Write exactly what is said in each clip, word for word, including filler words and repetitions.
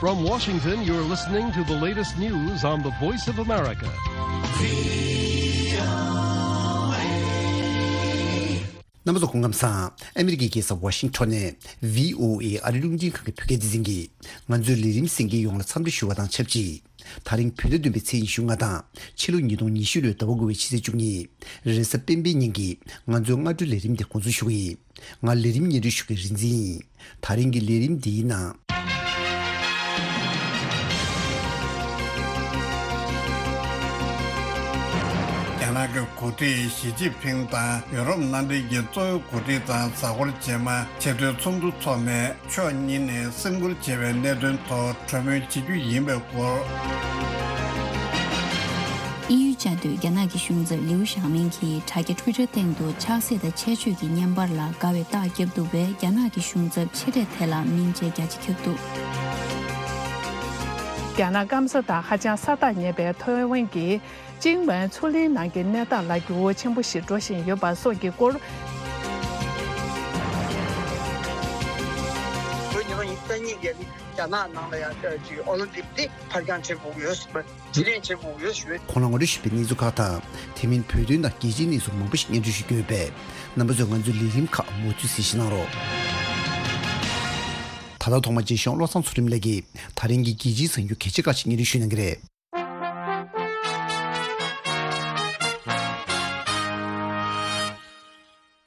From Washington, you're listening to the latest news on the Voice of America. རྣམ་པ་ཚོ་སྐུ་ཁམས་བཟང་། ཨ་མི་རི་ཀའི་རྒྱལ་ས་ཝ་ཤིང་ཊོན་ནས་ཝི་ཨོ་ཨེ་ཨ་རི་རླུང་འཕྲིན་ཁང་གི་བོད་སྐད་སྡེ་ཚན་གྱིས་ང་ཚོའི་ལས་རིམ་གསན་མཁན་ཡོངས་ལ་འཚམས་འདྲི་ཞུ་བ་དང་ཆབས་ཅིག་ད་རིང་བོད་ཟླ་བདུན་པའི་ཚེས་ཉི་ཤུ་ལྔ་དང་ཕྱི་ལོ་ཉིས་སྟོང་ཉི་ཤུ་ལོའི་ཟླ་བ་དགུ་པའི་ཕྱི་ཚེས་བཅུ་གཉིས། རེས་གཟའ་སྤེན་པའི་ཉིན་གྱི་ང་ཚོའི་སྔ་དྲོའི་ལས་རིམ་དེ་འགོ་འཛུགས་ཞུ་གི་ཡིན། ང་ལས་རིམ་སྙན་སྒྲོན་ཞུ་མཁན་རིག་འཛིན་ཡིན། ད་རིང་གི་ལས་རིམ་འདིའི་ནང་། རྒྱ་ནག་གི་འགོ་ཁྲིད་ཞི་ཅིན་ཕིང་དང་ཡུ་རོབ་མནའ་འབྲེལ་གྱི་གཙོ་བོའི་འགོ་ཁྲིད་དང་གཟའ་འཁོར་རྗེས་མ་ཆེས་མཐོའི་ཚོགས་འདུ་འཚོགས་ནས། ཕྱོགས་གཉིས་ནས་སེམས་ཁུར་བྱེད་པའི་གནད་དོན་ཐོག་གྲོས་མོལ་བྱེད་རྒྱུ་ཡིན་པའི་སྐོར། དབྱིན་ཡུལ་བཅའ་སྡོད་རྒྱ་ནག་གི་གཞུང་ཚབ་ལིའུ་ཞའོ་མིང་གིས་དྲ་རྒྱ་Twitter་སྟེང་དུ་ཆགས་སྲེད་དང་ཆེ་བརྗོད་ཀྱི་བརྙན་པར་ལ་དགའ་བའི་རྟགས་བརྒྱབ་འདུག་པས། རྒྱ་ནག་གི་གཞུང་ཚབ་ཆེ་གྲས་དེ་ལ་སྙིང་རྗེ་རྒྱ་ཆེ་ཁྱབ་འདུག་རྒྱ་ནག་སྐམ་ས་དང་ཧ་ཅང་ས་ཐག་ཉེ་བའི་ཐའེ་ཝན་གྱི་ཅིང་ཝན་མཚོ་གླིང་ནང་གི་གནས་སྟངས་ལ་འགྱུར་བ་ཆེན་པོ་ཞིག་འགྲོ་བཞིན་ཡོད་པ་སོགས་ཀྱི་སྐོར། ལོ་ཉིས་སྟོང་ཉི་ཤུ་རྩ་གཉིས་རྒྱ་ནག་ནང་ལ་ཡང་ཅིག་ཨོ་ལིམ་པིག་འདི་ཕར་འགྱངས་བྱེད་དགོས་ཡོད་ཟེར་བ། རྒྱུན་ལས་བྱེད་དགོས་ཡོད་ཞུ། ཁོང་ལ་ངོ་སྤྲོད་ཞུས་པའི་གནས་ཚུལ་ཁག་དང་། དེ་མིན་བོད་དོན་དང་རྒྱལ་སྤྱིའི་གནས་ཚུལ་མང་པོ་ཞིག་སྙན་སྒྲོན་ཞུ་རྒྱུ་ཡོད་པས། རྣམ་པ་ཚོས་ང་ཚོའི་ལས་རིམ་ཁག་མུ་མཐུད་གཟིགས་གཟིགས་གནང་རོགས། ད་ལྟ་ཐོག་མར་རྗེས་ཤོག་བློ་བཟང་ཚུལ་ཁྲིམས་ལགས་ཀྱིས་ད་རིང་གི་རྒྱལ་སྤྱིའི་གསར་འགྱུར་གལ་ཆེ་ཁག་ཅིག་སྙན་སྒྲོན་ཞུ་གནང་གི་རེད།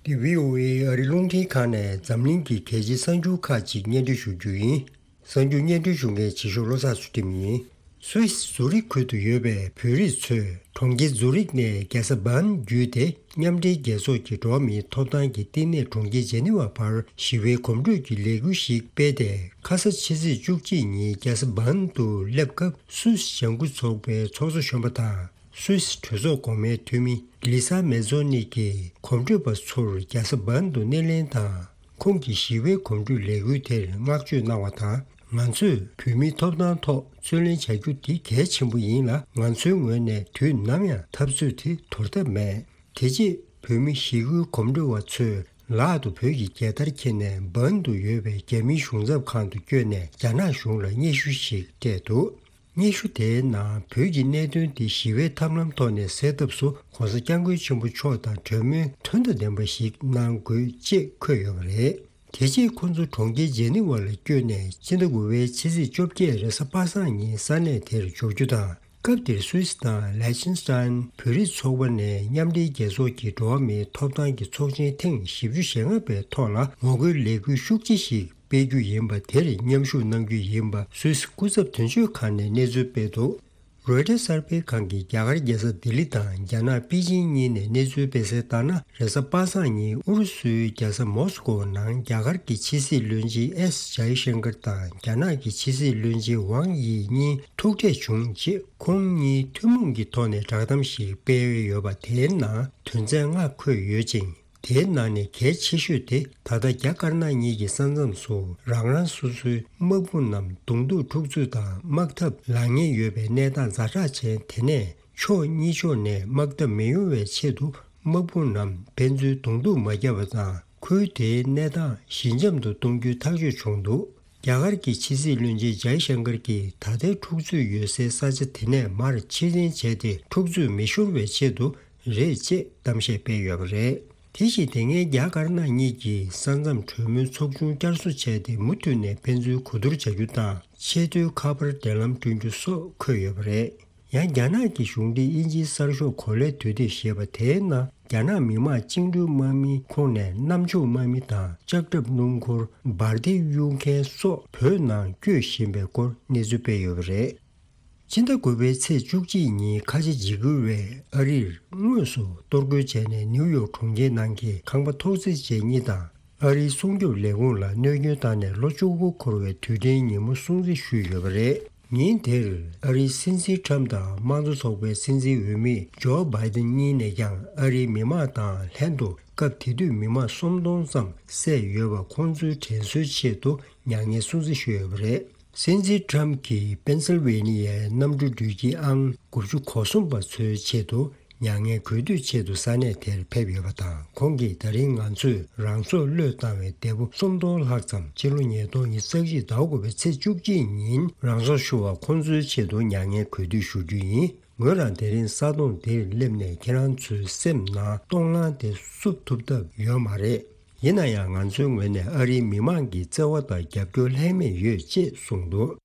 འདི་ཝི་ཨོ་ཨེ་ཨ་རི་རླུང་འཕྲིན་ཁང་ནས་འཛམ་གླིང་གི་གལ་ཆེའི་གསར་འགྱུར་ཁག་ཅིག་སྙན་སྒྲོན་ཞུ་རྒྱུ་ཡིན། གསར་འགྱུར་སྙན་སྒྲོན་ཞུ་མཁན་རྗེས་ཤོག་བློ་བཟང་ཚུལ་ཁྲིམས་ཡིན། སུད་སི་ཛུ་རིག་ཁུལ་དུ་ཡོད་པའི་བོད་རིགས་ཚོས་གྲོང་ཁྱེར་ཛུ་རིག་ནས་རྒྱལ་ས་བྷརན་བརྒྱུད་དེ། མཉམ་འབྲེལ་རྒྱལ་ཚོགས་ཀྱི་འགྲོ་བ་མིའི་ཐོབ་ཐང་གི་བསྟི་གནས་གྲོང་ཁྱེར་ཇེ་ནི་ཝ་བར་ཞི་བའི་གོམ་བགྲོད་ཀྱི་ལས་འགུལ་ཞིག་སྤེལ་ཏེ། ཁ་ས་ཕྱི་ཚེས་བཅུ་གཅིག་ཉིན་རྒྱལ་ས་བྷརན་དུ་སླེབས་སྐབས། སུད་སི་ལྗང་ཁུ་ཚོགས་པའི་ཚོགས་གཙོ་གཞོན་པ་དང་། སུད་སི་གྲོས་ཚོགས་གོང་མའི་འཐུས་མི་ལི་ས་མེ་ཛོ་ནི་གིས་གོམ་བགྲོད་པ་ཚོར་རྒྱལ་ས་བྷརན་དུ་སྣེ་ལེན་དང་། ཁོང་གིས་ཞི་བའི་གོམ་བགྲོད་ལས་འགུལ་དེར་བསྔགས་བརྗོད་གནང་བ་དང་། ང་ཚོས་བོད་མིའི་ཐོབ་ཐང་ཐོག་རྩོད་ལེན་བྱ་རྒྱུ་འདི་གལ་ཆེན་པོ་ཡིན་ལ། ང་ཚོའི་ངོས་ནས་དུས་ནམ་ཡང་འཐབ་རྩོད་དེ་དོར་ཐབས་མེད། དེ་རྗེས་བོད་མི་ཞི་རྒོལ་གོམ་བགྲོད་པ་ཚོས་ལག་ཏུ་བོད་ཀྱི་རྒྱལ་དར་འཁྱེར་ནས་བྷརན་དུ་ཡོད་པའི་རྒྱ་མིའི་གཞུང་ཚབ་ཁང་དུ་བསྐྱོད་ནས་རྒྱ་ནག་གཞུང་ལ་སྙན་ཞུ་ཞིག་སྤྲད་འདུག་སྙན་ཞུ་དེའི་ནང་བོད་ཀྱི་གནད་དོན་དེ་ཞི་བའི་ཐབས་ལམ་ཐོག་ནས་སེལ་ཐབས་སུ་༸གོང་ས་༸སྐྱབས་མགོན་ཆེན་པོ་མཆོག་དང་གྲོས་མོལ་དོན་དང་ལྡན་པ་ཞིག་གནང་དགོས་ཅེས་འཁོད་ཡོད་པ་རེད། དེ་རྗེས་ཁོ་ཚོ་གྲོང་ཁྱེར་ཇེ་ནི་ཝ་ལ་བསྐྱོད་ནས་སྤྱི་ཟླ་དགུ་པའི་ཕྱི་ཚེས་བཅོ་བརྒྱད་རེས་གཟའ་པ་སངས་ཉིན་ས་གནས་དེར་འབྱོར་རྒྱུ་དང་། སྐབས་དེར་སུད་སི་དང་ལེ་ཆེན་སི་ཐན་བོད་རིགས་ཚོགས་པ་ནས་མཉམ་འབྲེལ་རྒྱལ་ཚོགས་ཀྱི་འགྲོ་བ་མིའི་ཐོབ་ཐང་གི་ཚོགས་ཆེན་ཐེངས་བཞི་བཅུ་ཞེ་ལྔ་པའི་ཐོག་ལ་ངོ་རྒོལ་ལས་འགུལ་ཤུགས་ཆེ་ཞིག་སྤེལ་རྒྱུ་ཡིན་པ་དེར་མཉམ་ཞུགས་གནང་རྒྱུ་ཡིན་པ་སུད་སི་སྐུ་ཚབ་དོན་གཅོད་ཁང་ནས་གནས་ཚུལ་སྤེལ་འདུག་རོའི་ཊར་གསར་སྤེལ་ཁང་གིས་རྒྱ་གར་རྒྱལ་ས་ལྡི་ལི་དང་རྒྱ་ནག་པེ་ཅིང་གཉིས་ནས་གནས་ཚུལ་སྤེལ་གསལ་ལྟར་ན། རེས་གཟའ་པ་སངས་ཉིན་ཨུ་རུ་སུའི་རྒྱལ་ས་མོ་སི་ཀོ་ནང་རྒྱ་གར་གྱི་ཕྱི་སྲིད་བློན་ཆེན་ཨེསི་ཇའི་ཤང་ཀར་དང་རྒྱ་ནག་གི་ཕྱི་སྲིད་བློན་ཆེན་ཝང་དབྱི་གཉིས་ཐུག་འཕྲད་བྱུང་རྗེས། ཁོང་གཉིས་ཐུན་མོང་གི་ཐོག་ནས་བསྒྲགས་གཏམ་ཞིག་སྤེལ་ཡོད་པ་དེའི་ནང་དོན་ཚན་ལྔ་འཁོད་ཡོད་ཅིང་། དེའི་ནང་ནས་གལ་ཆེ་ཤོས་དེ། ད་ལྟ་རྒྱ་དཀར་ནག་གཉིས་ཀྱི་ས་མཚམས་སུ་རང་རང་སོ་སོའི་དམག་དཔུང་རྣམས་གདོང་ཐུག་འཁྲུག་རྩོད་དང་དམག་འཐབ་ལངས་ཉེན་ཡོད་པའི་གནས་སྟངས་ཛ་དྲག་ཅན་དེ་ནས་ཕྱོགས་གཉིས་ཕྱོགས་ནས་དམག་འཐབ་མི་ཡོང་བའི་ཆེད་དུ། དམག་དཔུང་རྣམས་ཕན་ཚུན་གདོང་ཐུག་མ་བརྒྱབ་པ་དང་། ཁུལ་དེའི་གནས་སྟངས་ཞི་འཇམ་དུ་གཏོང་རྒྱུའི་ཐག་གཅོད་བྱུང་འདུག་རྒྱ་གར་གྱི་ཕྱི་སྲིད་བློན་ཆེན་ཇའི་ཤང་ཀར་གྱིས་ད་ལྟའི་འཁྲུག་རྩོད་ཡོད་སའི་ས་ཆ་དེ་ནས་མར་ཕྱིར་འཐེན་བྱས་ཏེ། འཁྲུག་རྩོད་མི་ཤོར་བའི་ཆེད་དུ་རེད་ཅེས་གཏམ་བཤད་སྤེལ་ཡོད་པ་རེད། དེ་བཞིན་དེ་སྔའི་རྒྱ་དཀར་ནག་གཉིས་ཀྱིས་ས་མཚམས་གྲོས་མོལ་ཚོགས་ཆུང་བསྐྱར་གསོ་བྱས་ཏེ། མུ་མཐུད་ནས་ཕན་ཚུན་གོ་བསྡུར་བྱ་རྒྱུ་དང་། ཆེས་མཐོའི་ཁ་པར་འབྲེལ་ལམ་བསྐྲུན་རྒྱུ་སོགས་འཁོད་ཡོད་པ་རེད། ཡང་རྒྱ་ནག་གི་གཞུང་འབྲེལ་དབྱིན་ཇིའི་གསར་ཤོག་གོ་ལའི་དུས་དེབ་ཞེས་པ་དེའི་ནང་། རྒྱ་ནག་མི་དམངས་བཅིངས་འགྲོལ་དམག་མིའི་ཁོངས་ནས་གནམ་ཕྱོགས་དམག་མི་དང་ལྕགས་ཁྲབ་སྣུམ་འཁོར་འབར་མདེལ་གཡུག་མཁན་སོགས་བོད་ནང་བསྐྱོད་བཞིན་པའི་སྐོར་གནས་ཚུལ་སྤེལ་ཡོད་པ་རེད། ཕྱི་ཟླ་དགུ་པའི་ཚེས་བཅུ་གཅིག་ཉིན་ཁ་ཆེ་འཇིགས་སྐུལ་བས་ཨ་རིར་དངོས་སུ་གཏོར་རྒོལ་བྱས་ནས། ནིའུ་ཡོག་གྲོང་ཁྱེར་ནང་གི་ཁང་པ་ཐོག་བརྩེགས་ཅན་གཉིས་དང་། ཨ་རིའི་སྲུང་སྐྱོབ་ལས་ཁུངས་ལ་གནོད་སྐྱོན་བཏང་ནས་ལོ་བཅུ་དགུ་འཁོར་བའི་དུས་དྲན་ཉིན་མོ་སྲུང་བརྩི་ཞུས་ཡོད་པ་རེད། ཉིན་དེར་ཨ་རིའི་སྲིད་འཛིན་ཁྲམ་དང་དམངས་གཙོ་ཚོགས་པའི་སྲིད་འཛིན་འོས་མི་ཇོ་བྷའི་ཏིན་གཉིས་ནས་ཀྱང་ཨ་རིའི་མི་དམངས་དང་ལྷན་དུ་སྐབས་དེ་དུས་མི་དམངས་སུམ་སྟོང་ཙམ་བསད་ཡོད་པ་ཁོང་ཚོའི་དྲན་གསོའི་ཆེད་དུ་མྱ་ངན་སྲུང་བརྩི་ཞུས་ཡོད་པ་རེད། སྲིད་འཛིན་ཁྲམ་གྱིས་པེན་སིལ་ཝེ་ནི་ཡའི་གནམ་གྲུ་འགྲུལ་སྐྱེལ་ཨང་དགུ་བཅུ་གོ་གསུམ་པ་ཚོའི་ཆེད་དུ་ མྱ་ངན་གུས་འདུད་ཆེད་དུ་ས་གནས་དེར་ཕེབས་ཡོད་པ་དང་། ཁོང་གིས་ད་རིང་ང་ཚོས་རང་སྲོག་བློས་བཏང་བའི་འདས་པོ་སུམ་སྟོང་ལྷག་ཙམ་ཕྱི་ལོ་ཉིས་སྟོང་ཉི་ཤུ་རྩ་གཅིག་ཟླ་དགུ་པའི་ཚེས་བཅུ་གཅིག་ཉིན་རང་སྲོག་ཤོར་བ་ཁོང་ཚོའི་ཆེད་དུ་མྱ་ངན་གུས་འདུད་ཞུ་རྒྱུ་ཡིན། ངོས་རང་དེ་རིང་ས་དོང་འདིར་སླེབས་ནས་ཁྱེད་རང་ཚོའི་སེམས་ནང་སྟོང་ལྷང་དེ་བསུབ་ཐུབ་ཐབས་ཡོད་མ་རེད། ཡིན་ན་ཡང་ང་ཚོའི་ངོས་ནས་ཨ་རིའི་མི་མང་གི་བརྩེ་བ་དང་རྒྱབ་སྐྱོར་ལྷད་མེད་ཡོད་ཅེས་གསུངས་འདུག།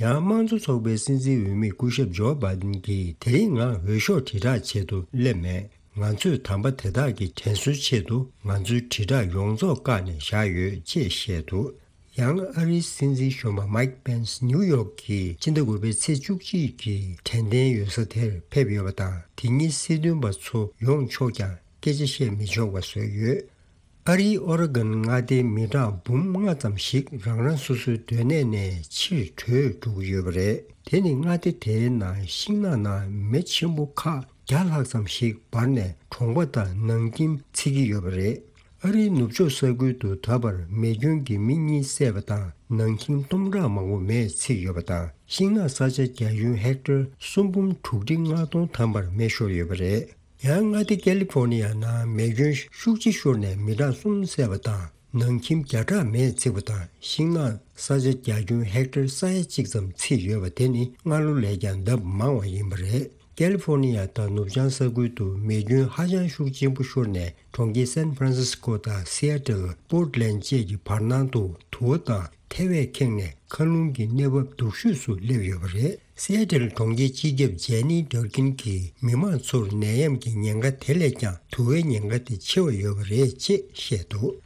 ཡང་དམངས་གཙོ་ཚོགས་པའི་སྲིད་འཛིན་འོས་མི་སྐུ་ཞབས་ཇོ་བྷའི་ཏིན་གྱིས་དེ་རིང་ང་འོས་ཤོག་དྲིལ་བསྒྲགས་ཆེད་དུ་སླེབས་མེད། ང་ཚོས་དམ་པ་དེ་དག་གི་དྲན་གསོའི་ཆེད་དུ་ང་ཚོའི་དྲིལ་བསྒྲགས་ཡོངས་རྫོགས་བཀག་ནས་བཞག་ཡོད་ཅེས་བཤད་འདུག། ཡང་ཨ་རིའི་སྲིད་འཛིན་གཞོན་པ་མའིག་པེན་སི་ནིའུ་ཡོག་གི་སྤྱི་ཟླ་དགུ་པའི་ཚེས་བཅུ་གཅིག་གི་དྲན་རྟེན་འོད་ཟེར་དེར་ཕེབས་ཡོད་པ་དང་། དེ་ཉིན་སྲིད་དོན་པ་ཚོ་ཡོང་ཆོག་ཀྱང་སྐད་ཆ་བཤད་མི་ཆོག་པ་བཟོས་ཡོད། ཨ་རིའི་ཨོ་རེ་གོན་མངའ་སྡེའི་མི་གྲངས་འབུམ་ལྔ་ཙམ་ཞིག་རང་རང་སོ་སོའི་སྡོད་གནས་ནས་ཕྱིར་བྲོས་འགྲོ་གི་ཡོད་པ་རེད། དེ་ནི་མངའ་སྡེ་དེའི་ནང་ཤིང་ནགས་ནང་མེ་ཆེན་པོ་ཁག་བརྒྱ་ལྷག་ཙམ་ཞིག་འབར་ནས་གྲོང་པ་དང་ནང་ཁྱིམ་འཚིག་གི་ཡོད་པ་རེད། ཨ་རིའི་ནུབ་ཕྱོགས་ས་ཁུལ་དུ་ད་བར་མེ་སྐྱོན་གྱིས་མི་གཉིས་བསད་པ་དང་། ནང་ཁྱིམ་སྟོང་ཕྲག་མང་པོ་མེས་འཚིག་ཡོད་པ་དང་། ཤིང་ནགས་ས་ཆ་རྒྱ་ཁྱོན་ཧེག་ཊར་སུམ་འབུམ་དྲུག་ཁྲི་ལྔ་སྟོང་ཐམ་པར་མེ་ཤོར་ཡོད་པ་རེད། ཡང་མངའ་སྡེ་ཀ་ལི་ཧྥོར་ནི་ཡ་ནང་མེ་སྐྱོན་ཤུགས་ཆེ་ཤོར་ནས་མི་གྲངས་གསུམ་བསད་པ་དང་། ནང་ཁྱིམ་བརྒྱ་ཕྲག་མེས་འཚིག་པ་དང་། ཤིང་ནགས་ས་ཆ་རྒྱ་ཁྱོན་ཧེག་ཊར་ས་ཡ་གཅིག་ཙམ་འཚིག་ཡོད་པ་དེ་ནི་སྔ་ལོ་ལས་ཀྱང་ལྡབ་མང་བ་ཡིན་པ་རེད། ཀ་ལི་ཧྥོར་ནི་ཡ་དང་ནུབ་བྱང་ས་ཁུལ་དུ་མེ་སྐྱོན་ཧ་ཅང་ཤུགས་ཆེན་པོ་ཤོར་ནས། གྲོང་ཁྱེར་སན་ཧྥ་རན་སིས་ཀོ་དང་སི་ཨེ་ཊལ། པོར་ཊ་ལེན་ཌ་བཅས་ཀྱི་བར་སྣང་དུ་དུ་བ་དང་ཐལ་བས་ཁེངས་ནས་མཁའ་རླུང་གི་གནས་བབ་སྡུག་ཤོས་སུ་སླེབས་ཡོད་པ་རེད། སི་ཨེ་ཊལ་གྲོང་ཁྱེར་སྤྱི་ཁྱབ་ཇེ་ནི་ཌར་ཀིན་གྱིས་མི་མང་ཚོར་ནད་ཡམས་ཀྱི་ཉེན་ཁ་དེ་ལས་ཀྱང་དུ་བའི་ཉེན་ཁ་དེ་ཆེ་བ་ཡོད་པ་རེད་ཅེས་བཤད་འདུག།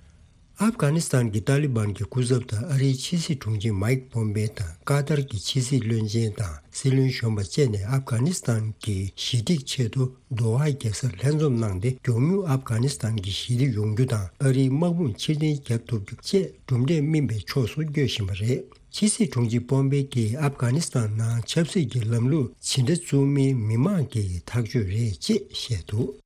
ཨབ་གྷ་ནི་སི་ཐན་གྱི་ཏཱ་ལི་བན་གྱི་སྐུ་ཚབ་དང་ཨ་རིའི་ཕྱི་སྲིད་དྲུང་ཆེ་མའིག་པོམ་པེ་དང་ཀ་ཏར་གྱི་ཕྱི་སྲིད་བློན་ཆེན་དང་སྲིད་བློན་གཞོན་པ་བཅས་ནས་ཨབ་གྷ་ནི་སི་ཐན་གྱི་ཞི་འགྲིག་ཆེད་དུ་དོ་ཧ་རྒྱལ་སར་ལྷན་འཛོམས་གནང་སྟེ། མགྱོགས་མྱུར་ཨབ་གྷ་ནི་སི་ཐན་གྱི་ཞི་བདེ་ཡོང་རྒྱུ་དང་། ཨ་རིའི་དམག་དཔུང་ཕྱིར་འཐེན་བརྒྱབ་ཐུབ་རྒྱུ་བཅས་གྲུབ་འབྲས་སྨིན་པའི་ཕྱོགས་སུ་བསྐྱོད་བཞིན་པ་རེད། ཕྱི་སྲིད་དྲུང་ཆེ་པོམ་པེ་གྱིས་ཨབ་གྷ་ནི་སི་ཐན་ནང་ཆབ་སྲིད་ཀྱི་ལམ་ལུགས་ཇི་འདྲ་བཙུགས་མིན་མི་མང་གིས་ཐག་གཅོད་རེད་ཅེས་བཤད་འདུག།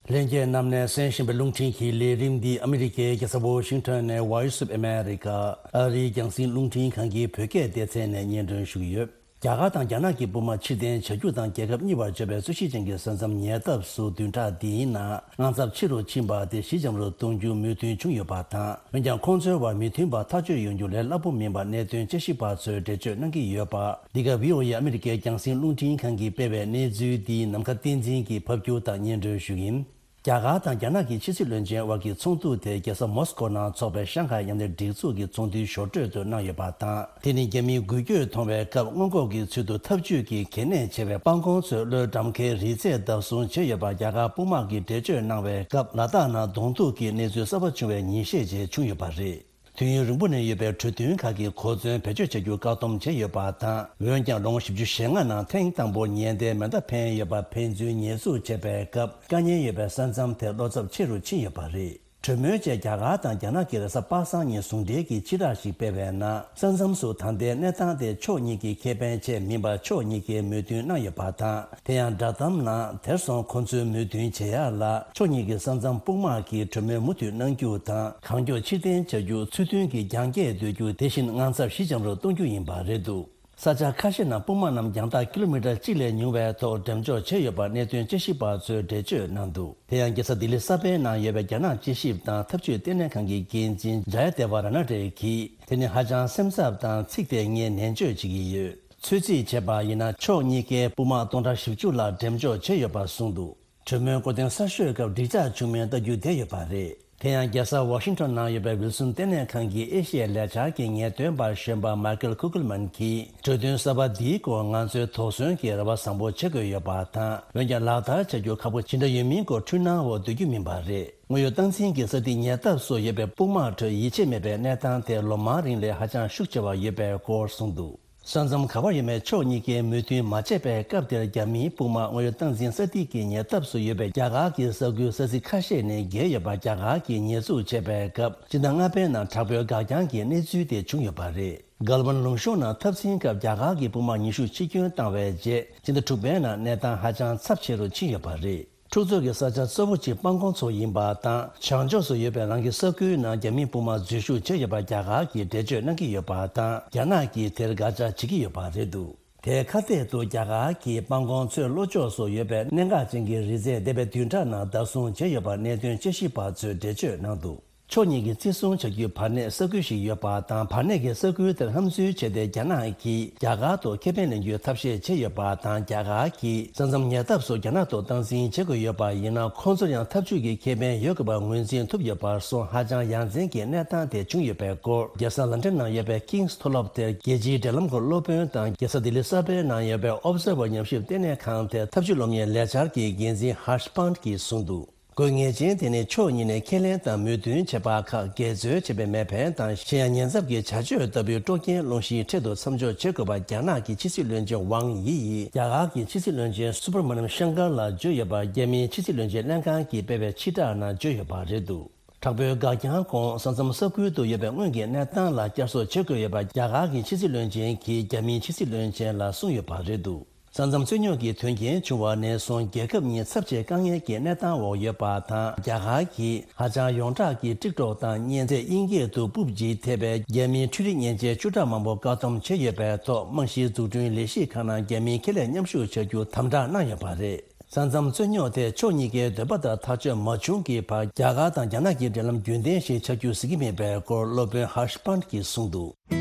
ལྷན་རྒྱས་རྣམས་ནས་གསན་བཞིན་པའི་རླུང་འཕྲིན་གྱི་ལས་རིམ་འདི་ཨ་མི་རི་ཀའི་རྒྱལ་ས་ཝ་ཤིང་ཊོན་ནས་Voice of America ཨ་རིའི་རྒྱང་སྲིང་རླུང་འཕྲིན་ཁང་གི་བོད་སྐད་སྡེ་ཚན་ནས་སྙན་སྒྲོན་ཞུ་གི་ཡོད། རྒྱ་གར་དང་རྒྱ་ནག་གི་དཔུང་དམག་ཕྱིར་འཐེན་བྱ་རྒྱུ་དང་། རྒྱལ་ཁབ་གཉིས་བར་བརྗོད་པའི་རྩོད་གཞི་ཅན་གྱི་ས་མཚམས་ཉེ་འདབས་སུ་བདུན་ཕྲག་འདིའི་ནང་དངངས་འཚབ་ཆེ་རུ་ཕྱིན་པ་དེ་ཞི་འཇམ་རུ་གཏོང་རྒྱུ་མོས་མཐུན་བྱུང་ཡོད་པ་དང་། འོན་ཀྱང་ཁོང་ཚོའི་བར་མོས་མཐུན་པ་ཐག་གཅོད་ཡོང་རྒྱུ་ལས་སླ་པོ་མིན་པ་གནད་དོན་དཔྱད་ཞིབ་པ་ཚོས་འགྲེལ་བརྗོད་གནང་གི་ཡོད་པ། འདི་ག་བྷི་ཨོ་ཨེ་ཨ་མི་རི་ཀའི་རྒྱང་སྲིང་རླུང་འཕྲིན་ཁང་གིས་སྤེལ་བའི་གནས་ཚུལ་འདི་ནམ་མཁའ་བསྟན་འཛིན་གྱིས་ཕབ་སྒྱུར་དང་སྙན་སྒྲོན་ཞུ་གི་ཡིན། རྒྱ་གར་དང་རྒྱ་ནག་གི་ཕྱི་སྲིད་བློན་ཆེན་དབར་གྱི་ཚོགས་འདུ་དེ་རྒྱལ་ས་མོ་སི་ཀོ་ནང་འཚོགས་པའི་ཤང་ཧའེ་མཉམ་ལས་སྒྲིག་འཛུགས་ཀྱི་ཚོགས་འདུའི་ཞོར་འཕྲོས་སུ་གནང་ཡོད་པ་དང་། དེ་ནི་རྒྱ་མིའི་འགུལ་སྐྱོད་མཐོང་བའི་སྐབས། སྔོན་འགོག་གི་ཚུལ་དུ་འཐབ་ཇུས་ཀྱི་གལ་གནད་ཆེ་བའི་པང་ཁོང་ཚོས་གློའི་འགྲམ་ཁའི་རི་རྩེ་བརྡབ་གསུམ་བྱས་ཡོད་པ་རྒྱ་གར་དཔུང་དམག་གིས་འགྲེལ་བརྗོད་གནང་བའི་སྐབས། ལ་དྭགས་ནང་གདོང་ཐུག་གི་གནས་ཚུལ་གསར་པ་བྱུང་བའི་ཉིན་ཤས་རྗེས་བྱུང་ཡོད་པ་རེད། དུས་ཡུན་རིང་པོ་ནས་ཡོད་པའི་གྲོས་མཐུན་ཁག་གི་གོ་མཚོན་བེད་སྤྱོད་བྱ་རྒྱུ་བཀག་སྡོམ་བྱས་ཡོད་པ་དང་། འོན་ཀྱང་ལོ་ངོ་བཞི་བཅུ་ཞེ་ལྔ་ནང་ཐེངས་དང་པོར་ཉེན་བརྡའི་མེ་མདའ་འཕེན་ཡོད་པ་ཕན་ཚུན་ཉེས་འཛུགས་བྱས་པའི་སྐབས། དཀའ་ངལ་ཡོད་པའི་ས་མཚམས་དེ་བློ་འཚབ་ཆེ་རུ་ཕྱིན་ཡོད་པ་རེད། གྲོས་མོལ་བཅས་རྒྱ་གར་དང་རྒྱ་ནག་གི་རེས་གཟའ་པ་སངས་ཉིན་ཟུང་འབྲེལ་གྱིས་སྤྱི་བསྒྲགས་ཤིག་སྤེལ་བའི་ནང་། ས་མཚམས་སུ་ད་ལྟའི་གནས་སྟངས་དེ་ཕྱོགས་གཉིས་ཀྱི་ཁེ་ཕན་ཆེད་མིན་པར་ཕྱོགས་གཉིས་ཀས་མོས་མཐུན་གནང་ཡོད་པ་དང་། དེ་ཡང་བསྒྲགས་གཏམ་ནང་དེར་སོང་ཁོ་ཚོའི་མོས་མཐུན་བྱེད་ཡག་ལ་ཕྱོགས་གཉིས་ཀྱི་ས་མཚམས་དཔུང་དམག་གིས་གྲོས་མོལ་མུ་མཐུད་གནང་རྒྱུ་དང་། གང་མགྱོགས་ཕྱིར་འཐེན་བྱ་རྒྱུ། ཚུལ་མཐུན་གྱི་རྒྱང་བཀྱེད་སྡོད་རྒྱུ། དེ་བཞིན་དངངས་འཚབ་ཞི་འཇམ་རུ་གཏོང་རྒྱུ་ཡིན་པ་རེད་འདུག། ས་ཆ་ཁ་ཤས་ནང་དཔུང་དམག་རྣམས་རྒྱང་ཐག་ཀི་ལོ་མི་ཊར་གཅིག་ལས་ཉུང་བའི་ཐོག་འགྲེམས་འཇོག་བྱས་ཡོད་པ་གནད་དོན་དཔྱད་ཞིབ་པ་ཚོས་འགྲེལ་བརྗོད་གནང་འདུག། དེ་ཡང་རྒྱལ་ས་ལྡི་ལི་གསར་པའི་ནང་ཡོད་པའི་རྒྱ་ནག་དཔྱད་ཞིབ་དང་འཐབ་ཇུས་ལྟེ་གནས་ཁང་གི་འགན་འཛིན་ཇཱ་ཡ་དེ་ཝ་ར་ན་ཌེ་གིས། དེ་ནི་ཧ་ཅང་སེམས་འཚབ་དང་ཚིག་དེ་ངས་ནན་བརྗོད་བྱེད་ཀྱི་ཡོད། ཚོད་རྩིས་བྱས་པ་ཡིན་ན། ཕྱོགས་གཉིས་ཀས་དཔུང་དམག་སྟོང་ཕྲག་བཞི་བཅུ་ལྷག་འགྲེམས་འཇོག་བྱས་ཡོད་པ་གསུངས་འདུག། གྲོས་མོལ་འགོ་སྟོན་གསར་ཤོས་སྐབས་འགྲིག་འཇགས་བྱུང་མིན་ལྟ་རྒྱུ་བསྡད་ཡོད་པ་རེད། དེ་ཡང་རྒྱལ་ས་ཝ་ཤིང་ཊོན་ནང་ཡོད་པའི་ཝིལ་སོན་ལྟེ་གནས་ཁང་གི་ཨེ་ཤི་ཡའི་ལས་འཆར་གྱི་ངེས་སྟོན་པ་གཞོན་པ་མའི་ཀལ་ཁུ་ཀལ་མན་གྱིས། གྲོས་མཐུན་གསར་པ་འདིའི་སྐོར་ང་ཚོས་དོགས་ཟོན་གྱིས་རེ་བ་བཟང་པོ་བྱེད་དགོས་ཡོད་པ་དང་། འོན་ཀྱང་ལག་བསྟར་བྱ་རྒྱུ་ཁག་པོ་ཇི་འདྲ་ཡོད་མིན་སྐོར་འཁྲུལ་སྣང་འོག་སྡོད་རྒྱུ་མིན་པ་རེད། དངོས་ཡོད་སྟངས་འཛིན་གྱི་ས་ཐིག་ཉེ་འདབས་སུ་ཡོད་པའི་དཔུང་དམག་ཁྲོད་ཡིད་ཆེས་མེད་པའི་གནས་སྟངས་དེ་ལོ་མང་རིང་ལས་ཧ་ཅང་ཤུགས་ཆེ་བ་ཡོད་པའི་སྐོར་གསུངས་འདུག། ས་མཚམས་ག་པར་ཡོད་མེད་ཕྱོགས་གཉིས་ཀས་མོས་མཐུན་མ་བྱས་པའི་སྐབས་དེར། རྒྱ་མིའི་དཔུང་དམག་དངོས་ཡོད་སྟངས་འཛིན་ས་ཐིག་གི་ཉེ་འདབས་སུ་ཡོད་པའི་རྒྱ་གར་གྱི་ས་ཁུལ་ས་ཚིགས་ཁ་ཤས་ནས་བརྒལ་ཡོད་པ་རྒྱ་གར་གྱིས་ཉེས་འཛུགས་བྱས་པའི་སྐབས། སྤྱི་ཟླ་ལྔ་པའི་ནང་དྲག་པོའི་འགག་རྐྱང་གི་གནས་ཚུལ་དེ་བྱུང་ཡོད་པ་རེད། གལ་ཝན་ལུང་གཤོང་ནང་འཐབ་འཛིང་སྐབས་རྒྱ་གར་གྱི་དཔུང་དམག་ཉི་ཤུ་ཕྱིར་སྐྱོན་བཏང་བའི་རྗེས། སྤྱི་ཟླ་དྲུག་པའི་ནང་གནས་སྟངས་ཧ་ཅང་ཚབས་ཆེ་རུ་ཕྱིན་ཡོད་པ་རེད། འཁྲུག་རྩོད་ཀྱི་ས་ཆ་གཙོ་བོ་གཅིག་སྤང་གོང་མཚོ་ཡིན་པ་དང་། བྱང་ཕྱོགས་སུ་ཡོད་པའི་རང་གི་ས་ཁུལ་ནང་རྒྱ་མིའི་དཔུང་དམག་འཛུལ་ཞུགས་བྱས་ཡོད་པ་རྒྱ་གར་གྱིས་འགྲེལ་བརྗོད་གནང་གི་ཡོད་པ་དང་། རྒྱ་ནག་གིས་དེར་དགག་བྱ་བྱེད་ཀྱི་ཡོད་པ་རེད་འདུག་དེའི་ཁ་གཏད་དུ་རྒྱ་གར་གྱིས་སྤང་གོང་མཚོའི་ལྷོ་ཕྱོགས་སུ་ཡོད་པའི་གནད་འགག་ཅན་གྱི་རི་རྩེ་འདས་པའི་བདུན་ཕྲག་ནང་བདག་བཟུང་བྱས་ཡོད་པ་གནད་དོན་དཔྱད་ཞིབ་པ་ཚོས་འགྲེལ་བརྗོད་གནང་འདུག་ཕྱོགས་གཉིས་ཀྱིས་བརྩི་སྲུང་བྱ་རྒྱུའི་བར་གནས་ས་ཁུལ་ཞིག་ཡོད་པ་དང་། བར་གནས་ཀྱི་ས་ཁུལ་དེར་ཧམ་འཛུལ་བྱས་ཏེ། རྒྱ་ནག་གིས་རྒྱ་གར་དུ་ཁེ་ཕན་ལེན་རྒྱུའི་ཐབས་ཤེས་བྱས་ཡོད་པ་དང་། རྒྱ་གར་གྱིས་ས་མཚམས་ཉེ་འདབས་སུ་རྒྱ་ནག་ཏུ་སྟངས་འཛིན་བྱེད་དགོས་ཡོད་པ་ཡིན་ན། ཁོང་ཚོར་ཡང་འཐབ་ཇུས་ཀྱི་ཁེ་ཕན་ཡོད་དགོས་པ་ངོས་འཛིན་ཐུབ་ཡོད་པར་སོང་། ཧ་ཅང་ཡ་མཚན་གྱི་གནས་སྟངས་དེ་བྱུང་ཡོད་པའི་སྐོར། རྒྱལ་ས་ལན་ཀྲན་ནང་ཡོད་པའི་ཀིང་སི་མཐོ་སློབ་དེར་རྒྱལ་སྤྱིའི་འབྲེལ་ལམ་སྐོར་སློབ་དཔོན་དང་། རྒྱལ་ས་ལྡི་ལི་གསར་པའི་ནང་ཡོད་པའི་ཨོབ་སར་ཝར་ཉམས་ཞིབ་ལྟེ་གནས་ཁང་དེར་འཐབ་ཇུས་སློབ་གཉེར་ལས་འཆར་གྱི་འགན་འཛིན་ཧར་ཤ་པཱན་གྱིས་གསུངས་འདུག་དགོས་ངེས་ཅན་དེ་ནི་ཕྱོགས་གཉིས་ནས་ཁས་ལེན་དང་མོས་མཐུན་བྱས་པ་ཁག་འགལ་འཛོལ་བྱས་པའི་མེད་པ་དང་། གཞན་ཡང་ཉེན་ཚབས་ཀྱི་བྱ་སྤྱོད་ལྟ་བུའི་དཀྲོག་རྐྱེན་སློང་གཞིའི་ཁྲོད་དུ་མཚམས་འཇོག་བྱེད་དགོས་པ་རྒྱ་ནག་གི་ཕྱི་སྲིད་བློན་ཆེན་ཝང་དབྱི་ཡིས་རྒྱ་གར་གྱི་ཕྱི་སྲིད་བློན་ཆེན་སུ་བྷ་ར་མ་ནམ་ཤང་ཀར་ལ་བརྗོད་ཡོད་པ་རྒྱ་མིའི་ཕྱི་སྲིད་བློན་ཆེན་ལྷན་ཁང་གིས་སྤེལ་བའི་ཕྱིར་བསྒྲགས་ནང་བརྗོད་ཡོད་པ་རེད་འདུག་དྲག་པོའི་འགག་རྐྱང་གོང་ས་མཚམས་ས་ཁུལ་དུ་ཡོད་པའི་སྔོན་གྱི་གནས་སྟངས་ལ་བསྐྱར་གསོ་བྱེད་དགོས་ཡོད་པ་རྒྱ་གར་གྱི་ཕྱི་སྲིད་བློན་ཆེན་གྱིས་རྒྱ་མིའི་ཕྱི་སྲིད་བློན་ཆེན་ལ་གསུངས་ཡོད་པ་རེད་འདུག་ས་མཚམས་རྩོད་རྙོག་གི་དོན་རྐྱེན་བྱུང་བ་ནས་བཟུང་རྒྱལ་ཁབ་གཉིས་ཚབས་ཆེའི་དཀའ་ངལ་གྱི་གནས་སྟངས་འོག་ཡོད་པ་དང་། རྒྱ་གར་གྱིས་ཧ་ཅང་ཡོངས་གྲགས་ཀྱི་ཀྲིག་ཀྲོག་དང་གཉན་ཚད་དབྱིན་སྐད་དུ་པུབ་ཇི་ཐེ་བའི་རྒྱ་མིའི་འཕྲུལ་རིག་མཉེན་ཆས་བཅུ་ཕྲག་མང་པོ་བཀག་སྡོམ་བྱས་ཡོད་པའི་ཐོག་རྨང་གཞིའི་འཛུགས་སྐྲུན་ལས་གཞི་ཁག་ནང་རྒྱ་མིའི་ཁེ་ལས་མཉམ་ཞུགས་བྱ་རྒྱུ་དམ་དྲག་གནང་ཡོད་པ་རེད། ས་མཚམས་རྩོད་རྙོག་དེ་ཕྱོགས་གཉིས་ཀའི་འདོད་པ་ལྟར་ཐག་གཅོད་མ་བྱུང་གི་བར། རྒྱ་གར་དང་རྒྱ་ནག་གི་འབྲེལ་ལམ་རྒྱུན་ལྡན་ཞིག་ཆགས་རྒྱུ་གཟིགས་ཀྱི་མེད་པའི་སྐོར་སློབ་དཔོན་ཧར་ཤ་པཱན་གྱིས་གསུངས་འདུག་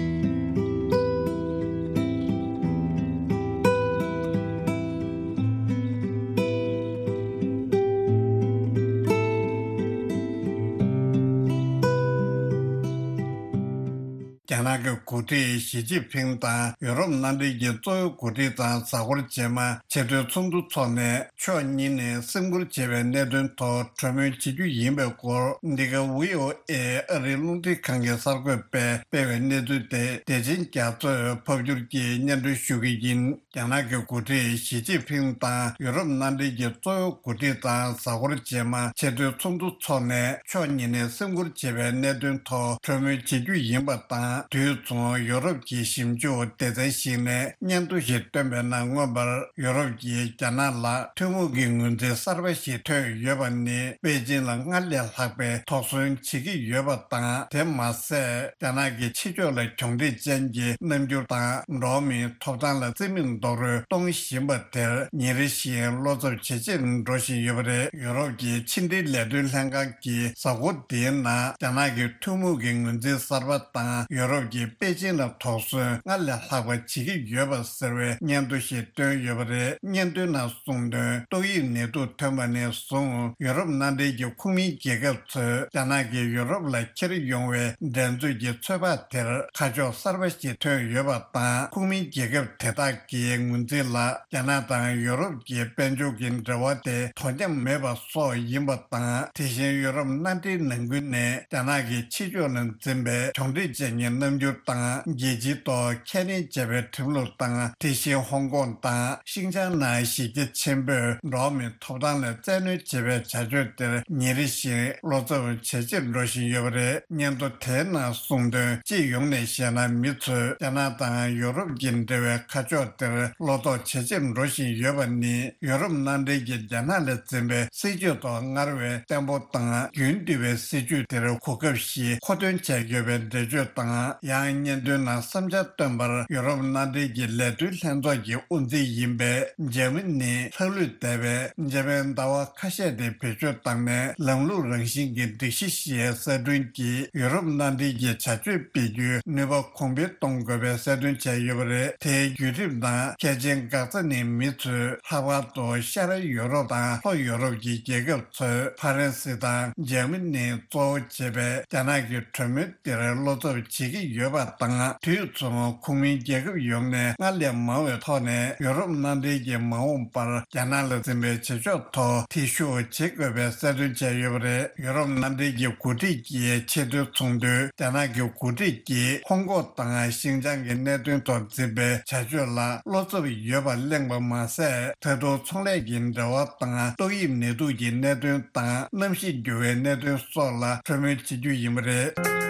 རྒྱ་ནག་གི་འགོ་ཁྲིད་ཞི་ཅིན་ཕིང་དང་ཡུ་རོབ་མནའ་འབྲེལ་གྱི་གཙོ་བོའི་འགོ་ཁྲིད་ཚང་གཟའ་འཁོར་རྗེས་མ་ཆེས་མཐོའི་ཚོགས་འདུ་འཚོགས་ནས། ཕྱོགས་གཉིས་ནས་སེམས་ཁུར་བྱེད་པའི་གནད་དོན་ཐོག་གྲོས་མོལ་བྱེད་རྒྱུ་ཡིན་པའི་སྐོར། འདི་ག་ཝི་ཨོ་ཨེ་ཨ་རིའི་རླུང་འཕྲིན་ཁང་གི་གསར་འགོད་པས་སྤེལ་བའི་གནས་ཚུལ་དེ། བདེ་ཆེན་རྒྱ་མཚོས་ཕབ་སྒྱུར་གྱིས་སྙན་སྒྲོན་ཞུ་གི་ཡིན། རྒྱ་ནག་གི་འགོ་ཁྲིད་ཞི་ཅིན་ཕིང་དང་ཡུ་རོབ་མནའ་འབྲེལ་གྱི་གཙོ་བོའི་འགོ་ཁྲིད་ཚང་གཟའ་འཁོར་རྗེས་མ་ཆེས་མཐོའི་ཚོགས་འདུ་འཚོགས་ནས། ཕྱོགས་གཉིས་ནས་སེམས་ཁུར་བྱེད་པའི་གནད་དོན་ཐོག་གྲོས་མོལ་བྱེད་རྒྱུ་ཡིན་པ་དང་། དུས་མཚུངས་ཡུ་རོབ་ཀྱི་ཞིབ་འཇུག་སྡེ་ཚན་ཞིག་ནས་སྙན་ཐོ་ཞིག་བཏོན་པའི་ནང་། མངོན་པར་ཡུ་རོབ་ཀྱིས་རྒྱ་ནག་ལ་ཐུན་མོང་གི་ངོས་འཛིན་གསར་པ་ཞིག་ཐོན་ཡོད་པ་ནི། པེ་ཅིན་ལ་སྔར་ལས་ལྷག་པའི་དོགས་ཟོན་བྱེད་ཀྱི་ཡོད་པ་དང་། དེ་མ་ཟད། རྒྱ་ནག་གི་ཕྱི་ཕྱོགས་ལ་གྱོང་འཕྲད་ཅན་གྱི་རྣམ་འགྱུར་དང་། འགྲོ་བ་མིའི་ཐོབ་ཐང་ལ་བརྩི་མེད་རྡོག་རོལ་གཏོང་བཞིན་པ་དེར་ཉིན་རེ་བཞིན་བློ་འཚབ་ཇེ་ཆེར་འགྲོ་བཞིན་ཡོད་པ་རེད། ཡུ་རོབ་ཀྱི་ཕྱི་འབྲེལ་ལས་དོན་ལྷན་ཁང་གིས་གཟའ་འཁོར་འདིའི་ནང་རྒྱ་ནག་གི་ཐུན་མོང་གི་ངོས་འཛིན་གསར་པ་དང་། ཡུ་རོབ་ཀྱིས་པེ་ཅིན་ལ་དོགས་ཟོན་སྔར་ལས་ལྷག་པ་བྱེད་ཀྱི་ཡོད་པ་ཟེར་བའི་སྙན་ཐོ་ཞིག་བཏོན་ཡོད་པ་རེད། སྙན་ཐོའི་ནང་གསུངས་དོན། ཏོག་དབྱིབས་ནད་དུག་ཐོན་པ་ནས་བཟུང་ཡུ་རོབ་མནའ་འབྲེལ་གྱི་ཁོངས་མིའི་རྒྱལ་ཁབ་ཚོས་རྒྱ་ནག་གིས་ཡུ་རོབ་ལ་འཁྱེར་ཡོང་བའི་འགྲན་རྩོད་ཀྱི་ཚོད་དཔག་དེར་ཁ་ཕྱོགས་གསར་པ་ཞིག་ཐོན་ཡོད་པ་དང་། ཁོངས་མིའི་རྒྱལ་ཁབ་དེ་དག་གི་ངོས་འཛིན་ལ་རྒྱ་ནག་དང་ཡུ་རོབ་ཀྱི་དཔལ་འབྱོར་གྱི་འབྲེལ་བ་དེ་དོ་མཉམ་མེད་པ་སོགས་ཡིན་པ་དང་། དེ་བཞིན་ཡུ་རོབ་མནའ་འབྲེལ་ནང་ཁུལ་ནས་རྒྱ་ནག་གི་ཕྱི་ཕྱོགས་ནས་འཛིན་པའི་གྱོང་འཕྲད་ཅན་གྱི་རྣམ་འགྱུར་དང་། རྒྱལ་སྤྱིའི་ཐོག་ཁས་ལེན་བྱས་པའི་ཁྲིམས་ལུགས་དང་། དེ་བཞིན་ཧོང་ཀོང་དང་ཤིན་ཅང་ནང་གཞི་རྒྱ་ཆེན་པོས་འགྲོ་བ་མིའི་ཐོབ་ཐང་ལ་བཙན་གནོན་བྱེད་པའི་བྱ་སྤྱོད་དེར་ཉིན་རེ་བཞིན་བློ་འཚབ་ཇེ་ཆེར་འགྲོ་བཞིན་ཡོད་པ་རེད། སྙན་ཐོ་དེའི་ནང་གསུངས་དོན། སྤྱི་ཡོངས་ནས་བཤད་ན། མི་ཚོས་རྒྱ་ནག་དང་ཡུ་རོབ་ཀྱི་འབྲེལ་བའི་ཁ་ཕྱོགས་དེར་བློ་དོགས་ཇེ་ཆེར་འགྲོ་བཞིན་ཡོད་པ་ནི། ཡུ་རོབ་མནའ་འབྲེལ་གྱིས་རྒྱ་ནག་ལ་འཛིན་པའི་སྲིད་ཇུས་ཐོག་སྔར་བས་བརྟན་པོ་དང་། རྒྱུན་མཐུད་པའི་སྲིད་ཇུས་དེར་གོ་སྐབས་ཤིག་མཁོ་འདོན་བྱས་ཡོད་པའི་འགྲེལ་བརྗོད་དང་། ཡང་སྙན་ཐོའི་ནང་བསམ་འཆར་བཏོན་པར། ཡུ་རོབ་མནའ་འབྲེལ་གྱི་ལས་དོན་ལྷན་ཚོགས་ཀྱི་དབུ་འཛིན་ཡིན་པའི་འཇར་མ་ནིའི་ལྷག་ལུས་འདས་པའི་འཇར་པན་ཟླ་བ་ཁ་ཤས་དེ་བེད་སྤྱོད་བཏང་ནས། ལམ་ལུགས་རང་བཞིན་གྱི་སྒྲིག་གཞི་ཞེས་གསལ་སྒྲོན་གྱིས་ཡུ་རོབ་མནའ་འབྲེལ་གྱི་བྱ་སྤྱོད་སྤེལ་རྒྱུའི་ནུས་པ་གོང་འཕེལ་གཏོང་དགོས་པའི་གསལ་སྟོན་བྱས་ཡོད་པ་རེད། དེའི་བརྒྱུད་རིམ་ནང་། གལ་ཆེན་འགག་རྩ་ནི། མི་ཚོས་ལྷག་པར་དུ་ཤར་ཡུ་རོབ་དང་ལྷོ་ཡུ་རོབ་ཀྱི་རྒྱལ་ཁབ་ཚོས་ཕ་རན་སི་དང་འཇར་མ་ནི་གཙོ་བོ་བྱས་པའི་རྒྱ་ནག་གི་གྲོས་མོལ་དེར་བློ་འཚབ་བྱེད་ཀྱི་ཡོད་པ་དང་། དུས་མཚུངས་ཁོངས་མིའི་རྒྱལ་ཁབ་ཡོངས་ནས་སྔར་ལས་མང་བའི་ཐོག་ནས་ཡུ་རོབ་མནའ་འབྲེལ་གྱིས་མ་འོངས་པར་རྒྱ་ནག་ལ་འཛིན་པའི་བྱེད་ཕྱོགས་ཐོག་ཐེ་ཞུགས་བྱེད་དགོས་པའི་གསལ་སྟོན་བྱས་ཡོད་པ་རེད། ཡུ་རོབ་མནའ་འབྲེལ་གྱི་འགོ་ཁྲིད་ཀྱི་ཆེས་མཐོའི་ཚོགས་འདུས་རྒྱ་ནག་གི་འགོ་ཁྲིད་ཀྱིས་ཧོང་ཀོང་དང་ཤིན་ཅང་གི་གནད་དོན་ཐོག་འཛིན་པའི་བྱ་སྤྱོད་ལ་བློ་འཚབ་ཡོད་པ་གླེང་བ་མ་ཟད། ད་དུང་ཚོང་ལས་ཀྱི་འབྲེལ་བ་དང་། ཏོག་དབྱིབས་ནད་དུག་གི་གནད་དོན་དང་། གནམ་གཤིས་འགྱུར་བའི་གནད་དོན་སོགས་ལ་གྲོས་མོལ་བྱེད་རྒྱུ་ཡིན་པ་རེད།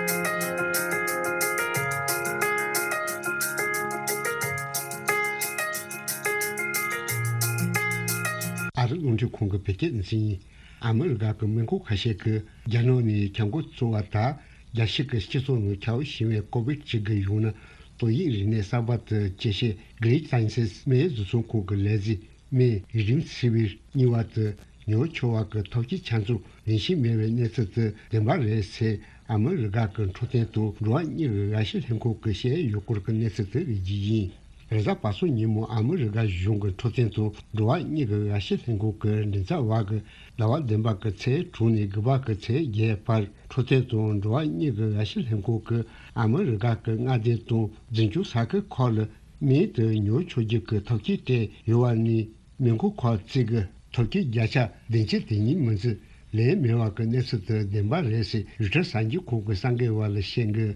ཨ་ རླུང་འཕྲིན་ཁང་གི་བོད་སྐད་སྡེ་ཚན་ཡིན། ཨ་མི་རི་ཀ་གི་སྨན་ཁང་ཁ་ཤས་ཀྱིས་རྒྱ་ནག་ནས་ཁྱབ་མགོ་ཚོས་པ་དང་རྒྱལ་སྤྱི་གི་སྤྱི་ཚོགས་ནང་ཁྱབ་བཞིན་པའི་ཀོ་བིད་བཅུ་དགུ་ཡང་ན་ཏོག་དབྱིབས་རིམས་ནད་གསར་པ་དེ་སྐྱེད་བྱེད་Gilead Sciences་སྨན་བཟོ་ཚོང་ཁང་གི་ལས་བྱེད་སྨན་Remdesivir་གཉིས་པ་དེ་ཉོ་ཆོག་པ་གི་ཐབས་ཤེས་ཆ་ཚང་ལེན་བཞིན་མེད་པའི་གནས་ཚུལ་དེ་བདེན་པ་རེད་ཟེར་ཨ་མི་རི་ཀ་གི་འཕྲོད་བསྟེན་དང་འགྲོ་བ་མིའི་གི་ངོ་བཤུས་ལྷན་ཁང་གིས་བཤད་ཡོད་སྐོར་གྱི་གནས་ཚུལ་དེ་རིགས་ཀྱི་ཡིན། རེས་གཟའ་པ་སངས་ཉིན་མོ་ཨ་མི་རི་ཀ་གཞུང་གི་འཕྲོད་བསྟེན་དང་འགྲོ་བ་མིའི་གི་ངོ་བཤུས་ལྷན་ཁང་གི་མགྲིན་ཚབ་པ་གིས་ཟླ་བ་བདུན་པ་གི་ཚེས་དྲུག་ནས་དགུ་པ་གི་ཚེས་བརྒྱད་བར་འཕྲོད་བསྟེན་དང་འགྲོ་བ་མིའི་གི་ངོ་བཤུས་ལྷན་ཁང་གིས་ཨ་མི་རི་ཀ་གི་མངའ་སྡེ་དང་འཛིན་སྐྱོང་ས་ཁུལ་ཁག་ལ་སྨན་དེ་ཉོ་ཆོག་རྒྱུ་གི་ཐབས་ཤེས་སྤྲད་ཡོད་པ་ནི། སྨན་ཁང་ཁག་ཅིག་གིས་ཐབས་ཤེས་བརྒྱ་ཆ་བདུན་ཅུ་དེ་ཉིད་མི་འཛིན་ལེན་མེད་པ་གི་གནས་ཚུལ་དེ་བདེན་པ་རེད་ཟེར་རོའི་ཊར་གསར་འགྱུར་ཁང་གི་གསར་འགོད་པ་ལ་བཤད་འགོ།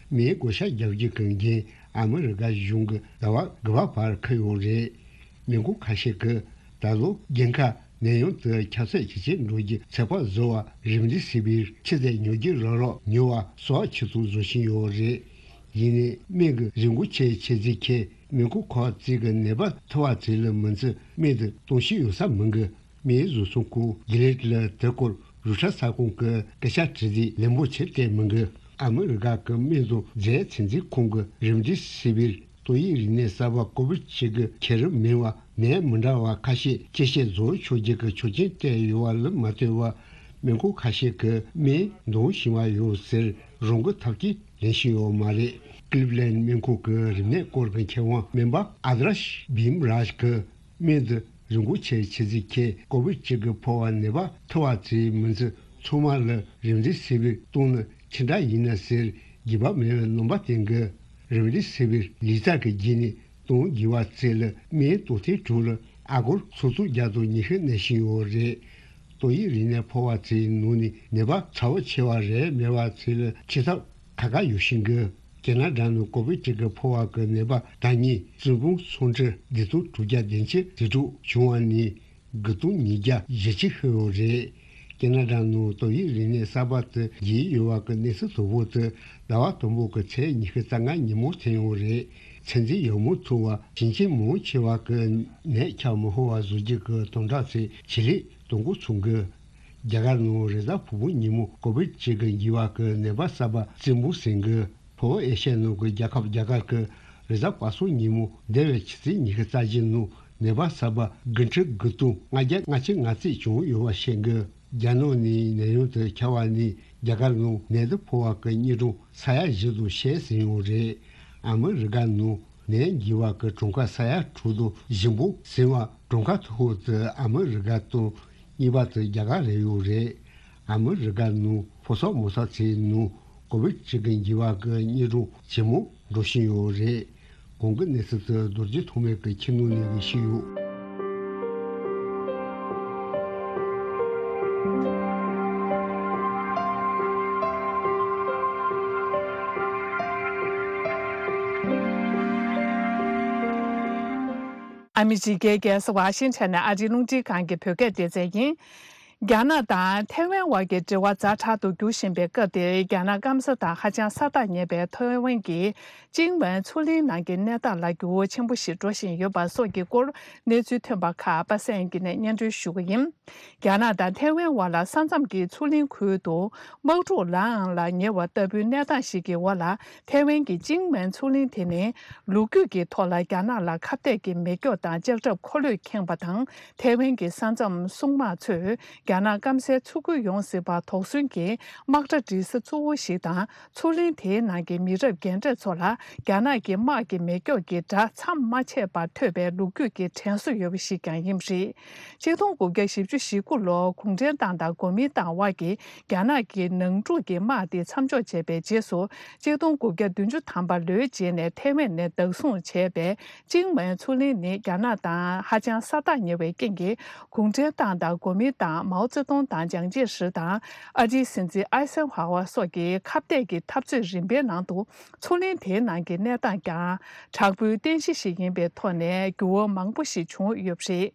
སྨན་བགོ་བཤའ་རྒྱག་རྒྱུ་གི་འགན་ཨ་མི་རི་ཀ་གཞུང་གིས་ཟླ་བ་དགུ་པ་བར་འཁུར་ཡོད་རེད། སྨན་ཁང་ཁ་ཤས་ཀྱིས་ད་ལོ་རྒྱལ་ཁབ་ནད་ཡམས་དེ་ཁྱབ་ཚད་ཇེ་ཆེར་འགྲོ་རྒྱུའི་ཚོད་དཔག་བཟོ་བར་Remdesivir་ཆུ་ཚད་ཉོ་རྒྱུ་རག་རོགས་ཉོ་བ་གསོ་བ་ཆེད་དུ་བཟོ་བཞིན་ཡོད་རེད། ཡིན་ནའི་སྨན་གྱི་རིན་གོང་ཆེ་ཆེ་ཚིག་ཁྱེད་སྨན་ཁང་ཁག་ཅིག་གི་ནད་པ་ཐུག་པ་ཚོ་ལ་མི་འཛིན་སྨན་དེ་གཏོང་ཤེས་ཡོད་ས་མི་འགི། སྨན་བཟོ་ཚོང་ཁང་Gilead་ལ་དེ་སྐོར་རོའི་ཊར་གསར་ཁང་གི་སྐད་ཆ་དྲི་དུས་ལན་པོ་ཆེ་སྤྲད་མི་འགི། ཨ་མི་རི་ཀ་གི་སྨན་དང་རྫས་ཚོད་འཛིན་ཁང་གི་Remdesivir་ཏོག་དབྱིབས་རིམས་ནད་གསར་པ་ཀོ་བིད་བཅུ་དགུ་ཁྱད་རིམ་མིན་པ་ནད་མི་འདྲ་བ་ཁ་ཤས་སྐྱེད་བྱེད་བཟོ་ཆོག་རྒྱུ་གི་ཆོག་མཆན་སྤྲད་ཡོད་པ་ལ་མ་ལྟོས་པར་སྨན་ཁང་ཁ་ཤས་ཀྱིས་སྨན་འདང་བཞིན་པ་ཡོད་ཟེར་རང་འགུལ་ཐབས་ཀྱིས་ལེན་བཞིན་ཡོད་མ་རེད། Cleveland་སྨན་ཁང་གི་རིམས་ནད་སྐོར་གྱི་མཁས་དབང་སྨན་པ་Adarsh Bimraj་གིས་སྨན་འདི་རིན་གོང་ཆེ་ཆེ་ཟིག་ཁྱེད་ཀོ་བིད་བཅུ་དགུ་ཕོག་པ་ནད་པ་ཐུག་པ་ཚོའི་མི་ཚེ་ཚང་མ་ལ་རིམས་འདི་སེ་བའི་གཏོང་ནི་ཅི་འདྲ་ཡིན་ན་ཟེར་འགྱིད་པ་མེད་པའི་རྣམ་པ་བསྟན་གི། རིམས་འདི་སེ་བའི་ལི་ཙ་གི་རྗེས་ནས་གཏོང་དགོས་པ་ཚོ་ལ་སྨན་གཏོང་ཐེངས་དྲུག་ལ་ཨ་སྒོར་སུམ་སྟོང་བརྒྱ་དང་ཉི་ཤུ་ནང་བཞིན་ཡོད་རེད། ཏོག་དབྱིབས་རིམས་ནད་ཕོག་པ་ཚོའི་ནང་ནས་ནད་པ་ཚ་བོ་ཆེ་བ་རེད་མེད་པ་ཚོ་ལ་ཁྱད་ཐབས་ཁ་ཁ་ཡོད་བཞིན་གི། ཁེ་ན་ཌ་ནང་ཀོ་བིད་བཅུ་དགུ་ཕོག་པ་གི་ནད་པ་ད་ཉིད་བཙུན་དཔུང་སུམ་ཁྲི་བདུན་སྟོང་དྲུག་བརྒྱ་བདུན་ཅུ་ཟེར་དྲུག་བྱུང་བ་ནི་དགུ་སྟོང་ཉིས་བརྒྱ་བཞི་བཅུ་ཤོར་ཡོད་རེད། ཁེ་ན་ཌ་ནང་ཏོག་དབྱིབས་རིམས་ནད་གསར་པ་དེ་རྒྱས་ཡོད་པ་གི་གནས་ཚུལ་དོད་པོ་དེ་ཟླ་བ་དང་པོ་གི་ཚེས་ཉི་ཤུ་རྩ་ལྔ་ཉིན་མོ་ཐོན་ཡོད་རེད། ཚོད་འཛིན་ཡག་མོ་ཐུབ་པ་ཞིང་ཆེན་མང་ཆེ་བ་གི་ནད་ཁྱབ་མི་ཤོར་བ་བཟོ་རྒྱུ་གི་དམ་དྲག་ཚོས་བྱེད་ལས་གཏོང་འགོ་ཚུགས་གི། རྒྱ་གར་ནང་རེས་གཟའ་ཕུར་བུ་ཉིན་མོ་ཀོ་བིད་བཅུ་དགུ་འགོས་པ་གི་ནད་པ་གསར་པ་རྩིས་འབུལ་ཟིན་གི། ལྷོ་ཨེ་ཤ་ཡ་ནང་གི་རྒྱལ་ཁབ་རྒྱ་གར་གི་རེས་གཟའ་པ་སངས་ཉིན་མོ་འདས་པའི་ཕྱི་ཚེས་ཉི་ཤུ་རྩ་བཞི་ནང་ནད་པ་གསར་པ་དགུ་ཁྲི་དགུ་སྟོང་ལྔ་བརྒྱ་ལྔ་བཅུ་ང་གཅིག་བྱུང་ཡོད་པ་བཤད་གི། རྒྱ་ནག་ནས་ནད་ཡམས་དེ་ཁྱབ་པ་ནས་རྒྱ་གར་ནང་ནད་དེ་ཕོག་པ་གི་དངོས་གྲངས་ས་ཡ་བཞི་དང་ཕྱེད་ཟིན་ཡོད་རེད། ཨ་མི་རི་ཀ་ནང་ནད་འགོས་པ་གི་གྲངས་ཀ་ས་ཡ་དྲུག་དང་བཞི་པོ་ཟིན་པ་གྲངས་ཀ་མཐོ་ཤོས་དེ་ཨ་མི་རི་ཀ་དང་གཉིས་པ་དེ་རྒྱ་གར་རེད་ཡོད་རེད། ཨ་མི་རི་ཀ་ནང་ཕོ་གསར་མོ་གསར་ཚོའི་ནང་ཀོ་བིད་བཅུ་དགུ་འགོས་པ་གི་དངོས་གྲངས་ཇེ་མང་འགྲོ་བཞིན་ཡོད་རེད། གོང་གི་གནས་ཚུལ་དེ་རྡོ་རྗེ་ཐོགས་མེད་ཀྱིས་ཁྱེར་ནས་ལེན་གི་ཞུས་ཡོད། ཨ་མི་རི་ཀའི་རྒྱལ་ས་ཝ་ཤིང་ཊོན་ནས་ཨ་རིའི་རླུང་འཕྲིན་ཁང་གི་བོད་སྐད་སྡེ་ཚན་ཡིན། རྒྱ་ནག་དང་ཐའེ་ཝན་དབར་གྱི་འབྲེལ་བ་ཛ་དྲག་ཏུ་འགྱུར་བཞིན་པའི་སྐབས་འདིར། རྒྱ་ནག་སྐམ་ས་དང་ཧ་ཅང་ས་ཐག་ཉེ་བའི་ཐའེ་ཝན་གྱི་ཅིང་ཝན་མཚོ་གླིང་ནང་གི་གནས་སྟངས་ལ་འགྱུར་བ་ཆེན་པོ་ཞིག་འགྲོ་བཞིན་ཡོད་པ་སོགས་ཀྱི་སྐོར་གནས་ཚུལ་ཐོན་པ་ཁག་པ་སངས་སྐྱིད་ནས་སྙན་སྒྲོན་ཞུ་གི་ཡིན། རྒྱ་ནག་དང་ཐའེ་ཝན་དབར་ལ་ས་མཚམས་ཀྱི་མཚོ་གླིང་ཁུལ་དུ་དམག་འཁྲུག་ལངས་ལ་ཉེ་བ་ལྟ་བུའི་གནས་སྟངས་ཤིག་གི་འོག་ལ། ཐའེ་ཝན་གྱི་ཅིང་ཝན་མཚོ་གླིང་དེ་ནི་ལོ་རྒྱུས་ཀྱི་ཐོག་ལ་རྒྱ་ནག་ལ་ཁ་གཏད་ཀྱི་མེ་སྒྱོགས་དང་ལྕགས་ཁྲབ་འཁོར་ལོས་ཁེངས་པ་དང་། ཐའེ་ཝན་གྱི་ས་མཚམས་སྲུང་དམག་ཚོས་རྒྱ་ནག་སྐམ་སའི་མཚོ་ཁུལ་ཡོངས་ཟིན་པར་དོགས་ཟོན་གྱི་དམག་གྲ་སྒྲིག་ས་གཙོ་བོ་ཞིག་དང་། མཚོ་གླིང་དེའི་ནང་གི་མི་རབས་རྒན་གྲས་ཚོ་ལ་རྒྱ་ནག་གི་དམག་གི་མེ་སྒྱོགས་ཀྱི་སྒྲ་མཚམས་མ་ཆད་པར་ཐོས་པའི་ལོ་རྒྱུས་ཀྱི་དྲན་གསོ་ཡོད་པ་ཞིག་ཀྱང་ཡིན་པ་རེད། ཆིག་སྟོང་དགུ་བརྒྱ་བཞི་བཅུ་ཞེ་དགུ་ལོར་གུང་ཁྲན་ཏང་དང་གོ་མིན་ཏང་དབར་གྱི་རྒྱ་ནག་གི་ནང་འཁྲུག་གི་དམག་དེ་མཚམས་འཇོག་བྱས་པའི་རྗེས་སུ། ཆིག་སྟོང་དགུ་བརྒྱ་བདུན་ཅུ་ཐམ་པ་ལོའི་རྗེས་ནས་ཐའེ་ཝན་ནས་བདག་བཟུང་བྱས་པའི་ཅིང་ཝན་མཚོ་གླིང་ནི་རྒྱ་ནག་དང་ཧ་ཅང་ས་ཐག་ཉེ་བའི་རྐྱེན་གྱིས། གུང་ཁྲན་ཏང་དང་གོ་མིན་ཏང་མ་ མའོ་ཙེ་ཏུང་དང་ཅང་ཅེ་ཧྲི་དང་ཨ་རིའི་སྲིད་འཛིན་ཨའི་སན་ཧྭ་ཝ་སོགས་ཀྱི་ཁ་གཏད་ཀྱི་འཐབ་རྩོད་རིམ་པའི་ནང་དུ་མཚོ་གླིང་དེའི་ནང་གི་གནས་སྟངས་ཀྱང་དྲག་པོའི་རྟེན་གཞི་ཞིག་ཡིན་པའི་ཐོག་ནས་འགྱུར་བ་མང་པོ་ཞིག་བྱུང་ཡོད་པ་རེད།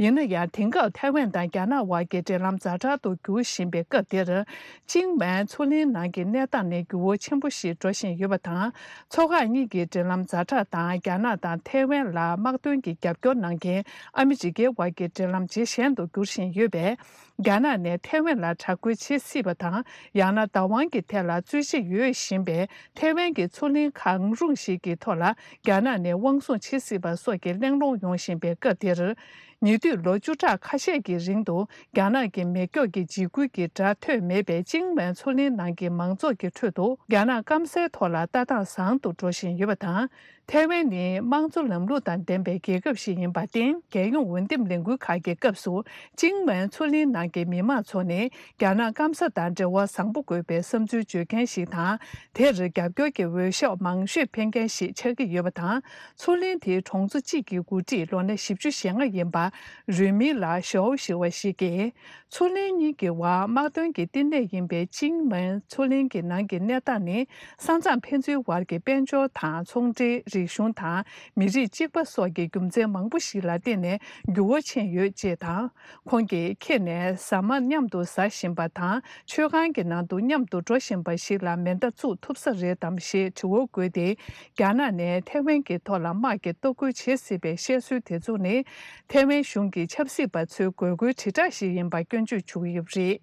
ཡིན་ན་ཡང་དེང་སྐབས་ཐའེ་ཝན་དང་རྒྱ་ནག་དབར་གྱི་འབྲེལ་ལམ་ཛ་དྲག་ཏུ་འགྱུར་བཞིན་པའི་སྐབས་འདིར། ཅིང་མན་མཚོ་གླིང་ནང་གི་གནས་སྟངས་ནི་འགྱུར་བ་ཆེན་པོ་ཞིག་འགྲོ་བཞིན་ཡོད་པ་དང་། མཚོ་འགག་གཉིས་ཀྱི་འབྲེལ་ལམ་ཛ་དྲག་དང་རྒྱ་ནག་དང་ཐའེ་ཝན་ལ་དམག་དོན་གྱི་རྒྱབ་སྐྱོར་གནང་མཁན་ཨ་མི་རི་ཀའི་དབར་གྱི་འབྲེལ་ལམ་ཇེ་ཞན་དུ་འགྱུར་བཞིན་ཡོད་པས། རྒྱ་ནག་ནས་ཐའེ་ཝན་ལ་དྲག་རྒོལ་བྱེད་སྲིད་པ་དང་། ཡང་ན་བདག་དབང་གི་ཐད་ལ་རྩོད་གཞི་ཡོད་བཞིན་པའི་ཐའེ་ཝན་གྱི་མཚོ་གླིང་གང་རུང་ཞིག་གི་ཐོག་ལ་རྒྱ་ནག་ནས་དབང་བཟུང་བྱེད་སྲིད་པ་སོགས་ཀྱི་གླེང་སློང་ཡོང་བཞིན་པའི་སྐབས་འདིར། ཉེ་དུས་ལོ་བཅུ་ཕྲག་ཁ་ཤས་ཀྱི་རིང་དུ་རྒྱ་ནག་གི་མེ་སྒྱོགས་ཀྱི་འཇིགས་སྐུལ་གྱི་སྒྲ་ཐོས་མེད་པའི་ཅིང་མན་མཚོ་གླིང་ནང་གི་མང་ཚོགས་ཀྱི་ཁྲོད་དུ་རྒྱ་ནག་སྐམ་སའི་ཐོག་ལ་ལྟ་སྟངས་བཟང་དུ་འགྲོ་བཞིན་ཡོད་པ་དང་། ཐའེ་ཝན་ནི་དམངས་གཙོ་ལམ་ལུགས་དང་ལྡན་པའི་རྒྱལ་ཁབ་ཞིག་ཡིན་པར་བརྟེན། རྒྱལ་ཡོངས་འོས་འདེམས་ལས་འགུལ་ཁག་གི་སྐབས་སུ་ཅིང་མན་མཚོ་གླིང་ནང་གི་མི་མང་ཚོ་ནི་རྒྱ་ནག་སྐམ་ས་དང་འབྲེལ་བ་བཟང་པོ་དགོས་པའི་བསམ་ཚུལ་བརྗོད་མཁན་ཞིག་དང་། དེར་རྒྱབ་སྐྱོར་གྱི་འོས་ཤོག་མང་ཤོས་འཕེན་མཁན་ཞིག་ཆགས་ཀྱི་ཡོད་པ་དང་། མཚོ་གླིང་དེའི་གྲོང་ཚོ་གཅིག་གི་འགོ་ཁྲིད་ལོ་ན་བཞི་བཅུ་ཞེ་ལྔ་ཡིན་པ་རུས་མིང་ལ་ཞའོ་ཞུ་བ་ཞིག་གིས། མཚོ་གླིང་གཉིས་ཀྱི་བར་དམག་དོན་གྱི་བསྟི་གནས་ཡིན་པའི་ཅིང་མན་མཚོ་གླིང་གི་ནང་གི་གནས་སྟངས་ནི། ས་མཚམས་ཕན་ཚུན་བར་གྱི་དཔལ་འབྱོར་དང་ཚོང་འབྲེལ། རིག་གཞུང་དང་མི་རིགས་གཅིག་པ་སོགས་ཀྱི་རྒྱུ་མཚན་མང་པོ་ཞིག་ལ་བརྟེན་ནས་འགྱུར་བ་ཕྱིན་ཡོད་ཅེས་དང་། ཁོང་གིས་ཁྱེད་ནས་ཟ་མ་མཉམ་དུ་ཟ་བཞིན་པ་དང་། མཆོད་ཁང་གི་ནང་དུ་མཉམ་དུ་འགྲོ་བཞིན་པ་ཞིག་ལ་མེ་མདའ་བཙུགས་ཐུབ་ས་རེད་དམ་ཞེས་དྲི་བ་བཀོད་དེ། རྒྱ་ནག་ནས་ཐའེ་ཝན་གྱི་ཐོག་ལ་དམག་གི་གཏོར་རྒོལ་བྱེད་སྲིད་པའི་བཤད་སྲོལ་དེ་ཚོ་ནི། ཐའེ་ཝན་གཞུང་གི་ཆབ་སྲིད་པ་ཚོའི་དགོས་མཁོའི་དྲིལ་བསྒྲགས་ཤིག་ཡིན་པ་སྐྱོན་བརྗོད་བྱུང་ཡོད་པ་རེད།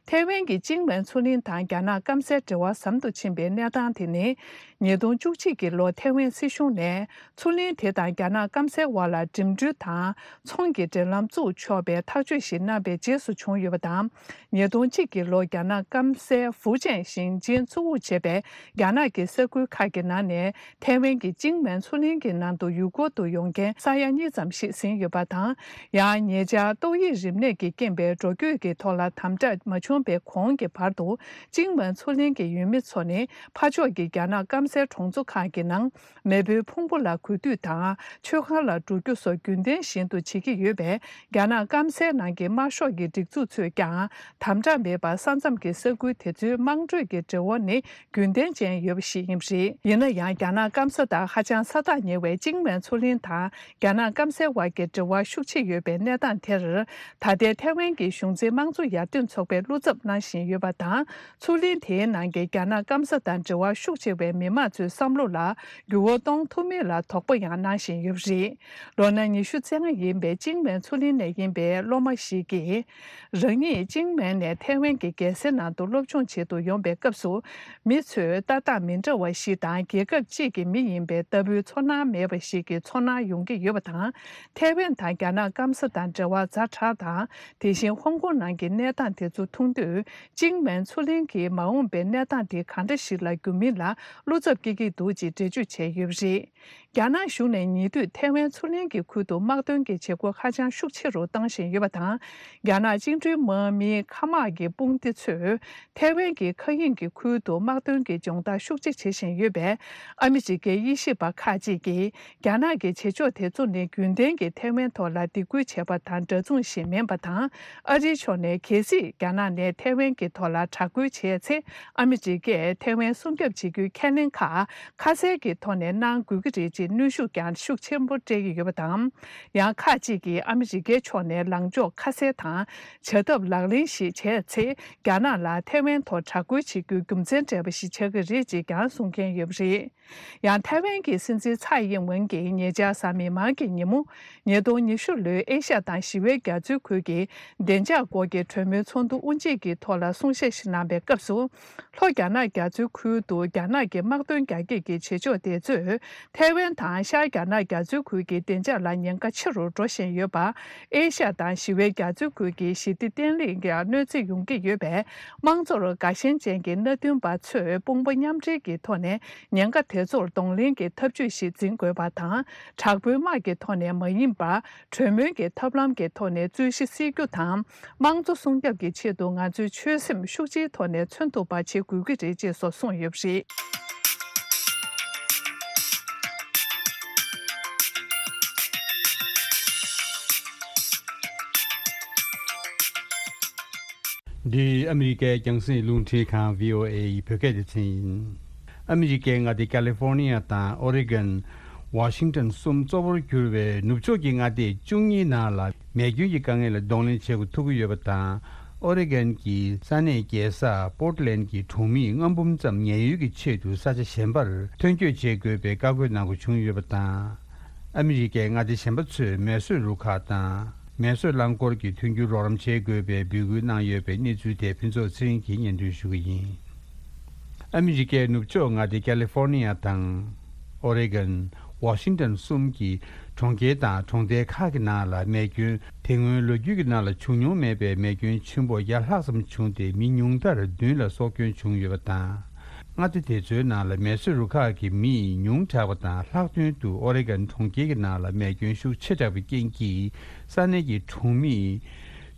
ཐའེ་ཝན་གྱི་ཅིང་མན་མཚོ་གླིང་དང་རྒྱ་ནག་སྐམ་སའི་འབྲེལ་བ་ཟམ་དུ་ཕྱིན་པའི་གནས་སྟངས་དེ་ནི། ཉིས་སྟོང་བཅུ་གཅིག་གི་ལོ་ཐའེ་ཝན་སྲིད་གཞུང་ནས་མཚོ་གླིང་དེ་དང་རྒྱ་ནག་སྐམ་སའི་དབར་ལ་འགྲིམ་འགྲུལ་དང་ཚོང་གི་འབྲེལ་ལམ་བཙུགས་ཆོག་པའི་ཐག་གཅོད་ཞིག་གནང་པའི་རྗེས་སུ་བྱུང་ཡོད་པ་དང་། ཉིས་སྟོང་གཅིག་གི་ལོ་རྒྱ་ནག་སྐམ་སའི་ཧྥུ་ཅན་ཞིང་ཆེན་གཙོ་བོར་བྱས་པའི་རྒྱ་ནག་གི་ས་ཁུལ་ཁག་གི་ནང་ནས། ཐའེ་ཝན་གྱི་ཅིང་མན་མཚོ་གླིང་གི་ནང་དུ་ཡུལ་སྐོར་དུ་ཡོང་མཁན་ས་ཡ་གཉིས་ཙམ་ཞིག་ཟིན་ཡོད་པ་དང་། ཡང་ཉེ་ཆར་ཏོག་དབྱིབས་རིམས་ནད་ཀྱི་རྐྱེན་པས་འགྲོ་སྐྱོད་ཀྱི་ཐོག་ལ་དམ་དྲག་མ་བྱུང་པའི་གོང་གི་བར་དུ། ཅིང་མན་མཚོ་གླིང་གི་ཡུལ་མི་ཚོ་ནི་ཕར་ཕྱོགས་ཀྱི་རྒྱ་ནག་སྐམ་སའི་གྲོང་ཚོ་ཁག་གི་ནང་མེས་པོའི་ཕུང་པོ་ལ་གུས་འདུད་དང་། མཆོད་ཁང་ལ་འགྲོ་རྒྱུ་སོགས་རྒྱུན་ལྡན་བཞིན་དུ་བྱེད་ཀྱི་ཡོད་པས། རྒྱ་ནག་སྐམ་སའི་ནང་གི་དམར་ཤོག་གི་སྒྲིག་འཛུགས་ཚོས་ཀྱང་དམ་དྲག་མེད་པར་ས་མཚམས་ཀྱི་ས་ཁུལ་དེ་ཚོའི་དམངས་ཁྲོད་ཀྱི་འབྲེལ་བ་ནི། རྒྱུན་ལྡན་ཅན་ཡོད་པ་ཞིག་ཡིན་པ་རེད། ཡིན་ན་ཡང་། རྒྱ་ནག་སྐམ་ས་དང་ཧ་ཅང་ས་ཐག་ཉེ་བའི་ཅིང་མན་མཚོ་གླིང་དང་རྒྱ་ནག་སྐམ་སའི་དབར་གྱི་འབྲེལ་བ་ཤུགས་ཆེ་ཡོད་པའི་གནས་སྟངས་དེར། ད་ལྟའི་ཐའེ་ཝན་གྱི་གཞུང་འཛིན་དམངས་གཙོ་ཡར་ཐོན་ཚོགས་པས་བློ་འཚབ་གནང་བཞིན་ཡོད་པ་དང་། མཚོ་གླིང་དེའི་ནང་གི་རྒྱ་ནག་སྐམ་ས་དང་འབྲེལ་བ་ཤུགས་ཆེ་བའི་མི་མང་ཚོའི་བསམ་བློ་ལ་འགྱུར་བ་གཏོང་ཐུབ་མིན་ལ་དོགས་པ་ཡང་གནང་བཞིན་ཡོད་པ་རེད། ལོ་ན་ཉི་ཤུ་རྩ་ལྔ་ཡིན་པའི་ཅིང་མན་མཚོ་གླིང་ནས་ཡིན་པའི་སློབ་མ་ཞིག་གིས། རང་ཉིད་ཅིང་མན་ནས་ཐའེ་ཝན་གྱི་རྒྱལ་སའི་ནང་དུ་སློབ་སྦྱོང་བྱེད་དུ་ཡོང་པའི་སྐབས་སུ། མི་ཚོས་ལྟ་སྟངས་མི་འདྲ་བ་ཞིག་དང་། རྒྱལ་ཁབ་གཅིག་གི་མི་ཡིན་པའི་ལྟ་བུའི་ཚོར་སྣང་མེད་པ་ཞིག་གི་ཚོར་སྣང་ཡོང་གི་ཡོད་པ་དང་། ཐའེ་ཝན་དང་རྒྱ་ནག་སྐམ་ས་དང་འབྲེལ་བ་ཛ་དྲག་དང་། དེ་བཞིན་ཧོང་ཀོང་ནང་གི་གནས་སྟངས་དེ་ཚོ་མཐོང་དུས། ཅིང་མན་མཚོ་གླིང་གི་མ་འོངས་པའི་གནས་སྟངས་དེ་གང་འདྲ་ཞིག་ལ་འགྱུར་མིན་ལ་བློ་འཚབ་སྐྱེ་གི་འདུག་ཅེས་འགྲེལ་བརྗོད་བྱས་ཡོད་པ་རེད། རྒྱ་ནག་གཞུང་ནས་ཉེ་དུས་ཐའེ་ཝན་མཚོ་གླིང་གི་ཁུལ་དུ་དམག་དོན་གྱི་བྱེད་སྒོ་ཧ་ཅང་ཤུགས་ཆེ་རུ་བཏང་བཞིན་ཡོད་པ་དང་། རྒྱ་ནག་བཅིངས་འགྲོལ་དམག་མིའི་མཁའ་དམག་གི་དཔུང་སྡེ་ཚོས་ཐའེ་ཝན་གྱི་མཁའ་དབྱིངས་ཀྱི་ཁུལ་དུ་དམག་དོན་གྱི་སྦྱོང་བརྡར་ཤུགས་ཆེ་བྱེད་བཞིན་ཡོད་པས། ཨ་མི་རི་ཀའི་དབྱེ་ཞིབ་པ་ཁག་ཅིག་གིས། རྒྱ་ནག་གི་བྱེད་ཕྱོགས་དེ་ཚོ་ནི་རྒྱུན་ལྡན་གྱི་ཐའེ་ཝན་ཐོག་ལ་སྡིགས་སྐུལ་བྱས་པ་དང་འདྲ་མཚུངས་ཤིག་མིན་པ་དང་། ཨ་རིའི་ཕྱོགས་ནས་གལ་སྲིད་རྒྱ་ནག་ནས་ཐའེ་ཝན་གྱི་ཐོག་ལ་དྲག་རྒོལ་བྱས་ཚེ། ཨ་མི་རི་ཀས་ཐའེ་ཝན་སྲུང་སྐྱོབ་བྱེད་རྒྱུའི་ཁས་ལེན་ཁག་ཁ་གསལ་གྱི་ཐོག་ནས་གནང་དགོས་ཀྱི་རེད་ཅེས་གནོན་ཤུགས་ཀྱང་ཤུགས་ཆེན་པོ་སྤྲད་ཀྱི་ཡོད་པ་དང་། ཡང་ཁག་ཅིག་གིས་ཨ་མི་རི་ཀའི་ཕྱོགས་ནས་ལངས་ཕྱོགས་ཁ་གསལ་དང་། བྱ་ཐབས་ལག་ལེན་ཞིག་བྱས་ཚེ། རྒྱ་ནག་ལ་ཐའེ་ཝན་ཐོག་དྲག་རྒོལ་བྱེད་རྒྱུའི་རྒྱུ་མཚན་སྤྲད་པ་ཞིག་ཆགས་ཀྱི་རེད་ཅེས་ཀྱང་གསུང་མཁན་ཡོད་པ་རེད། ཡང་ཐའེ་ཝན་གྱི་སྲིད་འཛིན་ཚའེ་ཡིན་ཝེན་གྱིས་ཉེ་ཆར་གཟའ་མིག་དམར་གྱི་ཉིན་མོ། ཉིས་སྟོང་ཉི་ཤུ་ལོའི་ཨེ་ཤ་དང་ཞི་བའི་རྒྱ་མཚོའི་ཁུལ་གྱི་བདེ་འཇགས་སྐོར་གྱི་གྲོས་མོལ་ཚོགས་འདུ་དབུ་འབྱེད་ཀྱི་ཐོག་ལ་གསུང་བཤད་ཞིག་གནང་པའི་སྐབས་སུ། ལྷོ་རྒྱ་ནག་རྒྱ་མཚོའི་ཁུལ་དུ་རྒྱ་ནག་གི་དམག་དོན་རྒྱ་སྐྱེད་ཀྱི་བྱེད་ཕྱོགས་དེ་ཚོས། ཐའེ་ཝན་དང་ཤར་རྒྱ་ནག་རྒྱ་མཚོའི་ཁུལ་གྱི་བདེ་འཇགས་ལ་ཉེན་ཁ་ཆེ་རུ་འགྲོ་བཞིན་ཡོད་པ། ཨེ་ཤ་དང་ཞི་བའི་རྒྱ་མཚོའི་ཁུལ་གྱི་ཞི་བདེ་བརྟན་ལྷིང་གི་གནོད་འཚེ་ཡོང་གི་ཡོད་པས། དམངས་གཙོར་དགའ་ཞེན་ཅན་གྱི་མནའ་མཐུན་པ་ཚོས་དཔུང་པ་མཉམ་འབྲེལ་གྱི་ཐོག་ནས་ཉེན་ཁ་དེ་ཚོར་གདོང་ལེན་གྱི་ཐབས་ཇུས་ཤིག་འཛིན་དགོས་པ་དང་། དྲག་པོའི་དམག་གི་ཐོག་ནས་མ་ཡིན་པར། གྲོས་མོལ་གྱི་ཐབས་ལམ་གྱི་ཐོག་ནས་རྩོད་གཞི་སེལ་རྒྱུ་དང་། དམངས་གཙོ་སྲུང་སྐྱོབ་ཀྱི་ཆེད་དུ་ང་ཚོས་ཆོད་སེམས་ཤུགས་ཆེའི་ཐོག་ནས་མཚོན་ཐུབ་པ་བྱེད་དགོས་ཀྱི་རེད་ཅེས་སོགས་གསུངས་ཡོད་པ་རེད། འདི་ཨ་མི་རི་ཀའི་རྒྱང་སྲིང་རླུང་འཕྲིན་ཁང་བྷི་ཨོ་ཨེ་ཡི་བོད་སྐད་སྡེ་ཚན་ཡིན། ཨ་མི་རི་ཀའི་མངའ་སྡེ་ཀ་ལི་ཧྥོར་ནི་ཡ་དང་ཨོ་རེ་གོན། ཝ་ཤིང་ཏོན་གསུམ་གཙོ་བོར་གྱུར་བའི་ནུབ་ཕྱོགས་ཀྱི་མངའ་སྡེ་བཅུ་གཉིས་ནང་ལ་མེ་སྐྱོན་གྱི་དཀའ་ངལ་ལ་གདོང་ལེན་བྱེད་དགོས་ཐུག་གི་ཡོད་པ་དང་། ཨོ་རེ་གོན་གྱི་ས་གནས་རྒྱལ་ས་པོར་ཊི་ལན་གྱི་གྲོང་མིས་ལྔ་འབུམ་ཙམ་ཉེན་གཡོལ་གྱི་ཆེད་དུ་ས་ཆ་གཞན་པར་ཐོན་སྐྱོད་བྱེད་དགོས་པའི་བཀའ་བཀོད་གནང་དགོས་བྱུང་ཡོད་པ་དང་། ཨ་མི་རི་ཀའི་མངའ་སྡེ་གཞན་པ་ཚོས་མེ་གསོད་རུ་ཁག་དང་མེ་གསོད་རླངས་འཁོར་གྱི་མཐུན་འགྱུར་རོགས་རམ་བྱེད་དགོས་པའི་འབོད་སྐུལ་གནང་ཡོད་པའི་གནས་ཚུལ་དེ་ཕུན་ཚོགས་ཚེ་རིང་གིས་སྙན་སྒྲོན་ཞུ་གི་ཡིན། ཨ་མི་རི་ཀའི་ནུབ་ཕྱོགས་མངའ་སྡེ་ཀ་ལི་ཧྥོར་ནི་ཡ་དང་། ཨོ་རེ་གོན། ཝ་ཤིང་ཏོན་གསུམ་གྱི་གྲོང་ཁྱེར་དང་གྲོང་རྡལ་ཁག་གི་ནང་ལ་མེ་སྐྱོན། དེ་སྔོན་ལོ་རྒྱུས་ཀྱི་ནང་ལ་བྱུང་མྱོང་མེད་པའི་མེ་སྐྱོན་ཆེན་པོ་བརྒྱ་ལྷག་ཙམ་བྱུང་སྟེ་མི་ཉུང་མཐར་བདུན་ལ་སྲོག་སྐྱོན་བྱུང་ཡོད་པ་དང་། མངའ་སྡེ་དེ་ཚོའི་ནང་ལ་མེ་གསོད་རུ་ཁག་གི་མིས་ཉུང་དྲགས་པ་དང་། ལྷག་དོན་དུ་ཨོ་རེ་གོན་གྲོང་ཁྱེར་གྱི་ནང་ལ་མེ་སྐྱོན་ཤུགས་ཆེ་དྲགས་པའི་རྐྱེན་གྱིས་ས་གནས་ཀྱི་གྲོང་མི་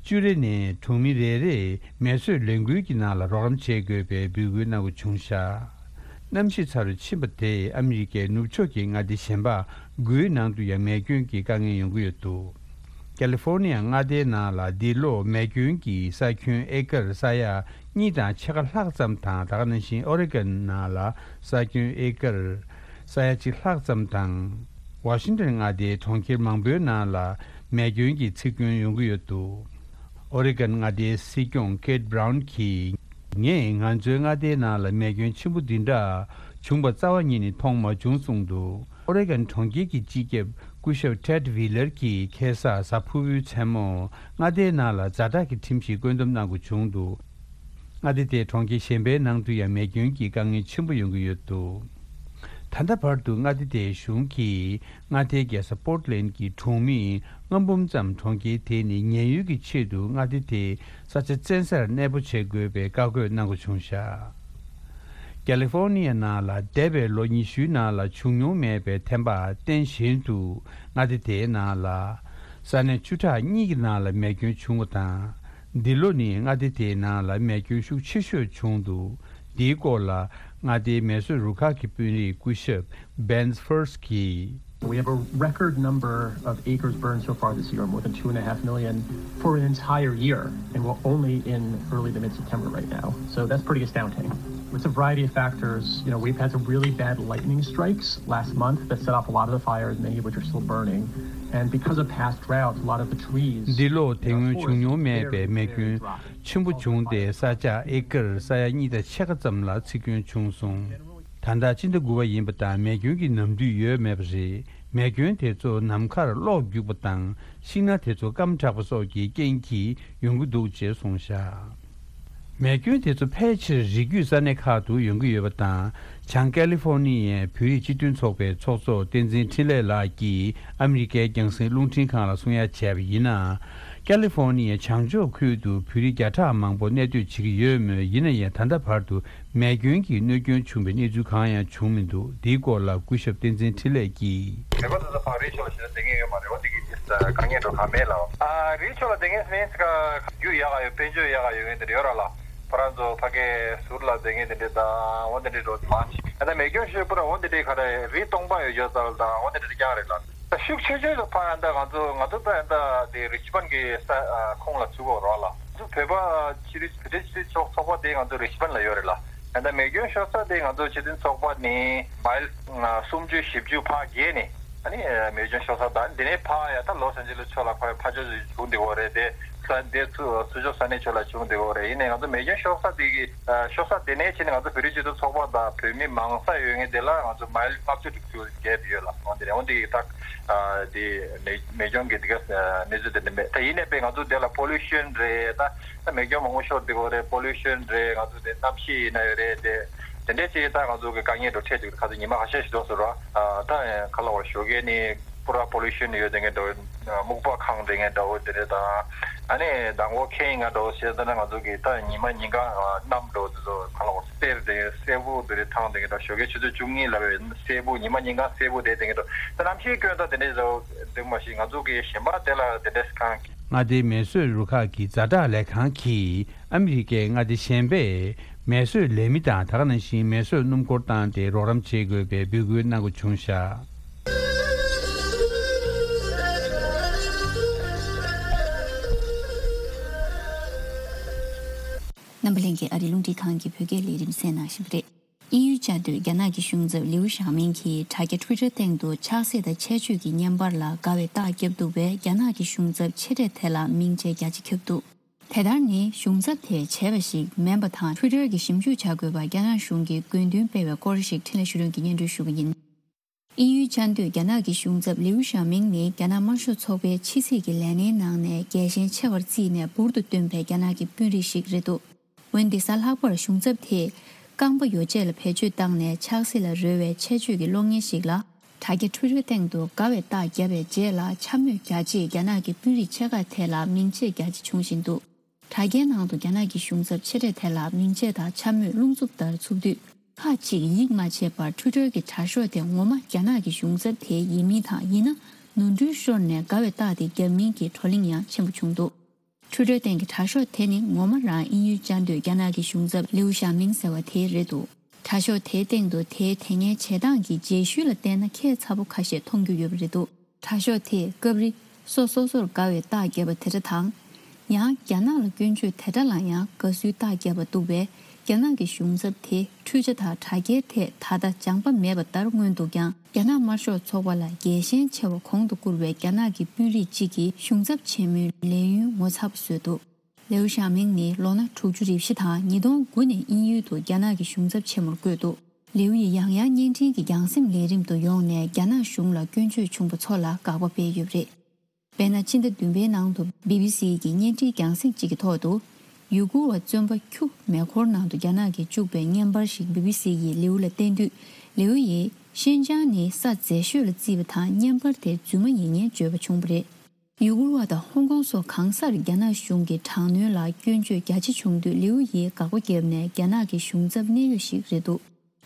བཅུ་རེ་ནས་གྲོང་མི་རེ་རེས་མེ་གསོད་ལས་འགུལ་གྱི་ནང་ལ་རོགས་རམ་བྱེད་དགོས་པའི་འབོད་སྐུལ་གནང་དགོས་བྱུང་བཞག་གནམ་གཤིས་ཚ་རུ་ཕྱིན་པ་དེས་ཨ་མི་རི་ཀའི་ནུབ་ཕྱོགས་ཀྱི་མངའ་སྡེ་གཞན་པ་དགུའི་ནང་དུ་ཡང་མེ་སྐྱོན་གྱི་དཀའ་ངལ་ཡོང་གི་ཡོད་འདུག་ཀ་ལི་ཧྥོར་ནི་ཡ་མངའ་སྡེའི་ནང་ལ་འདི་ལོ་མེ་སྐྱོན་གྱི་ས་ཁྱོན་ཨེ་ཀར་ས་ཡ་གཉིས་དང་ཕྱེད་ཀ་ལྷག་ཙམ་དང་། ད་ག་ནང་བཞིན་ཨོ་རེ་གོན་ནང་ལ་ས་ཁྱོན་ཨེ་ཀར་ས་ཡ་གཅིག་ལྷག་ཙམ་དང་། ཝ་ཤིང་ཏོན་མངའ་སྡེའི་གྲོང་ཁྱེར་མང་པོའི་ནང་ལ་མེ་སྐྱོན་གྱི་འཚིག་སྐྱོན་ཡོང་གི་ཡོད་འདུག་ཨོ་རེ་གོན་མངའ་སྡེའི་སྲིད་སྐྱོང་ཀེད་བྷ་རའུན་གྱིས། ངས་ང་ཚོའི་མངའ་སྡེའི་ནང་ལ་མེ་སྐྱོན་ཆེན་པོ་འདི་འདྲ་བྱུང་པ་རྩ་བ་ཉིད་ནས་མཐོང་མ་བྱུང་གསུངས་འདུག་ཨོ་རེ་གོན་གྲོང་ཁྱེར་གྱི་སྤྱི་ཁྱབ་སྐུ་ཞབས་ཊེད་ཝི་ལར་གྱིས་ཁ་སང་གཟའ་ཕུར་བུའི་མཚན་མོ་མངའ་སྡེའི་ནང་ལ་ཛ་དྲག་གི་ཁྲིམས་ཤིག་བཀོད་འདོམས་གནང་དགོས་བྱུང་འདུག་མངའ་སྡེ་དེའི་གྲོང་ཁྱེར་གཞན་པའི་ནང་དུ་ཡང་མེ་སྐྱོན་གྱི་དཀའ་ངལ་ཆེན་པོ་ཡོང་གི་ཡོད་འདུག་ད་ལྟ་བར་དུ་མངའ་སྡེ་དེའི་གཞུང་གིས་མངའ་སྡེའི་རྒྱལ་ས་པོར་ཊི་ལན་གྱི་གྲོང་མི་ལྔ་འབུམ་ཙམ་གྲོང་ཁྱེར་དེ་ནས་ཉེན་གཡོལ་གྱི་ཆེད་དུ་མངའ་སྡེ་དེའི་ས་ཆ་བཙན་སར་གནས་སྤོ་བྱེད་དགོས་པའི་བཀའ་བཀོད་གནང་དགོས་བྱུང་བཞག་ཀ་ལི་ཧྥོར་ནི་ཡ་ནང་ལ་འདས་པའི་ལོ་ཉི་ཤུའི་ནང་ལ་བྱུང་མྱོང་མེད་པའི་ཐན་པ་རྟེན་བཞིན་དུ་མངའ་སྡེ་དེའི་ནང་ལ་ས་གནས་བཅུ་ཕྲག་གཉིས་ཀྱི་ནང་ལ་མེ་སྐྱོན་བྱུང་བ་དང་། འདི་ལོ་ནི་མངའ་སྡེ་དེའི་ནང་ལ་མེ་སྐྱོན་ཤུགས་ཆེ་ཤོས་བྱུང་འདུག་འདིའི་སྐོར་ལ་མངའ་སྡེའི་མེ་གསོད་རུ་ཁག་གི་དཔོན་རིགས་སྐུ་ཞབས་Bens Fuerst གྱིས། We have a record number of acres burned so far this year, more than two and a half million for an entire year, and we're only in early to mid-September right now. So that's pretty astounding. It's a variety of factors. You know, we've had some really bad lightning strikes last month that set off a lot of the fires, many of which are still burning. And because of past droughts, a lot of the trees འདི་ལོ་དེ་སྔོན་བྱུང་མྱོང་མེད་པའི་མེ་སྐྱོན་ཆེན་པོ་བྱུང་སྟེ་ས་ཆ་ཨེ་ཀར་ས་ཡ་གཉིས་དང་ཕྱེད་ཀ་ཙམ་ལ་འཚིག་སྐྱོན་བྱུང་སོང་། ད་ལྟ་སྤྱི་ཟླ་དགུ་པ་ཡིན་པ་དང་མེ་སྐྱོན་གྱི་ནམ་དུས་ཡོད་མེད་པ་རེད། མེ་སྐྱོན་དེ་ཚོ་ནམ་མཁར་གློག་རྒྱུག་པ་དང་ཤིང་སྣ་དེ་ཚོ་སྐམ་དྲགས་པ་སོགས་ཀྱི་རྐྱེན་གྱིས་ཡོང་གི་འདུག་ཅེས་གསུངས་བཞག་མེ་སྐྱོན་དེ་ཚོ་ཕལ་ཆེར་རི་རྒྱུད་ས་གནས་ཁག་ཏུ་ཡོང་གི་ཡོད་པ་དང་། བྱང་ཀ་ལི་ཧྥོར་ནི་ཡའི་བོད་རིགས་སྤྱི་མཐུན་ཚོགས་པའི་ཚོགས་གཙོ་བསྟན་འཛིན་འཕྲིན་ལས་ལགས་ཀྱིས་ཨ་མི་རི་ཀའི་རྒྱང་སྲིང་རླུང་འཕྲིན་ཁང་ལ་གསུང་ཡ་བྱས་པ་ཡིན་ན། ཀ་ལི་ཧྥོར་ནི་ཡའི་བྱང་ཕྱོགས་ཁུལ་དུ་བོད་རིགས་བརྒྱ་ཕྲག་མང་པོ་གནས་སྡོད་བྱེད་ཀྱི་ཡོད་མོད། ཡིན་ན་ཡང་ད་ལྟ་བར་དུ་མེ་སྐྱོན་གྱི་གནོད་སྐྱོན་བྱུང་བའི་གནས་ཚུལ་གང་ཡང་བྱུང་མི་འདུག་འདིའི་སྐོར་ལ་སྐུ་ཞབས་བསྟན་འཛིན་འཕྲིན་ལས་ཀྱིས། བོད་པ་ཚོ་ཚོ་ཕར་རི་ཕྱོགས་ལ་ཕྱིན་ན་བསྡད་མཁན་ཡོད་མ་རེད། འོ་འདི་གི་དཀའ་ངལ་འགྲོ་ག་མེད་ལ། ཨ་རི་ཕྱོགས་ལ་བསྡད་མཁན་ཟེར་མཁན་ཟེར་ག་རྒྱུ་ཡག་ག་ཡོད། དཔལ་འབྱོར་ཡག་ག་ཡོད་མཁན་དེ་འདྲ་ཡོད་ར་ལ། ཁོ་རང་ཚོ་ཕ་གི་ཟུར་ལ་བསྡད་མཁན་དེ་འདྲ་དང་འོ་དེ་འདྲ་འགྲོ་མང་ཆེ། ཨ་ད་མེ་སྐྱོན་ཤོད་པ་ར་འོ་དེ་འདྲ་ག་རེ་རི་སྟོང་པ་ཡོད་ཡོད་ཙང་དང་འོ་དེ་འདྲ་རྐྱང་རེད་ལ། ད་ཤུགས་ཆེ་ཤོས་ལ་ཕ་ཡང་ད་ང་ཚོ་ང་ཚོ་ད་ཡང་ད་དེ་རི་ཆི་མན་གི་ས་ཁོངས་ལ་ཚུད་དགོས་ར་ལ། ང་ཚོ་བོད་པ་ཕྱི་རི་བོད་རིགས་སྤྱི་མཐུན་ཚོགས་ཚོགས་པ་དེ་ང་ཚོ་རི་ཆི་མན་ལ་ཡོད་རེད་ལ། ཡང་ད་མེ་སྐྱོན་ཤོར་ས་དེ་ང་ཚོ་སྤྱི་མཐུན་ཚོགས་པ་ནི་མའིལ་སུམ་ཅུ་བཞི་བཅུ་ཕར་བརྒལ་ནས་ཨ་ནི་མེ་སྐྱོན་ཤོར་ས་དང་དེ་ནས་ཕར་ཡང་ད་ལོ་སན་ཇི་ལི་ཕྱོགས་ལ་ཕར་ཕར་ཕྱོགས་བྱུང་བསྡད་ཡོད་རེད་དེ། ས་དེ་ཚུར་ཕྱོགས་ས་གནས་ཕྱོགས་ལ་བྱུང་བསྡད་ཡོད་རེད། ཡིན་ནའི་ང་ཚོ་མེ་སྐྱོན་ཤོར་ས་དེ་གི་ཤོར་ས་དེ་ནས་ཕྱིན་ནས་ང་ཚོ་བོད་རིགས་སྤྱི་མཐུན་ཚོགས་པ་དང་བོད་མི་མང་ས་ཡོད་མཁན་དེ་ལ་ང་ཚོ་མའིལ་ལྔ་བཅུ་དྲུག་ཅུ་བརྒལ་ཡོད་ལ། འོན་ཏེ་འོན་ཏེ་ད་དེ་མེ་མེ་སྐྱོན་གྱི་དེ་ག་གནས་ཚུལ་དེ་འདྲ་མེད། ད་ཡིན་ནའི་པས་ང་ཚོ་དེ་ལ་པོ་ལུ་ཤན་རེད། ད་ད་མེ་སྐྱོན་མང་པོ་ཤོར་བསྡད་ཡོད་རེད། པོ་ལུ་ཤན་རེད། ང་ཚོ་དེ་གནམ་གཤིས་ཡིན་ན་ཡོད་རེད། དེ་དེ་འདྲས་ཅིག་ད་ང་ཚོ་གི་དཀའ་ངལ་འགྲོ་འཕྲད་ཅིག་ཁ་ཚོ་ཉི་མ་ཁ་ཤས་ཤིག་འགྲོ་སོང་ར། ད་ཁ་ལ་བ་ཞོགས་ཀས་ནི་པུ་ར་པོ་ལུ་ཤན་ཡོད་དེ་འདྲ་འདྲ་བོ། སྨུག་པ་ཁང་རེད་འདྲ་བོ་དེ་རེད། ད་ཨ་ནི་མདང་དགོང་ཁེངས་ཡིན་འདྲ་བོ་བྱས་ཙང་ན་ང་ཚོ་གི་ད་ཉི་མ་ཉིན་གང་གནམ་འདྲ་བོ་དེ་ཚོ་ཁ་ལ་བ་སེར་དེ་སེར་པོ་དེ་རེད། ཐང་དེ་འདྲ་ཞོགས་ཀས་ཆུ་ཚོད་བཅུ་གཉིས་ལ་བས་སེར་པོ་ཉི་མ་ཉིན་གང་སེར་པོ་དེ་དེ་འདྲ་ད་གནམ་གཤིས་སྐྱོན་ད་དེ་འདྲས་འདྲ་བོ་འདུག་མ་གཞི་ང་ཚོ་གི་གཞན་པ་དེ་ལ་དེ་འདྲས་གང་གི་མངའ་སྡེའི་མེ་གསོད་རུ་ཁག་གི་ཛ་དྲག་ལས་ཁང་གིས་ཨ་མི་རི་ཀའི་མངའ་སྡེ་གཞན་པས་མེ་གསོད་ལས་མི་དང་ད་ག་ནང་བཞིན་མེ་གསོད་སྣུམ་འཁོར་བཏང་སྟེ་རོགས་རམ་བྱེད་དགོས་པའི་འབོད་སྐུལ་གནང་དགོས་བྱུང་བཞག་འཛམ་བུ་གླིང་གི་ཨ་རིའི་རླུང་འཕྲིན་ཁང་གི་བོད་སྐད་ལས་རིམ་གསན་གནང་བཞིན་པ་རེད། དབྱིན་ཡུལ་བཅའ་སྡོད་རྒྱ་ནག་གི་གཞུང་ཚབ་ལིའུ་ཞའོ་མིང་གིས་དྲ་རྒྱ་ཊུའི་ཊར་སྟེང་དུ་ཆགས་སྲེད་དང་ཆད་གཅོད་ཀྱི་བརྙན་པར་ལ་དགའ་བའི་རྟགས་བརྒྱབ་འདུག་པས། རྒྱ་ནག་གི་གཞུང་ཚབ་ཆེ་གྲས་དེ་ལ་མིང་ཆད་རྒྱ་ཆེ་བརྒྱབ་འདུག་དེ་ལྟར་ནི་གཞུང་ཚབ་དེས་བྱས་པ་ཞིག་མིན་པ་དང་། ཊུའི་ཊར་གྱི་ཞིབ་འཇུག་བྱ་དགོས་པ་རྒྱ་ནག་གཞུང་གིས་དགོས་འདུན་སྤེལ་བའི་སྐོར་ཞིག་འཕྲིན་ལས་ཞུ་མཁན་གྱིས་སྙན་སྒྲོན་ཞུ་བ་ཡིན། དབྱིན་ཡུལ་བཅའ་སྡོད་རྒྱ་ནག་གི་གཞུང་ཚབ་ལིའུ་ཞའོ་མིང་ནི་རྒྱ་ནག་དམར་ཤོག་ཚོགས་པའི་ཕྱི་སྲིད་ཀྱི་ལས་སྣེའི་ནང་ནས་རྒྱལ་ཞེན་ཆེ་བར་བརྩིས་ནས་འབུར་དུ་བཏོན་པའི་རྒྱ་ནག་གི་དཔོན་རིགས་ཤིག་རེད་འདུག་འོན་ཏེ་གཟའ་ལྷག་པར་གཞུང་ཚབ་དེས་རྐང་པ་ཡོ་བྱད་ལ་བེད་སྤྱོད་བཏང་ནས་ཆགས་སྲེད་ལ་རོལ་བའི་ཆད་གཅོད་ཀྱི་གློག་བརྙན་ཞིག་ལ། དྲ་རྒྱ་ཊུའི་ཊར་སྟེང་དུ་དགའ་བའི་རྟགས་བརྒྱབ་པའི་རྗེས་ལ་འཕྱ་སྨོད་རྒྱ་ཆེས་རྒྱ་ནག་གི་དཔོན་རིགས་ཆེ་ཁག་དེ་ལ་མིང་ཆད་རྒྱ་ཆེ་བྱུང་བཞིན་འདུག་དྲ་རྒྱའི་ནང་དུ་རྒྱ་ནག་གི་གཞུང་ཚབ་ཆེ་གྲས་དེ་ལ་མིང་ཆད་དང་འཕྱ་སྨོད་རླུང་འཚུབ་ལྟར་འཚུབ་དུས། ཁག་ཅིག་ཡིད་མ་ཆེས་པར་ཊུའི་ཊར་གྱི་དྲ་ཤོག་དེ་ངོ་མ་རྒྱ་ནག་གི་གཞུང་ཚབ་དེ་ཡིན་མིན་དང་། ཡིན་ན་ནོར་འཁྲུལ་ཤོར་ནས་དགའ་བའི་རྟགས་དེ་བརྒྱབ་མིན་གྱི་བགྲོ་གླེང་ཡང་ཆེན་པོ་བྱུང་འདུག་ཊུའི་ཊར་སྟེང་གི་དྲ་ཤོག་དེ་ནི་ངོ་མ་རང་དབྱིན་ཡུལ་བཅའ་སྡོད་རྒྱ་ནག་གི་གཞུང་ཚབ་ལིའུ་ཞའོ་མིང་ཟེར་བ་དེ་རེད་འདུག་དྲ་ཤོག་དེའི་སྟེང་དུ་དེའི་དེ་སྔའི་བྱེད་སྟངས་ཀྱི་རྗེས་ཤུལ་ལ་བལྟས་ན་ཁྱད་མཚར་པོ་ཁ་ཤས་མཐོང་རྒྱུ་ཡོད་པ་རེད་འདུག་དྲ་ཤོག་དེས་སྐབས་རེ་སོ་སོ་སོར་དགའ་བའི་རྟགས་བརྒྱབ་པ་དེ་འདྲ་དང་། ཡང་རྒྱ་ནག་ལ་སྐྱོན་བརྗོད་དེ་འདྲ་ལ་ཡང་དགའ་བསུའི་རྟགས་བརྒྱབ་པ་འདུག་པས། རྒྱ་ནག་གི་གཞུང་ཚབ་དེ་འཕྲུལ་ཆ་དང་དྲ་རྒྱའི་ཐད་ད་ལྟ་སྦྱངས་པ་མེད་པ་ལྟར་མངོན་འདུག་ཀྱང་། རྒྱ་ནག་དམར་ཤོག་ཚོགས་པ་ལ་རྒྱལ་ཞེན་ཆེ་བ་གོང་དུ་བཀུར་བའི་རྒྱ་ནག་གི་དཔོན་རིགས་གཅིག་གིས་གཞུང་ཚབ་ཆེན་མོའི་ལས་ཡུན་ངོ་མཚར་པོ་བཟོས་འདུག་ལིའུ་ཞའོ་མིང་ནི་ལོ་ན་དྲུག་ཅུ་རེ་བཞི་དང་ཉིས་སྟོང་དགུ་ནས་དབྱིན་ཡུལ་དུ་རྒྱ་ནག་གི་གཞུང་ཚབ་ཆེན་མོར་བསྐོས་འདུག་ལིའུ་ཡིས་ཡང་ཡང་བརྙན་འཕྲིན་གྱི་རྒྱང་སེམས་ལས་རིམ་དུ་ཡོང་ནས་རྒྱ་ནག་གཞུང་ལ་སྐྱོན་བརྗོད་བྱུང་པ་ཚོ་ལ་དགག་པ་སྤེལ་ཡོད་པ་རེད། དཔེར་ན། ཕྱི་ཟླ་བདུན་པའི་ནང་དུ་བི་བི་སི་གི་བརྙན་འཕྲིན་རྒྱང་སྲིང་གཅིག་གི་ཐོག་ཏུ། ཡུ་གུར་བ་བཙོན་པ་ཁྱུ་མེ་འཁོར་ནང་དུ་རྒྱ་ནག་གིས་བཅུག་པའི་བརྙན་པར་ཞིག་བི་བི་སི་ཡིས་ལིའུ་ལ་བསྟན་དུས། ལིའུ་ཡིས་ཤིན་ཅང་ནི་ས་མཛེས་ཤོས་ལ་བརྩིས་པ་དང་། བརྙན་པར་དེ་རྫུན་མ་ཡིན་སྙམ་བརྗོད་པ་བྱུང་བ་རེད། ཡུ་གུར་བ་དང་ཧོང་ཀོང་སོགས་གང་སར་རྒྱ་ནག་གཞུང་གི་དྲག་གནོན་ལ་སྐྱོན་བརྗོད་རྒྱ་ཆེ་བྱུང་དུས། ལིའུ་ཡིས་དགག་པ་བརྒྱབ་ནས་རྒྱ་ནག་གི་གཞུང་ཚབ་གནད་ཡོད་ཞིག་རེད་འདུག་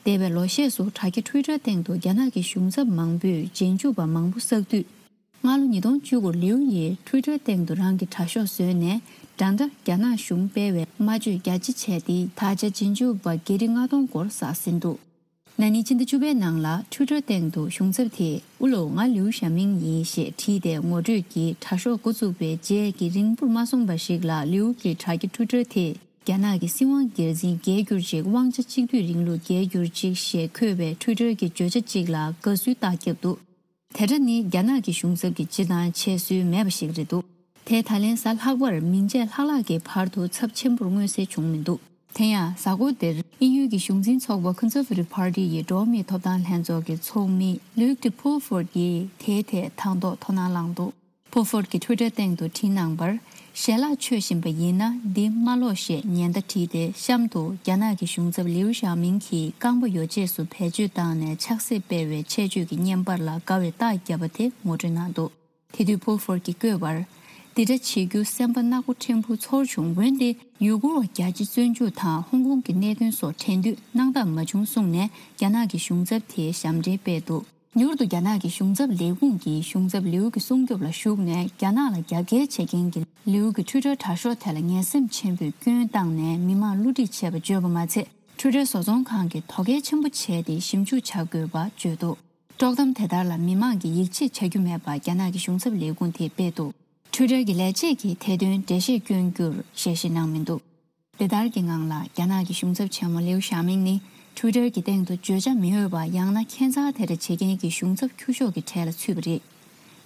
འདས་པའི་ལོ་ཤས་སུ་དྲ་རྒྱ་ཊུའི་ཊར་སྟེང་དུ་རྒྱ་ནག་གི་གཞུང་ཚབ་མང་པོས་རྗེས་འཇུག་པ་མང་པོ་བསགས་དུས། སྔ་ལོ་ཉིས་སྟོང་བཅུ་དགུར་ལིའུ་ཡིས་ཊུའི་ཊར་སྟེང་དུ་རང་གི་དྲ་ཤོག་བཟོས་ནས། འདྲ་འདྲ་རྒྱ་ནག་གཞུང་སྤེལ་བའི་སྨྲ་བརྗོད་རྒྱ་ཆེ་བྱས་ཏེ། ད་ཆ་རྗེས་འཇུག་པ་བརྒྱ་ཁྲི་ལྔ་སྟོང་སྐོར་བསགས་ཟིན་འདུག་ན་ནིང་ཕྱི་ཟླ་བཅུ་པའི་ནང་ལ་ཊུའི་ཊར་སྟེང་དུ་གཞུང་ཚབ་དེས། ཨུ་ལའོ། ང་ལིའུ་ཞའོ་མིང་ཡིན། ཞེས་བྲིས་ཏེ་ངོ་སྤྲོད་ཀྱིས་དྲ་ཤོག་འགོ་བཙུགས་པའི་རྗེས་ཀྱི་རིང་པོར་མ་སོང་བ་ཞིག་ལ། ལིའུ་གི་དྲ་རྒྱ་ཊུའི་ཊར་དེས་རྒྱ་ནག་གི་སྲིད་དབང་སྒེར་འཛིན་རྒྱལ་གྱུར་ཅིག་དབང་ཆ་གཅིག་སྡུད་རིང་ལུགས་རྒྱལ་གྱུར་ཅིག་ཞེས་འཁོད་པའི་ཊུའི་ཊར་གྱི་བརྗོད་བྱ་གཅིག་ལ་དགའ་བསུའི་རྟགས་བརྒྱབ་འདུག་དེ་འདྲ་ནི་རྒྱ་ནག་གི་གཞུང་ཚབ་ཀྱི་སྤྱིར་བཏང་བྱེད་སྲོལ་མེད་པ་ཞིག་རེད་འདུག་དེས་ད་ལན་གཟའ་ལྷག་པར་མིང་ཆད་ལྷག་ལྷག་གི་བར་དུ་ཚབས་ཆེན་པོར་མངོན་གསལ་བྱུང་མི་འདུག་དེ་ཡང་གཟའ་འཁོར་འདིར་དབྱིན་ཡུལ་གྱི་གཞུང་འཛིན་ཚོགས་པ་Conservative Party ཡི་འགྲོ་བ་མིའི་ཐོབ་ཐང་ལྷན་ཚོགས་ཀྱི་ཚོགས་མི་Luke de Pulford ཡིས་དེའི་ཐད་དང་ཐོག་དོ་སྣང་བསླངས་འདུག Pulford གྱིས་ཊུའི་ཊར་སྟེང་དུ་བྲིས་གནང་བར། ཞལ་ལག་མཆོད་བཞིན་པ་ཡིན་ན་འདི་མ་ཀློག་ཞེས་ཉེན་བརྡ་བྲིས་ཏེ། གཤམ་དུ་རྒྱ་ནག་གི་གཞུང་ཚབ་ལིའུ་ཞའོ་མིང་གིས་རྐང་པ་ཡོ་བྱད་སུ་བེད་སྤྱོད་བཏང་ནས་ཆགས་སྲེད་སྤེལ་བའི་ཆད་གཅོད་ཀྱི་བརྙན་པར་ལ་དགའ་བའི་རྟགས་བརྒྱབ་པ་དེ་ངོ་སྤྲོད་གནང་འདུག་དེ་དུས་Pulford གྱིས་བཀོད་པར། འདི་འདྲ་བྱེད་རྒྱུ་སེམས་པ་ནག་པོ་ཕྲན་བུ་ཚོར་བྱུང་། འོན་ཏེ་ཡུ་གུར་བ་རྒྱ་ཆེ་བཙོན་འཇུག་དང་ཧོང་ཀོང་གི་གནད་དོན་སོགས་དྲན་དུས་སྣང་དག་མ་བྱུང་གསུངས་ནས། རྒྱ་ནག་གི་གཞུང་ཚབ་དེས་ཞབས་འདྲེན་སྤེལ་འདུག་མྱུར་དུ་རྒྱ་ནག་གི་གཞུང་ཚབ་ལས་ཁུངས་ཀྱིས་གཞུང་ཚབ་ལིའུ་གི་སྲུང་སྐྱོབ་ལ་ཞུགས་ནས། རྒྱ་ནག་ལ་རྒྱབ་འགལ་བྱེད་མཁན་གྱི་ལིའུ་གི་ཊུའི་ཊར་དྲ་ཤོག་དེ་ལ་ངན་སེམས་ཆེན་པོས་སྐྱོན་བཏང་ནས་མི་མང་བསླུ་བྲིད་བྱས་པ་བརྗོད་པ་མ་ཚད། ཊུའི་ཊར་བཟོ་ཚོང་ཁང་གིས་དོ་གལ་ཆེན་པོ་བྱས་ཏེ་ཞིབ་འཇུག་བྱ་དགོས་པ་བརྗོད་འདུག་དཀྲོག་གཏམ་དེ་ལྟར་ལ་མི་མང་གིས་ཡིད་ཆེས་བྱ་རྒྱུ་མེད་པ་རྒྱ་ནག་གི་གཞུང་ཚབ་ལས་ཁུངས་དེས་སྤེལ་འདུག་ཊུའི་ཊར་གྱི་ལས་བྱེད་ཀྱིས་དེ་དོན་འགྲེལ་བཤད་སྐྱོན་རྒྱུར་ཞལ་བཞེས་གནང་མི་འདུག་དེ་ལྟར་གྱི་ངང་ལ་རྒྱ་ནག་གི་གཞུང་ཚབ་ཆེན་མོ་ལིའུ་ཞའོ་མིང་ནི་ཊུའི་ཊར་གྱི་སྟེང་དུ་བརྗོད་བྱ་མི་འོས་པ་ཡང་ན་ཁྱད་མཚར་དེ་འདྲ་བྱེད་མཁན་གྱི་གཞུང་ཚབ་ཁྱུ་ཤོག་གི་གྲས་ལ་ཚུད་པ་རེད།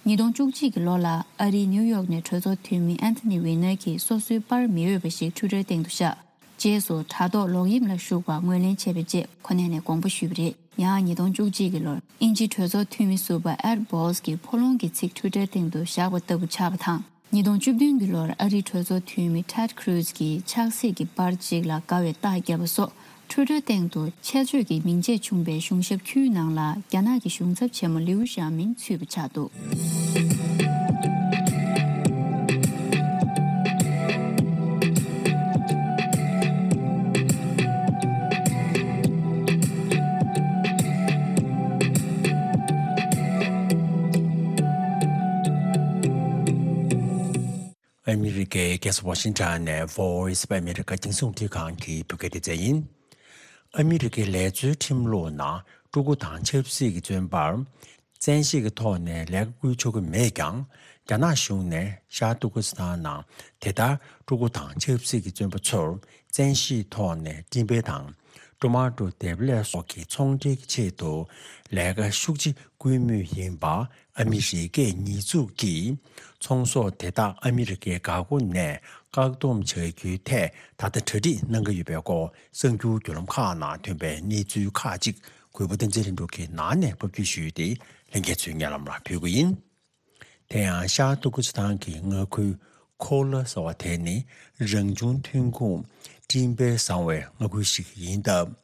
ཉིས་སྟོང་བཅུ་གཅིག་གི་ལོ་ལ་ཨ་རིའི་ནིའུ་ཡོག་ནས་གྲོས་ཚོགས་འཐུས་མི་Anthony Weiner གྱིས་སོ་སོའི་པར་མི་འོས་པ་ཞིག་ཊུའི་ཊར་སྟེང་དུ་བཞག་རྗེས་སུ་དྲ་ཐོག་ལོག་གཡེམ་ལ་ཞུགས་པ་ངོས་ལེན་བྱས་པའི་རྗེས་ཁོ་ནས་ནས་དགོངས་པ་ཞུས་པ་རེད། ཡང་ཉིས་སྟོང་བཅུ་གཅིག་གི་ལོར་དབྱིན་ཇིའི་གྲོས་ཚོགས་འཐུས་མི་ཟུར་པ་Ed Balls གྱིས་ཕོ་ལོང་གི་ཚིག་ཊུའི་ཊར་སྟེང་དུ་བཞག་པ་ལྟ་བུ་ཆགས་པ་དང་། ཉིས་སྟོང་བཅུ་བདུན་གྱི་ལོར་ཨ་རིའི་གྲོས་ཚོགས་འཐུས་མི་Ted Cruz གྱིས་ཆགས་སྲེད་ཀྱི་པར་གཅིག་ལ་དགའ་བའི་རྟགས་བརྒྱབ་པ་སོགས། ཊུའི་ཊར་སྟེང་དུ་ཆད་གཅོད་ཀྱི་མིང་ཆད་བྱུང་པའི་གཞུང་ཞབས་ཁྱུའི་ནང་ལ་རྒྱ་ནག་གི་གཞུང་ཚབ་ཆེན་མོ་ལིའུ་ཞའོ་མིང་ཚུད་པ་ཆགས་འདུག་ཨ་མི་རི་ཀའི་རྒྱལ་ས་ཝ་ཤིང་ཊོན་ནས་Voice of America རྒྱང་སྲིང་རླུང་འཕྲིན་ཁང་གི་བོད་སྐད་སྡེ་ཚན་ཡིན། ཨ་མི་རི་ཀའི་ལས་བཟོའི་ཁྲིམས་ལུགས་ནང་ཕྲུ་གུ་དང་ཆབ་སྲིད་ཀྱི་བཙོན་པར་ བཙན་ཤེད་ཀྱི་ཐོག་ནས་ལས་ཀ་བསྐུལ་ཆོག་གི་མེད་ཀྱང་། རྒྱ་ནག་གཞུང་ནས་ཤར་ཏུར་ཀི་སི་ཐན་ནང་དེ་ལྟར་ཕྲུ་གུ་དང་ཆབ་སྲིད་ཀྱི་བཙོན་པ་ཚོར་བཙན་ཤེད་ཐོག་ནས་འགྲེམས་སྤེལ་དང་། ཀྲུ་མ་ཀྲུ་འདེབས་ལས་སོགས་ཀྱི་ཚོང་འབྲེལ་གྱི་ཆེད་དུ་ལས་ཀ་ཤུགས་ཆེ་བསྐུལ་མུས་ཡིན་པ་ཨ་མི་རི་ཀས་ཉེས་འཛུགས་ཀྱིས། ཚོང་ཟོག་དེ་དག་ཨ་མི་རི་ཀའི་འགག་སྒོ་ནས་བཀག་སྡོམ་བྱ་རྒྱུའི་ཐད་ད་ལྟ་གྲ་སྒྲིག་གནང་གི་ཡོད་པའི་སྐོར་གསར་འགྱུར་བརྒྱུད་ལམ་ཁག་ནང་ཐོན་པའི་གནས་ཚུལ་ཁག་ཅིག་གུས་པ་བསྟན་འཛིན་ལྷུན་གྲུབ་ཀྱིས་ནང་ནས་ཕབ་སྒྱུར་ཞུས་ཏེ། ལྷན་རྒྱས་ཚོའི་སྙན་ལམ་ལ་ཕུལ་གྱི་ཡིན། དེ་ཡང་ཤར་ཏུར་ཀི་སི་ཐན་གྱི་མངའ་ཁུལ་ཁོ་ལ་ཟེར་བ་དེ་ནི་རང་བྱུང་ཐོན་ཁུངས་སྤྲིན་འབེབས་བཟང་བའི་མངའ་ཁུལ་ཞིག་ཡིན་སྟབས།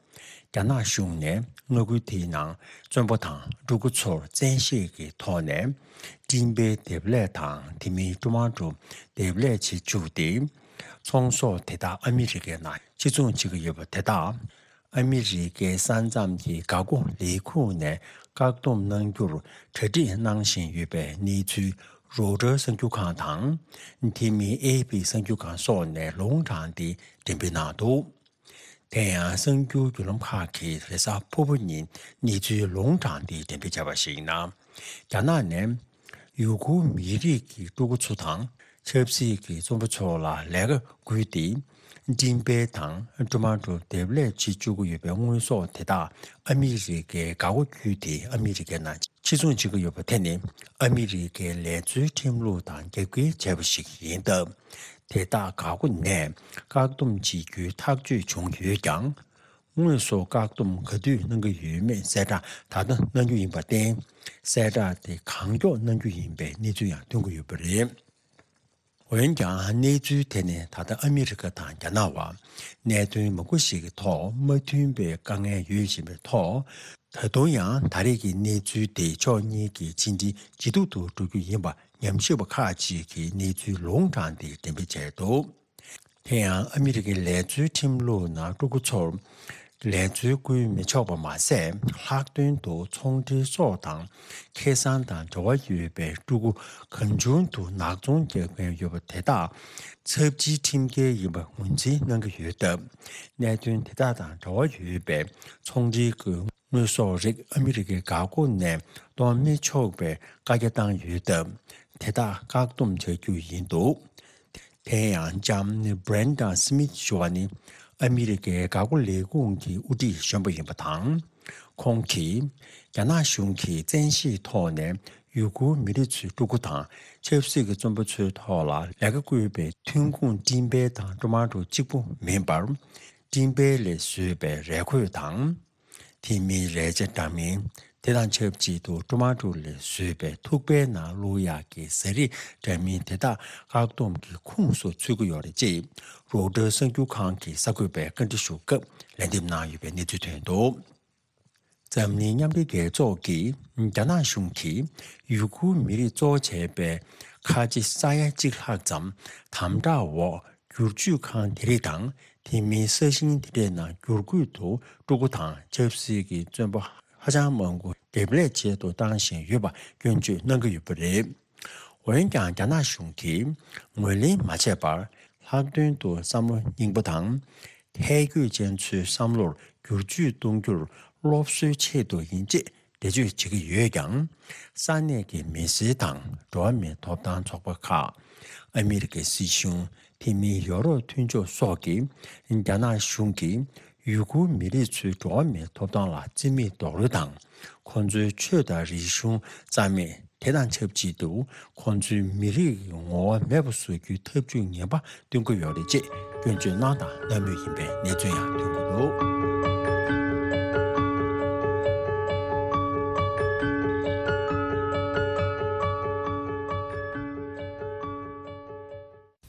རྒྱ་ནག་གཞུང་ནས་མངའ་ཁུལ་དེའི་ནང་བཙོན་པ་དང་ཕྲུ་གུ་ཚོར་བཙན་ཤེད་ཀྱི་ཐོག་ནས་སྤྲིན་འབེབས་འདེབས་ལས་དང་། དེ་མིན་ཀྲུ་མ་ཀྲུ་འདེབས་ལས་བྱེད་བཅུག་སྟེ། ཚོང་ཟོག་དེ་དག་ཨ་མི་རི་ཀའི་ནང་ཕྱིར་ཚོང་བྱེད་ཀྱི་ཡོད་པ་དེ་དག་ཨ་མི་རི་ཀའི་ས་མཚམས་ཀྱི་འགག་སྒོ་ལས་ཁུངས་ནས་བཀག་སྡོམ་གནང་རྒྱུར་གྲ་སྒྲིག་གནང་བཞིན་ཡོད་པའི་གནས་ཚུལ་རོའི་ཊར་གསར་འགྱུར་ཁང་དང་། དེ་མིན་ཨེ་ཨེ་པི་གསར་འགྱུར་ཁང་སོགས་ནས་ལུང་དྲངས་ཏེ་འགྲེམས་སྤེལ་གནང་འདུག་དེ་ཡང་གསར་འགྱུར་བརྒྱུད་ལམ་ཁག་གིས་རེས་གཟའ་ཕུར་བུ་ཉིན་གནས་ཚུལ་ལུང་དྲངས་ཏེ་འགྲེམས་སྤེལ་བྱས་པར་གཞིགས་ན། རྒྱ་ནག་ནས་ཡུ་གུར་མི་རིགས་ཀྱི་ཕྲུ་གུ་ཚོ་དང་ཆབ་སྲིད་ཀྱི་བཙོན་པ་ཚོ་ལ་ལས་ཀ་བསྐུལ་ཏེ། སྤྲིན་འབེབས་དང་ཀྲུ་མ་ཀྲུ་འདེབས་ལས་བྱེད་བཅུག་གི་ཡོད་པའི་དངོས་ཟོག་དེ་དག་ཨ་མི་རི་ཀའི་འགག་སྒོ་བརྒྱུད་དེ་ཨ་མི་རི་ཀའི་ནང་ཕྱིར་ཚོང་བྱེད་ཀྱི་ཡོད་པ་དེ་ནི་ཨ་མི་རི་ཀའི་ལས་བཟོའི་ཁྲིམས་ལུགས་དང་རྒྱབ་འགལ་བྱས་པ་ཞིག་ཡིན་སྟབས། དེ་དག་འགག་སྒོ་ནས་བཀག་སྡོམ་བྱེད་རྒྱུའི་ཐག་གཅོད་བྱུང་ཡོད་ཀྱང་། དངོས་སུ་བཀག་སྡོམ་ག་དུས་གནང་གི་ཡོད་མེད་གསལ་བསྒྲགས་ད་ལྟ་གནང་རྒྱུ་ཡིན་པར་བརྟེན། གསལ་བསྒྲགས་དེ་གང་མགྱོགས་གནང་རྒྱུ་ཡིན་པའི་གནས་ཚུལ་ཡང་ཐོན་གྱི་ཡོད་པ་རེད། འོན་ཀྱང་གནས་ཚུལ་དེ་ནི་ད་ལྟ་ཨ་མི་རི་ཀ་དང་རྒྱ་ནག་བར་གནད་དོན་མང་པོ་ཞིག་གི་ཐོག་མ་མཐུན་པའི་དཀའ་ངལ་ཡོད་བཞིན་པའི་ཐོག་ད་དུང་ཡང་ད་རེས་ཀྱི་གནས་ཚུལ་དེ་ཕྱོགས་གཉིས་ཀྱི་ཕྱི་འབྲེལ་ཇེ་སྡུག་ཏུ་འགྲོ་རྒྱུ་ཡིན་པ་ཉམས་ཞིབ་པ་ཁག་ཅིག་གིས་གནས་ཚུལ་ལུང་དྲངས་ཏེ་འགྲེམས་སྤེལ་བྱས་འདུག་དེ་ཡང་ཨ་མི་རི་ཀའི་ལས་བཟོའི་ཁྲིམས་ལུགས་ནང་ཕྲུ་གུ་ཚོར་ལས་བཟོ་བསྐུལ་མི་ཆོག་པ་མ་ཟད། ལྷག་དོན་དུ་ཚོང་འབྲེལ་སོགས་དང་ཁེ་བཟང་དང་འབྲེལ་བ་ཡོད་པའི་ཕྲུ་གུ་གང་བྱུང་དུ་ནག་ཚོང་རྒྱག་མཁན་ཡོད་པ་དེ་དག་ཚབས་ཆེའི་ཁྲིམས་འགལ་ཡིན་པ་ངོས་འཛིན་གནང་གི་ཡོད་སྟབས། གནད་དོན་དེ་དག་དང་འབྲེལ་བ་ཡོད་པའི་ཚོང་འབྲེལ་གྱི་དངོས་ཟོག་རིགས་ཨ་མི་རི་ཀའི་འགག་སྒོ་ནས་གཏོང་མི་ཆོག་པའི་བཀའ་རྒྱ་བཏང་ཡོད་སྟབས། དེ་དག་བཀག་སྡོམ་བྱ་རྒྱུ་ཡིན་འདུག་དེ་ཡང་ལྕམ་Brenda Smith་ཞུ་བ་ནི་ཨ་མི་རི་ཀའི་འགག་སྒོ་ལས་ཁུངས་ཀྱི་དབུ་ཁྲིད་གཞོན་པ་ཡིན་པ་དང་། ཁོང་གིས་རྒྱ་ནག་གཞུང་གིས་བཙན་ཤེད་ཐོག་ནས་ཡུ་གུར་མི་རིགས་ཚོའི་ཕྲུ་གུ་དང་ཆབ་སྲིད་ཀྱི་བཙོན་པ་ཚོའི་ཐོག་ལ་ལས་ཀ་བསྐུལ་བའི་ཐོན་ཁུངས་སྤྲིན་འབེབས་དང་ཀྲུ་མ་ཀྲུ་གཅིག་པུ་མིན་པར། སྤྲིན་འབེབས་ལས་བཟོས་པའི་རས་གོས་དང་། དེ་མིན་རས་ཆ་འདྲ་མིན། དེ་དང་ཆབས་ཅིག་ཏུ་ཀྲུ་མ་ཀྲུ་ལས་བཟོས་པའི་ཐུག་པའི་ནང་བླུག་ཡག་གི་ཟས་རིགས་འདྲ་མིན་དེ་དག་བཀག་སྡོམ་གྱི་ཁོངས་སུ་ཚུད་ཀྱི་ཡོད་རེད་ཅེས་རོའི་ཊར་གསར་འགྱུར་ཁང་གིས་གསར་འགོད་པར་བཀའ་འདྲི་ཞུ་སྐབས་ལན་འདེབས་གནང་ཡོད་པའི་གནས་ཚུལ་ཐོན་འདུག་འཛམ་གླིང་མཉམ་འབྲེལ་རྒྱལ་ཚོགས་ཀྱིས་རྒྱ་ནག་གཞུང་གིས་ཡུ་གུར་མི་རིགས་གཙོ་བོ་བྱས་པའི་ཁ་ཆེ་ས་ཡ་གཅིག་ལྷག་ཙམ་དམ་དྲག་འོག་བསྒྱུར་བཅོས་ཁང་དེ་རིགས་དང་། དེ་མིན་ས་ཞིང་དེ་འདྲའི་ནང་བསྒྱུར་བཀོད་དུ་ཕྲུ་གུ་དང་ཆབ་སྲིད་ཀྱི་བཙོན་པ་ཧ་ཅང་མང་པོ་འདེབས་ལས་ཆེད་དུ་བཏང་བཞིན་ཡོད་པ་སྐྱོན་བརྗོད་གནང་གི་ཡོད་པ་རེད། འོན་ཀྱང་རྒྱ་ནག་གཞུང་གིས་ངོས་ལེན་མ་བྱས་པར། ལྷག་དོན་དུ་བསམ་བློ་རྙིང་པ་དང་། ཐལ་འགྱུར་ཅན་ཚོའི་བསམ་བློར་བསྒྱུར་བཅོས་གཏོང་རྒྱུར་སློབ་གསོའི་ཆེད་དུ་ཡིན་ཅེས་འགྲེལ་བརྗོད་བྱེད་ཀྱི་ཡོད་ཀྱང་། ས་གནས་ཀྱི་མི་སེར་དང་འགྲོ་བ་མིའི་ཐོབ་ཐང་ཚོགས་པ་ཁག་ཨ་མི་རི་ཀའི་སྲིད་གཞུང་། དེ་མིན་ཡོ་རོབ་མཐུན་ཕྱོགས་སོགས་ཀྱིས་རྒྱ་ནག་གཞུང་གིས་ཡུ་གུར་མི་རིགས་ཚོའི་འགྲོ་བ་མིའི་ཐོབ་ཐང་ལ་བརྩི་མེད་རྡོག་རོལ་དང་། ཁོང་ཚོའི་ཆོས་དང་རིག་གཞུང་རྩ་མེད། དེ་དང་ཆབས་ཅིག་ཏུ་ཁོང་ཚོའི་མི་རིགས་ཀྱི་ངོ་བོ་མེད་པ་བཟོ་རྒྱུའི་ཐབས་ཇུས་ངན་པ་སྟོན་གྱི་ཡོད་རེད་ཅེས་སྐྱོན་བརྗོད་གནང་དང་གནང་མུས་ཡིན་པའི་གནས་ཚུལ་ཡང་ཐོན་གྱི་འདུག་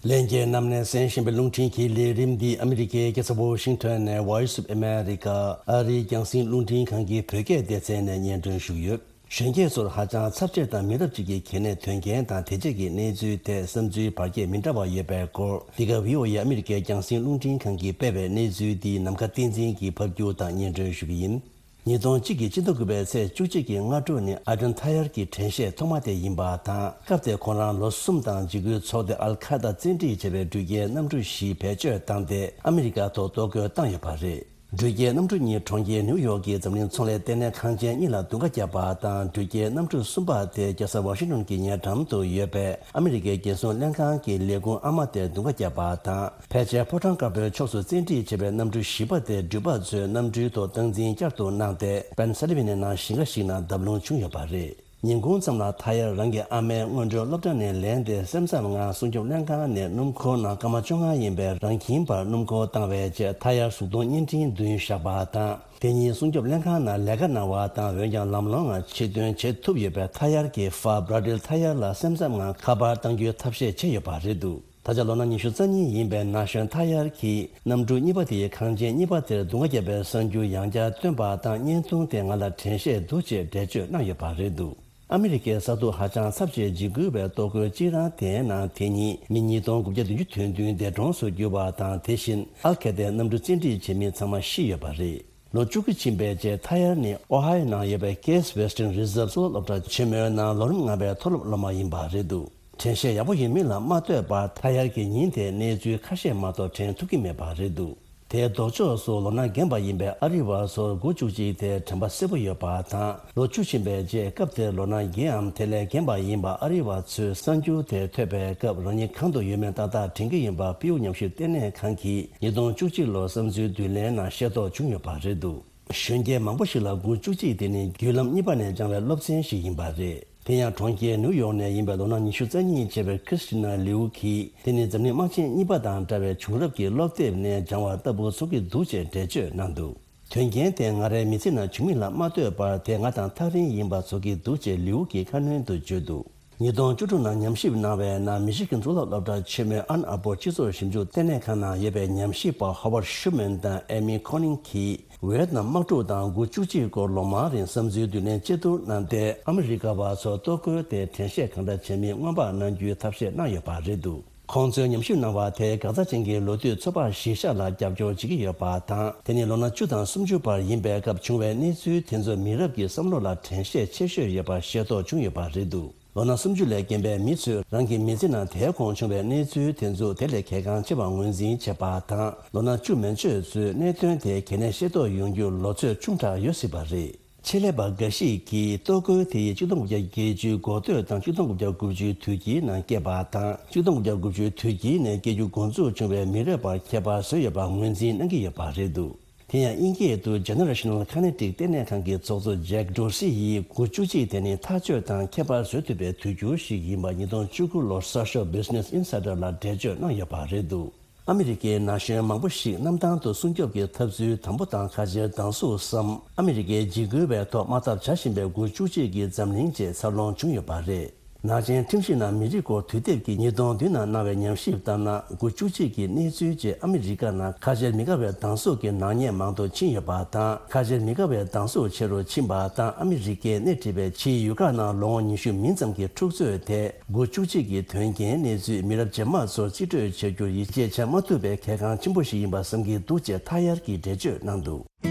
ལྷན་རྒྱས་རྣམས་ནས་གསན་བཞིན་པའི་རླུང་འཕྲིན་གྱི་ལས་རིམ་འདི་ཨ་མི་རི་ཀའི་རྒྱལ་ས་ཝོ་ཤིང་ཊོན་ནས་Voice of America ཨ་རིའི་རྒྱང་སྲིང་རླུང་འཕྲིན་ཁང་གི་བོད་སྐད་སྡེ་ཚན་ནས་སྙན་སྒྲོན་ཞུ་གི་ཡོད། གཞོན་སྐྱེས་ཚོར་ཧ་ཅང་ཚབས་ཆེ་དང་མི་རབས་གཅིག་གི་གལ་གནད་དོན་རྐྱེན་དང་དེ་རྗེས་ཀྱི་གནས་ཚུལ་ཐད་བསམ་ཚུལ་བར་ཁྱད་མི་འདྲ་བ་ཡོད་པའི་སྐོར། འདི་ག་བྷི་ཨོ་ཨེ་ཨ་མི་རི་ཀའི་རྒྱང་སྲིང་རླུང་འཕྲིན་ཁང་གིས་སྤེལ་བའི་གནས་ཚུལ་འདི་ནམ་མཁའ་བསྟན་འཛིན་གྱིས་ཕབ་སྒྱུར་དང་སྙན་སྒྲོན་ཞུ་གི་ཡིན། ཉིས་སྟོང་གཅིག་གི་སྤྱི་ཟླ་དགུ་པའི་ཚེས་བཅུ་གཅིག་གི་སྔ་དྲོ་ནི་ཨ་ཏན་ཐ་ཡར་གྱི་དྲན་ཤེས་ཐོག་མ་དེ་ཡིན་པ་དང་། སྐབས་དེར་ཁོང་རང་ལོ་གསུམ་དང་འཇིགས་སྐུལ་ཚོགས་སྡེ་ཨལ་ཁ་ད་བཙན་ཁྲིད་བྱས་པའི་འགྲུལ་སྐྱེལ་གནམ་གྲུ་བཞི་བེད་སྤྱོད་བཏང་སྟེ་ཨ་མི་རི་ཀ་ཐོག་གཏོར་རྒོལ་བཏང་ཡོད་པ་རེད། འགྲུལ་སྐྱེལ་གནམ་གྲུ་གཉིས་གྲོང་ཁྱེར་ནིའུ་ཡོག་གི་འཛམ་གླིང་ཚོང་ལས་ལྟེ་གནས་ཁང་ཆེན་གཉིས་ལ་རྡུང་རྡེག་བརྒྱབ་པ་དང་། འགྲུལ་སྐྱེལ་གནམ་གྲུ་གསུམ་པ་དེ་རྒྱལ་ས་ཝ་ཤིང་ཏོན་གྱི་ཉེ་འགྲམ་དུ་ཡོད་པའི་ཨ་མི་རི་ཀའི་རྒྱལ་སྲུང་ལྷན་ཁང་གི་ལས་ཁུངས་ཨ་མ་དེར་རྡུང་རྡེག་བརྒྱབ་པ་དང་། ཕལ་ཆེར་ཕོ་བྲང་དཀར་པོའི་ཕྱོགས་སུ་བཙན་ཁྲིད་བྱས་པའི་གནམ་གྲུ་བཞི་པ་དེ་འགྲུལ་པ་ཚོས་གནམ་གྲུའི་ཐོག་སྟངས་འཛིན་བསྐྱར་དུ་གནང་སྟེ། པེན་སི་ལི་ཝེ་ནི་ཡའི་ནང་ཞིང་ཁ་ཞིག་ནང་བརྡབ་ལྷུང་བྱུང་ཡོད་པ་རེད། ཉིན་གུང་མཚམས་ལ་ཐ་ཡར་རང་གི་ཨ་མའི་སྔོན་འགྲོའི་སློབ་གྲྭ་ནས་ལེན་ཏེ། སེམས་འཚབ་ངང་སྲུང་སྐྱོབ་ལྷན་ཁང་ནས་སྣུམ་འཁོར་ནང་སྐར་མ་བཅོ་ལྔ་ཡིན་པའི་རང་ཁྱིམ་བར་སྣུམ་འཁོར་བཏང་བའི་རྗེས། ཐ་ཡར་གཟུགས་མཐོང་བརྙན་འཕྲིན་བདུན་བཞག་པ་དང་། དེ་ཉིན་སྲུང་སྐྱོབ་ལྷན་ཁང་ནང་ལས་ཀ་གནང་བ་དང་། འོན་ཀྱང་ལམ་ལྷོང་ངང་ཕྱིར་ཐོན་བྱེད་ཐུབ་ཡོད་པའི་ཐ་ཡར་གྱི་ཧྥ་བྷ་ར་ཏིལ་ཐ་ཡར་ལ་སེམས་འཚབ་ངང་ཁ་པར་གཏང་རྒྱུའི་ཐབས་ཤེས་བྱས་ཡོད་པ་རེད་འདུག། ད་ཆ་ལོ་ན་ཉི་ཤུ་རྩ་གཉིས་ཡིན་པའི་ན་གཞོན་ཐ་ཡར་གྱིས་གནམ་གྲུ་གཉིས་པ་དེའི་ཁང་ཆེན་གཉིས་པ་དེར་རྡུང་རྡེག་བརྒྱབ་པའི་གསར་འགྱུར་ཡང་བསྐྱར་བཏོན་པ་དང་། བརྙན་ཐུང་དེ་ང་ལ་དྲན་ཤེས་འདུག་ཅེས་འགྲེལ་བརྗོད་གནང་ཡོད་པ་རེད་འདུག། ཨ་མི་རི་ཀའི་ས་ཐོག་ཧ་ཅང་ཚབས་ཆེའི་འཇིགས་སྐུལ་བའི་གཏོར་རྒོལ་གཅིག་རང་དེའི་ནང་དེ་ཉིན་མི་ཉིས་སྟོང་དགུ་བརྒྱ་བདུན་ཅུ་དོན་བདུན་འདས་གྲོངས་སུ་གྱུར་བ་དང་། དེ་བཞིན་ཨལ་ཁེ་ཏའི་གནམ་གྲུ་བཙན་ཁྲིད་བྱེད་མི་ཚང་མ་ཤི་ཡོད་པ་རེད། ལོ་བཅུ་དགུ་ཕྱིན་པའི་རྗེས། ཐ་ཡར་ནི་ཨོ་ཧའི་ཡོ་ནང་ཡོད་པའི་Case Western Reserve་གཙུག་ལག་སློབ་གྲྭ་ཆེན་མོའི་ནང་ལོ་རིམ་ལྔ་པའི་མཐོ་སློབ་སློབ་མ་ཡིན་པ་རེད་འདུག། དྲན་ཤེས་ཡག་པོ་ཡོད་མིན་ལ་མ་ལྟོས་པར། ཐ་ཡར་གྱིས་ཉིན་དེའི་གནས་ཚུལ་ཁ་ཤས་མ་གཏོགས་དྲན་ཐུབ་ཀྱི་མེད་པ་རེད་འདུག། དེའི་ལྡོག་ཕྱོགས་སུ་ལོ་ན་རྒན་པ་ཡིན་པའི་ཨ་རི་བ་ཚོར་དགུ་བཅུ་གཅིག་དེ་དྲན་པ་གསལ་པོ་ཡོད་པ་དང་། ལོ་བཅུ་ཕྱིན་པའི་རྗེས། སྐབས་དེར་ལོ་ན་བརྒྱད་འམ་དེ་ལས་རྒན་པ་ཡིན་པ་ཨ་རི་བ་ཚོས་གསར་འགྱུར་དེ་ཐོས་པའི་སྐབས། རང་ཉིད་གང་དུ་ཡོད་མེད་ཏག་ཏག་དྲན་གྱི་ཡིན་པ་པིའུ་ཉམས་ཞིབ་ལྟེ་གནས་ཁང་གིས་ཉིས་སྟོང་བཅུ་གཅིག་ལོར་བསམ་ཚུལ་བསྡུ་ལེན་ནང་ཤེས་རྟོགས་བྱུང་ཡོད་པ་རེད་འདུག། གཞོན་སྐྱེས་མང་པོ་ཞིག་ལ་དགུ་བཅུ་གཅིག་དེ་ནི་བརྒྱུད་ལམ་གཉིས་པ་ནས་སྦྱངས་པའི་སློབ་ཚན་ཞིག་ཡིན་པ་རེད། དེ་ཡང་གྲོང་ཁྱེར་ནིའུ་ཡོག་ནས་ཡིན་པའི་ལོ་ན་ཉི་ཤུ་རྩ་གཉིས་བྱས་པའི་ཁྲི་སི་ཊི་ན་ལིའུ་གིས། དེ་ནི་འཛམ་གླིང་དམག་ཆེན་གཉིས་པ་དང་འདྲ་བའི་བྱུང་རབས་ཀྱི་སློབ་དེབ་ནས་སྦྱངས་པ་ལྟ་བུ་ཚོར་གྱི་འདུག་ཅེས་འགྲེལ་བརྗོད་གནང་འདུག། དོན་རྐྱེན་དེ་ང་རའི་མི་ཚེ་ནང་བྱུང་མིན་ལ་མ་ལྟོས་པར། དེ་ང་དང་ཐག་རིང་ཡིན་པ་ཚོར་གྱི་འདུག་ཅེས་ལིའུ་གིས་ཁ་སྣོན་དུ་བརྗོད་འདུག། ཉིས་སྟོང་བཅུ་དྲུག་ནང་ཉམས་ཞིབ་གནང་བའི་ནང་། མི་ཤི་གན་གཙུག་ལག་སློབ་གྲྭ་ཆེན་མོའི་ཨན་ཨ་པོར་སྤྱི་ཚོགས་ཞིབ་འཇུག་ལྟེ་གནས་ཁང་ནང་ཡོད་པའི་ཉམས་ཞིབ་པ་ཧོ་ཝར་ཤུ་མན་དང་ཨེ་མི་ཁོ་ནིང་གིས། ཝེ་ཏི་ནམ་དམག་འཁྲུག་དང་དགུ་བཅུ་གཅིག་སྐོར་ལོ་མང་རིང་བསམ་ཚུལ་བསྡུ་ལེན་ཆེད་དུ་གནང་སྟེ། ཨ་མི་རི་ཀ་བ་ཚོར་གཏོར་རྒོལ་དེ་དྲན་ཤེས་གང་འདྲ་བྱས་མིན་སྔོན་དཔག་གནང་རྒྱུའི་ཐབས་ཤེས་གནང་ཡོད་པ་རེད་འདུག། ཁོང་ཚོས་ཉམས་ཞིབ་གནང་བ་དེས་འགག་རྩ་ཅན་གྱི་ལོ་དུས་ཚོད་དཔག་གཞིར་བཞག་ལ་རྒྱབ་སྐྱོར་བྱེད་ཀྱི་ཡོད་པ་དང་། དེ་ནི་ལོ་ན་བཅུ་དང་སུམ་ཅུ་བར་ཡིན་པའི་སྐབས་བྱུང་བའི་གནས་ཚུལ་དེ་ཚོ་མི་རབས་ཀྱི་བསམ་བློ་ལ་དྲན་ཤེས་ཆེ་ཤོས་ཡོད་པ་ཤེས་རྟོགས་བྱུང་ཡོད་པ་རེད་འདུག། ལོ་ན་སུམ་ཅུ་ལས་རྒན་པའི་མི་ཚོས་རང་གི་མི་ཚེ་ནང་དེའི་གོང་བྱུང་བའི་གནས་ཚུལ་དེ་ཚོ་དེ་ལས་གལ་འགངས་ཆེ་བར་ངོས་འཛིན་བྱེད་པ་དང་། ལོ་ན་བཅུ་མན་ཆད་ཚོས་གནད་དོན་དེ་གལ་གནད་ཤེས་རྟོགས་ཡོང་རྒྱུར་ལོ་ཚོད་ཆུང་དྲགས་ཡོད་སྲིད་པ་རེད། ཆེད་ལས་པ་འགའ་ཞིག་གིས་གཏོར་རྒོལ་དེ་ཡིས་ཆིག་སྟོང་དགུ་བརྒྱ་བརྒྱད་ཅུའི་འགོ་སྟོད་དང་ཆིག་སྟོང་དགུ་བརྒྱ་དགུ་བཅུའི་དུས་དཀྱིལ་ནང་སྐྱེས་པ་དང་། ཆིག་སྟོང་དགུ་བརྒྱ་དགུ་བཅུའི་དུས་དཀྱིལ་ནས་སྐྱེ་རྒྱུ་འགོ་འཛུགས་བྱུང་བའི་མི་རབས་པར་ཁྱད་པར་བཟོས་ཡོད་པར་ངོས་འཛིན་གནང་གི་ཡོད་པ་རེད་འདུག། དེ་ཡང་དབྱིན་སྐད་དུ་Generational Kinetic་ལྟེ་གནས་ཁང་གི་ཚོགས་གཙོ་ཇེག་ཌོར་སི་ཡིས། དགུ་བཅུ་གཅིག་དེ་ནི་ཐག་གཅོད་དང་ཁྱད་པར་བཟོ་ཐུབ་པའི་དུས་འགྱུར་ཞིག་ཡིན་པ་ཉིས་སྟོང་བཅུ་དགུ་ལོར་གསར་ཤོག་Business Insider་ལ་འགྲེལ་བརྗོད་གནང་ཡོད་པ་རེད་འདུག། ཨ་མི་རི་ཀའི་ན་གཞོན་མང་པོ་ཞིག་གནམ་ཐང་དུ་སྲུང་སྐྱོབ་ཀྱི་འཐབ་རྩོད་དམ་པོ་དང་ཁ་ཆེར་སྡང་ཟུག་སམ། ཨ་མི་རི་ཀའི་འཇིགས་སྐུལ་བའི་ཐོག་དམག་འཐབ་བྱ་བཞིན་པའི་དགུ་བཅུ་གཅིག་གི་འཛམ་གླིང་ཅེས་འཚར་ལོངས་བྱུང་ཡོད་པ་རེད། ནག་ཅན་ཁྲིམས་ཞིབ་ནང་མི་རིགས་སྐོར་དུས་དེབ་ཀྱིས་ཉིས་སྟོང་བདུན་ནང་གནང་བའི་ཉམས་ཞིབ་ལྟར་ན། དགུ་བཅུ་གཅིག་གི་གནས་ཚུལ་རྗེས་ཨ་མི་རི་ཀ་ནང་ཁ་ཆེར་མི་དགའ་བའི་སྡང་ཟུག་གི་ནག་ཉེས་མང་དུ་ཕྱིན་ཡོད་པ་དང་། ཁ་ཆེར་མི་དགའ་བའི་སྡང་ཟུག་ཆེ་རུ་ཕྱིན་པ་དང་། ཨ་མི་རི་ཀས་སྣེ་ཁྲིད་པའི་ཕྱིའི་ཡུལ་ཁག་ནང་ལོ་ངོ་ཉི་ཤུ་མིན་ཙམ་གྱི་འཁྲུག་རྩོད་དེ། དགུ་བཅུ་གཅིག་གི་དོན་རྐྱེན་གནས་ཚུལ་མི་རབས་རྗེས་མ་ཚོར་རྩིས་སྤྲོད་བྱ་རྒྱུར་ཡིད་ཆེས་བྱ་མ་ཐུབ་པའི་གལ་འགངས་ཆེན་པོ་ཞིག་ཡིན་པ་བསམ་གྱི་འདུག་ཅེས་ཐ་ཡར་གྱིས་འགྲེལ་བརྗོད་གནང་འདུག།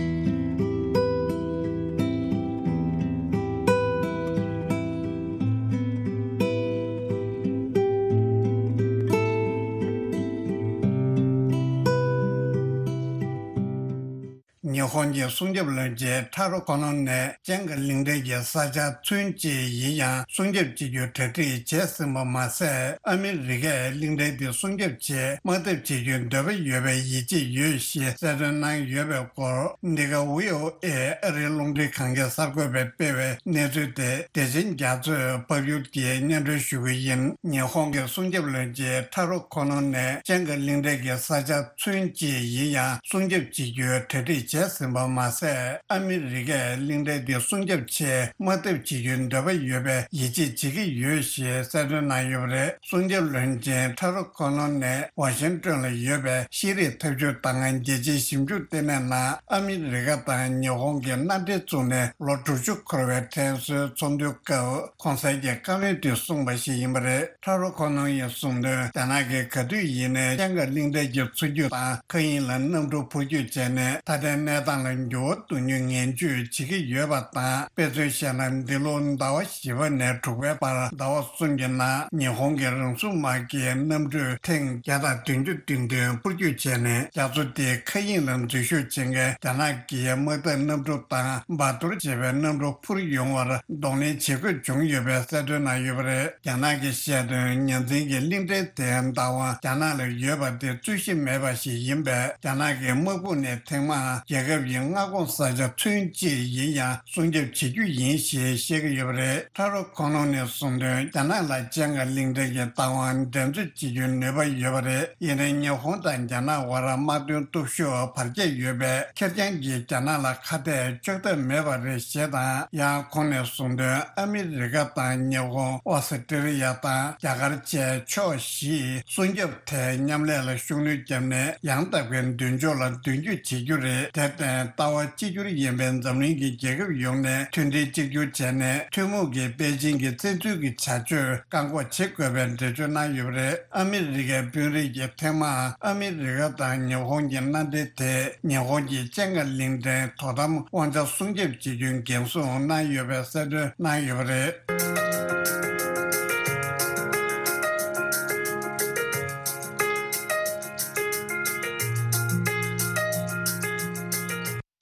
ཉི་ཧོང་གི་སྲུང་སྐྱོབ་བློན་ཆེན་ཁྲ་རུ་ཁོ་ནོ་ནས་ཅང་གི་གླིང་ཕྲན་གྱི་ས་ཆ་ཚུན་ཆད་ཡིན་ཡང་སྲུང་སྐྱོབ་བྱེད་རྒྱུའི་གྲ་སྒྲིག་བྱས་ཟིན་པ་མ་ཟད། ཨ་མི་རི་ཀས་གླིང་ཕྲན་དེ་སྲུང་སྐྱོབ་ཆེད་དམག་འཐབ་བྱེད་རྒྱུའི་འདོད་པ་ཡོད་པའི་ཡིད་ཆེས་ཡོད་ཞེས་གསལ་སྟོན་གནང་ཡོད་པའི་སྐོར། འདི་ག་བྷི་ཨོ་ཨེ་ཨ་རིའི་རླུང་འཕྲིན་ཁང་གི་གསར་འགོད་པས་སྤེལ་བའི་གནས་ཚུལ་དེ་བདེ་ཆེན་རྒྱ་མཚོས་ཕབ་སྒྱུར་གྱིས་སྙན་སྒྲོན་ཞུ་གི་ཡིན། ཉི་ཧོང་གི་སྲུང་སྐྱོབ་བློན་ཆེན་ཁྲ་རུ་ཁོ་ནོ་ནས་ཅང་གི་གླིང་ཕྲན་གྱི་ས་ཆ་ཚུན་ཆད་ཡིན་ཡང་སྲུང་སྐྱོབ་བྱེད་རྒྱུའི་གྲ་སྒྲིག་བྱས་ཟིན་པ་མ་ཟད། ཨ་མི་རི་ཀས་གླིང་ཕྲན་དེ་སྲུང་སྐྱོབ་ཆེད་དམག་འཐབ་བྱེད་རྒྱུའི་འདོད་པ་ཡོད་པའི་ཡིད་ཆེས་བྱེད་ཀྱི་ཡོད་ཞེས་གསལ་སྟོན་གནང་ཡོད་པ་རེད། སྲུང་སྐྱོབ་བློན་ཆེན་ཁྲ་རུ་ཁོ་ནོ་ནས་ཝ་ཤིང་ཏོན་ལ་ཡོད་པའི་ཤེས་རིག་འཐབ་ཇུས་དང་རྒྱལ་སྤྱིའི་ཞིབ་འཇུག་ལྟེ་གནས་ནང་ཨ་མི་རི་ཀ་དང་ཉི་ཧོང་གི་མནའ་འབྲེལ་བཙུགས་ནས་ལོ་དྲུག་ཅུ་འཁོར་བའི་དྲན་གསོའི་ཚོགས་འདུའི་སྐབས་གོང་གསལ་གྱི་བཀའ་མོལ་དུ་གསུངས་པ་ཞིག་ཡིན་པ་རེད། ཁྲ་རུ་ཁོ་ནོ་ཡིས་གསུངས་དོན། རྒྱ་ནག་གིས་ག་དུས་ཡིན་ནའི་ཅང་གི་གླིང་ཕྲན་གྱི་མཚོ་རྒྱུད་དང་མཁའ་དབྱིངས་ལ་གནམ་གྲུ་འཕུར་སྐྱོད་བྱས་ནས་མཐའ་བརྟན་གནས་ སྟངས་ལ་འགྱུར་བ་གཏོང་རྒྱུའི་ངན་ཇུས་བྱེད་ཀྱི་ཡོད་པ་དང་། དཔེ་མཚོན་བཤད་ན། འདི་ལོ་ཟླ་བ་བཞི་པ་ནས་དྲུག་པའི་བར་ཟླ་བ་གསུམ་གྱི་ནང་ཉི་ཧོང་གི་རང་སྲུང་དམག་གིས་གནམ་གྲུ་ཐེངས་བརྒྱ་དང་བདུན་ཅུ་དོན་བདུན་འཕུར་སྐྱོད་བྱས་ནས། རྒྱ་མཚོ་དེའི་མཁའ་དབྱིངས་ལ་འཛུལ་ཞུགས་བྱེད་མཁན་རྒྱ་ནག་གི་དམག་འཐབ་གནམ་གྲུ་དང་འབར་གཏོར་བྱེད་པའི་གནམ་གྲུ་འཕུར་ཡོང་བར་གདོང་ལེན་བྱེད་དགོས་བྱུང་ཡོད་པའི་གསལ་སྟོན་གནང་ཡོད་པ་རེད། རྒྱ་ནག་གིས་བཤད་དོན། ཉ་འཛིན་གྱི་གླིང་ཕྲན་དེའི་བདག་དབང་རྒྱ་ནག་ལ་ཡོད་པ་དེ་རྩོད་གཞི་མེད་པ་ཞིག་ཡིན་པས། རྒྱ་ནག་གི་དམག་དཔུང་ནས་ཐེངས་མང་རྒྱལ་ཁབ་ཀྱི་མངའ་ཁོངས་ས་ཆ་ཚུན་ཆད་ཡིན་ཡང་སྲུང་སྐྱོབ་བྱེད་རྒྱུ་ཡིན་ཞེས་བཤད་ཀྱི་ཡོད་པ་རེད། ཕྲ་རོ་ཁོང་ལུང་ནས་གསུངས་དོན། རྒྱ་ནག་ལ་ཅན་ག་གླིང་ཕྲན་གྱི་བདག་དབང་འགྲན་རྩོད་བྱེད་རྒྱུའི་ནུས་པ་ཡོད་པ་རེད། ཡིན་ནའི་ཉི་ཧོང་དང་རྒྱ་ནག་དབར་དམག་དོན་སྟོབས་ཤུགས་བར་ཁྱད་ཡོད་པས། ཁེར་རྐྱང་གིས་རྒྱ་ནག་ལ་ཁ་གཏད་གཅོག་ཐབས་མེད་པ་རེད་ཞེས་དང་། ཡང་ཁོང་ནས་གསུངས་དོན། ཨ་མི་རི་ཀ་དང་ཉི་ཧོང་། ཨོ་སི་ཀྲི་ལི་ཡ་དང་རྒྱ་གར་བཅས་ཕྱོགས་བཞིས་སྲུང་སྐྱོབ་ཐད་མཉམ་ལས་ལ་ཤུགས་སྣོན་བརྒྱབ་ནས། ཡང་དག་པའི་མདུན་ཕྱོགས་ལ་མདུན་སྐྱོད་བྱེད་རྒྱུ་རེད། དེར་བརྟེན། ལྟ་བ་གཅིག་གྱུར་ཡིན་པའི་འཛམ་གླིང་གི་རྒྱལ་ཁབ་ཡོངས་ནས་མཐུན་སྒྲིལ་གཅིག་གྱུར་བྱས་ནས། ཐུན་མོང་གི་པེ་ཅིང་གི་བཙན་འཛུལ་གྱི་བྱ་སྤྱོད་བཀག་འགོག་བྱེད་དགོས་པའི་འགྲེལ་བརྗོད་གནང་ཡོད་པ་རེད། ཨ་མི་རི་ཀའི་དཔོན་རིགས་ཀྱིས་ཐེངས་མང་ཨ་མི་རི་ཀ་དང་ཉི་ཧོང་གི་མནའ་འབྲེལ་དེས་ཉི་ཧོང་གི་ཅན་ག་གླིང་ཕྲན་དོ་དམ་དབང་ཆ་སྲུང་སྐྱོབ་བྱེད་རྒྱུའི་འགན་སྲུང་གནང་ཡོད་པའི་གསལ་སྟོན་གནང་ཡོད་པ་རེད།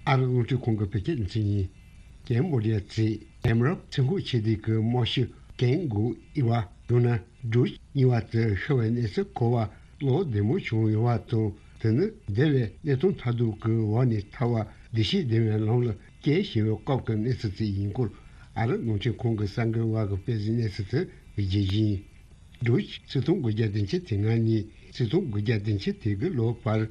ཨ་རི་རླུང་འཕྲིན་ཁང་གི་བོད་སྐད་སྡེ་ཚན་ཡིན། ཀེམ་བོ་ཌི་ཡ་གཙོས་ཁེམ་རོབ་ཚེ་འགུག་ཆེ་སྡེ་གི་རྨང་གཞི་ཀེང་གུ་ཨི་ཝ། ཡང་ན་ཌུ་ཆི་ཨི་ཝ་དེ་ཤི་བའི་གནས་ཚུལ་གོ་བ་བློ་བདེ་མོ་བྱུང་ཡོད་པ་དང་། དེ་ནི་འདས་པའི་གནས་སྟངས་མཐར་ཐུག་གི་འོག་ནས་ཐར་བ་བདེ་སྐྱིད་ལྡན་པའི་ལམ་ལ་སྐྱེལ་བཞིན་པའི་སྐབས་ཀྱི་གནས་ཚུལ་ཅིག་ཡིན་སྐོར། ཨ་རི་རླུང་འཕྲིན་ཁང་གི་གསར་འགོད་པ་གིས་སྤེལ་གཟིགས་གནས་ཚུལ་དེ་གི་རྒྱས་ཤིང་། ཌུ་ཆི་ཆིག་སྟོང་དགུ་བརྒྱ་བདུན་ཅུ་དོན་ལྔ་ནས་ཆིག་སྟོང་དགུ་བརྒྱ་བདུན་ཅུ་དོན་དགུ་ལོའི་བར།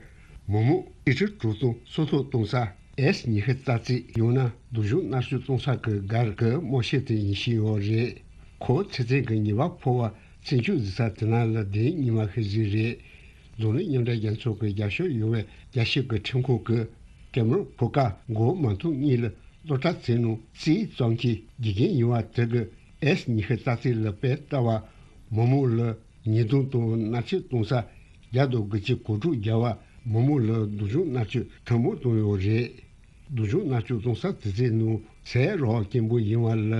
མི་མང་ལི་ཊར་དྲུག་སྟོང་སོ་ཐོག་གཏོང་ས་ཨེས་ཉི་ཤུ་རྩ་གཅིག། ཡང་ན་སྡུག་སྦྱོང་མནར་གཅོད་གཏོང་ས་གི་སྒར་གྱི་རྨང་གཞི་དེ་ཡིན་བཞིན་ཡོད་རེད། ཁོ་ཚེ་བཙོན་གྱི་ཉེས་པ་ཕོག་པ་བཙོན་འཇུག་བྱེད་ས་དེ་ནང་ལ་གདན་རྙིང་བ་ཤོད་ཀྱི་རེད། འཛམ་གླིང་མཉམ་འབྲེལ་རྒྱལ་ཚོགས་ཀྱི་རྒྱབ་སྐྱོར་ཡོད་པའི་རྒྱལ་སྤྱི་གི་ཁྲིམས་ཁང་གིས་ཀེམ་རོན་ཕོ་ཁ་མགོ་དམར་མཐོང་གཉིས་ལ་གློད་གྲོལ་བྱས་ནས། རྩིས་བཙོང་གི་དགེ་རྒན་ཡིན་པ་དེ་གིས་ཨེས་ཉི་ཤུ་རྩ་གཅིག་ལ་དཔེ་ལྟ་བ། མི་མང་ལ་ཉེས་རྡུང་དང་མནར་གཅོད་གཏོང་ས་བརྒྱ་དང་དགུ་བཅུ་གོ་དྲུག་བརྒྱབ་པ། མི་མང་ལ་སྡུག་སྦྱོང་མནར་གཅོད་དྲག་མོ་བཏང་ཡོད་རེད། སྡུག་སྦྱོང་མནར་གཅོད་གཏོང་ས་དེ་ཚོའི་ནང་ཟས་རག་སྐྱེན་པོ་ཡིན་པ་ལ་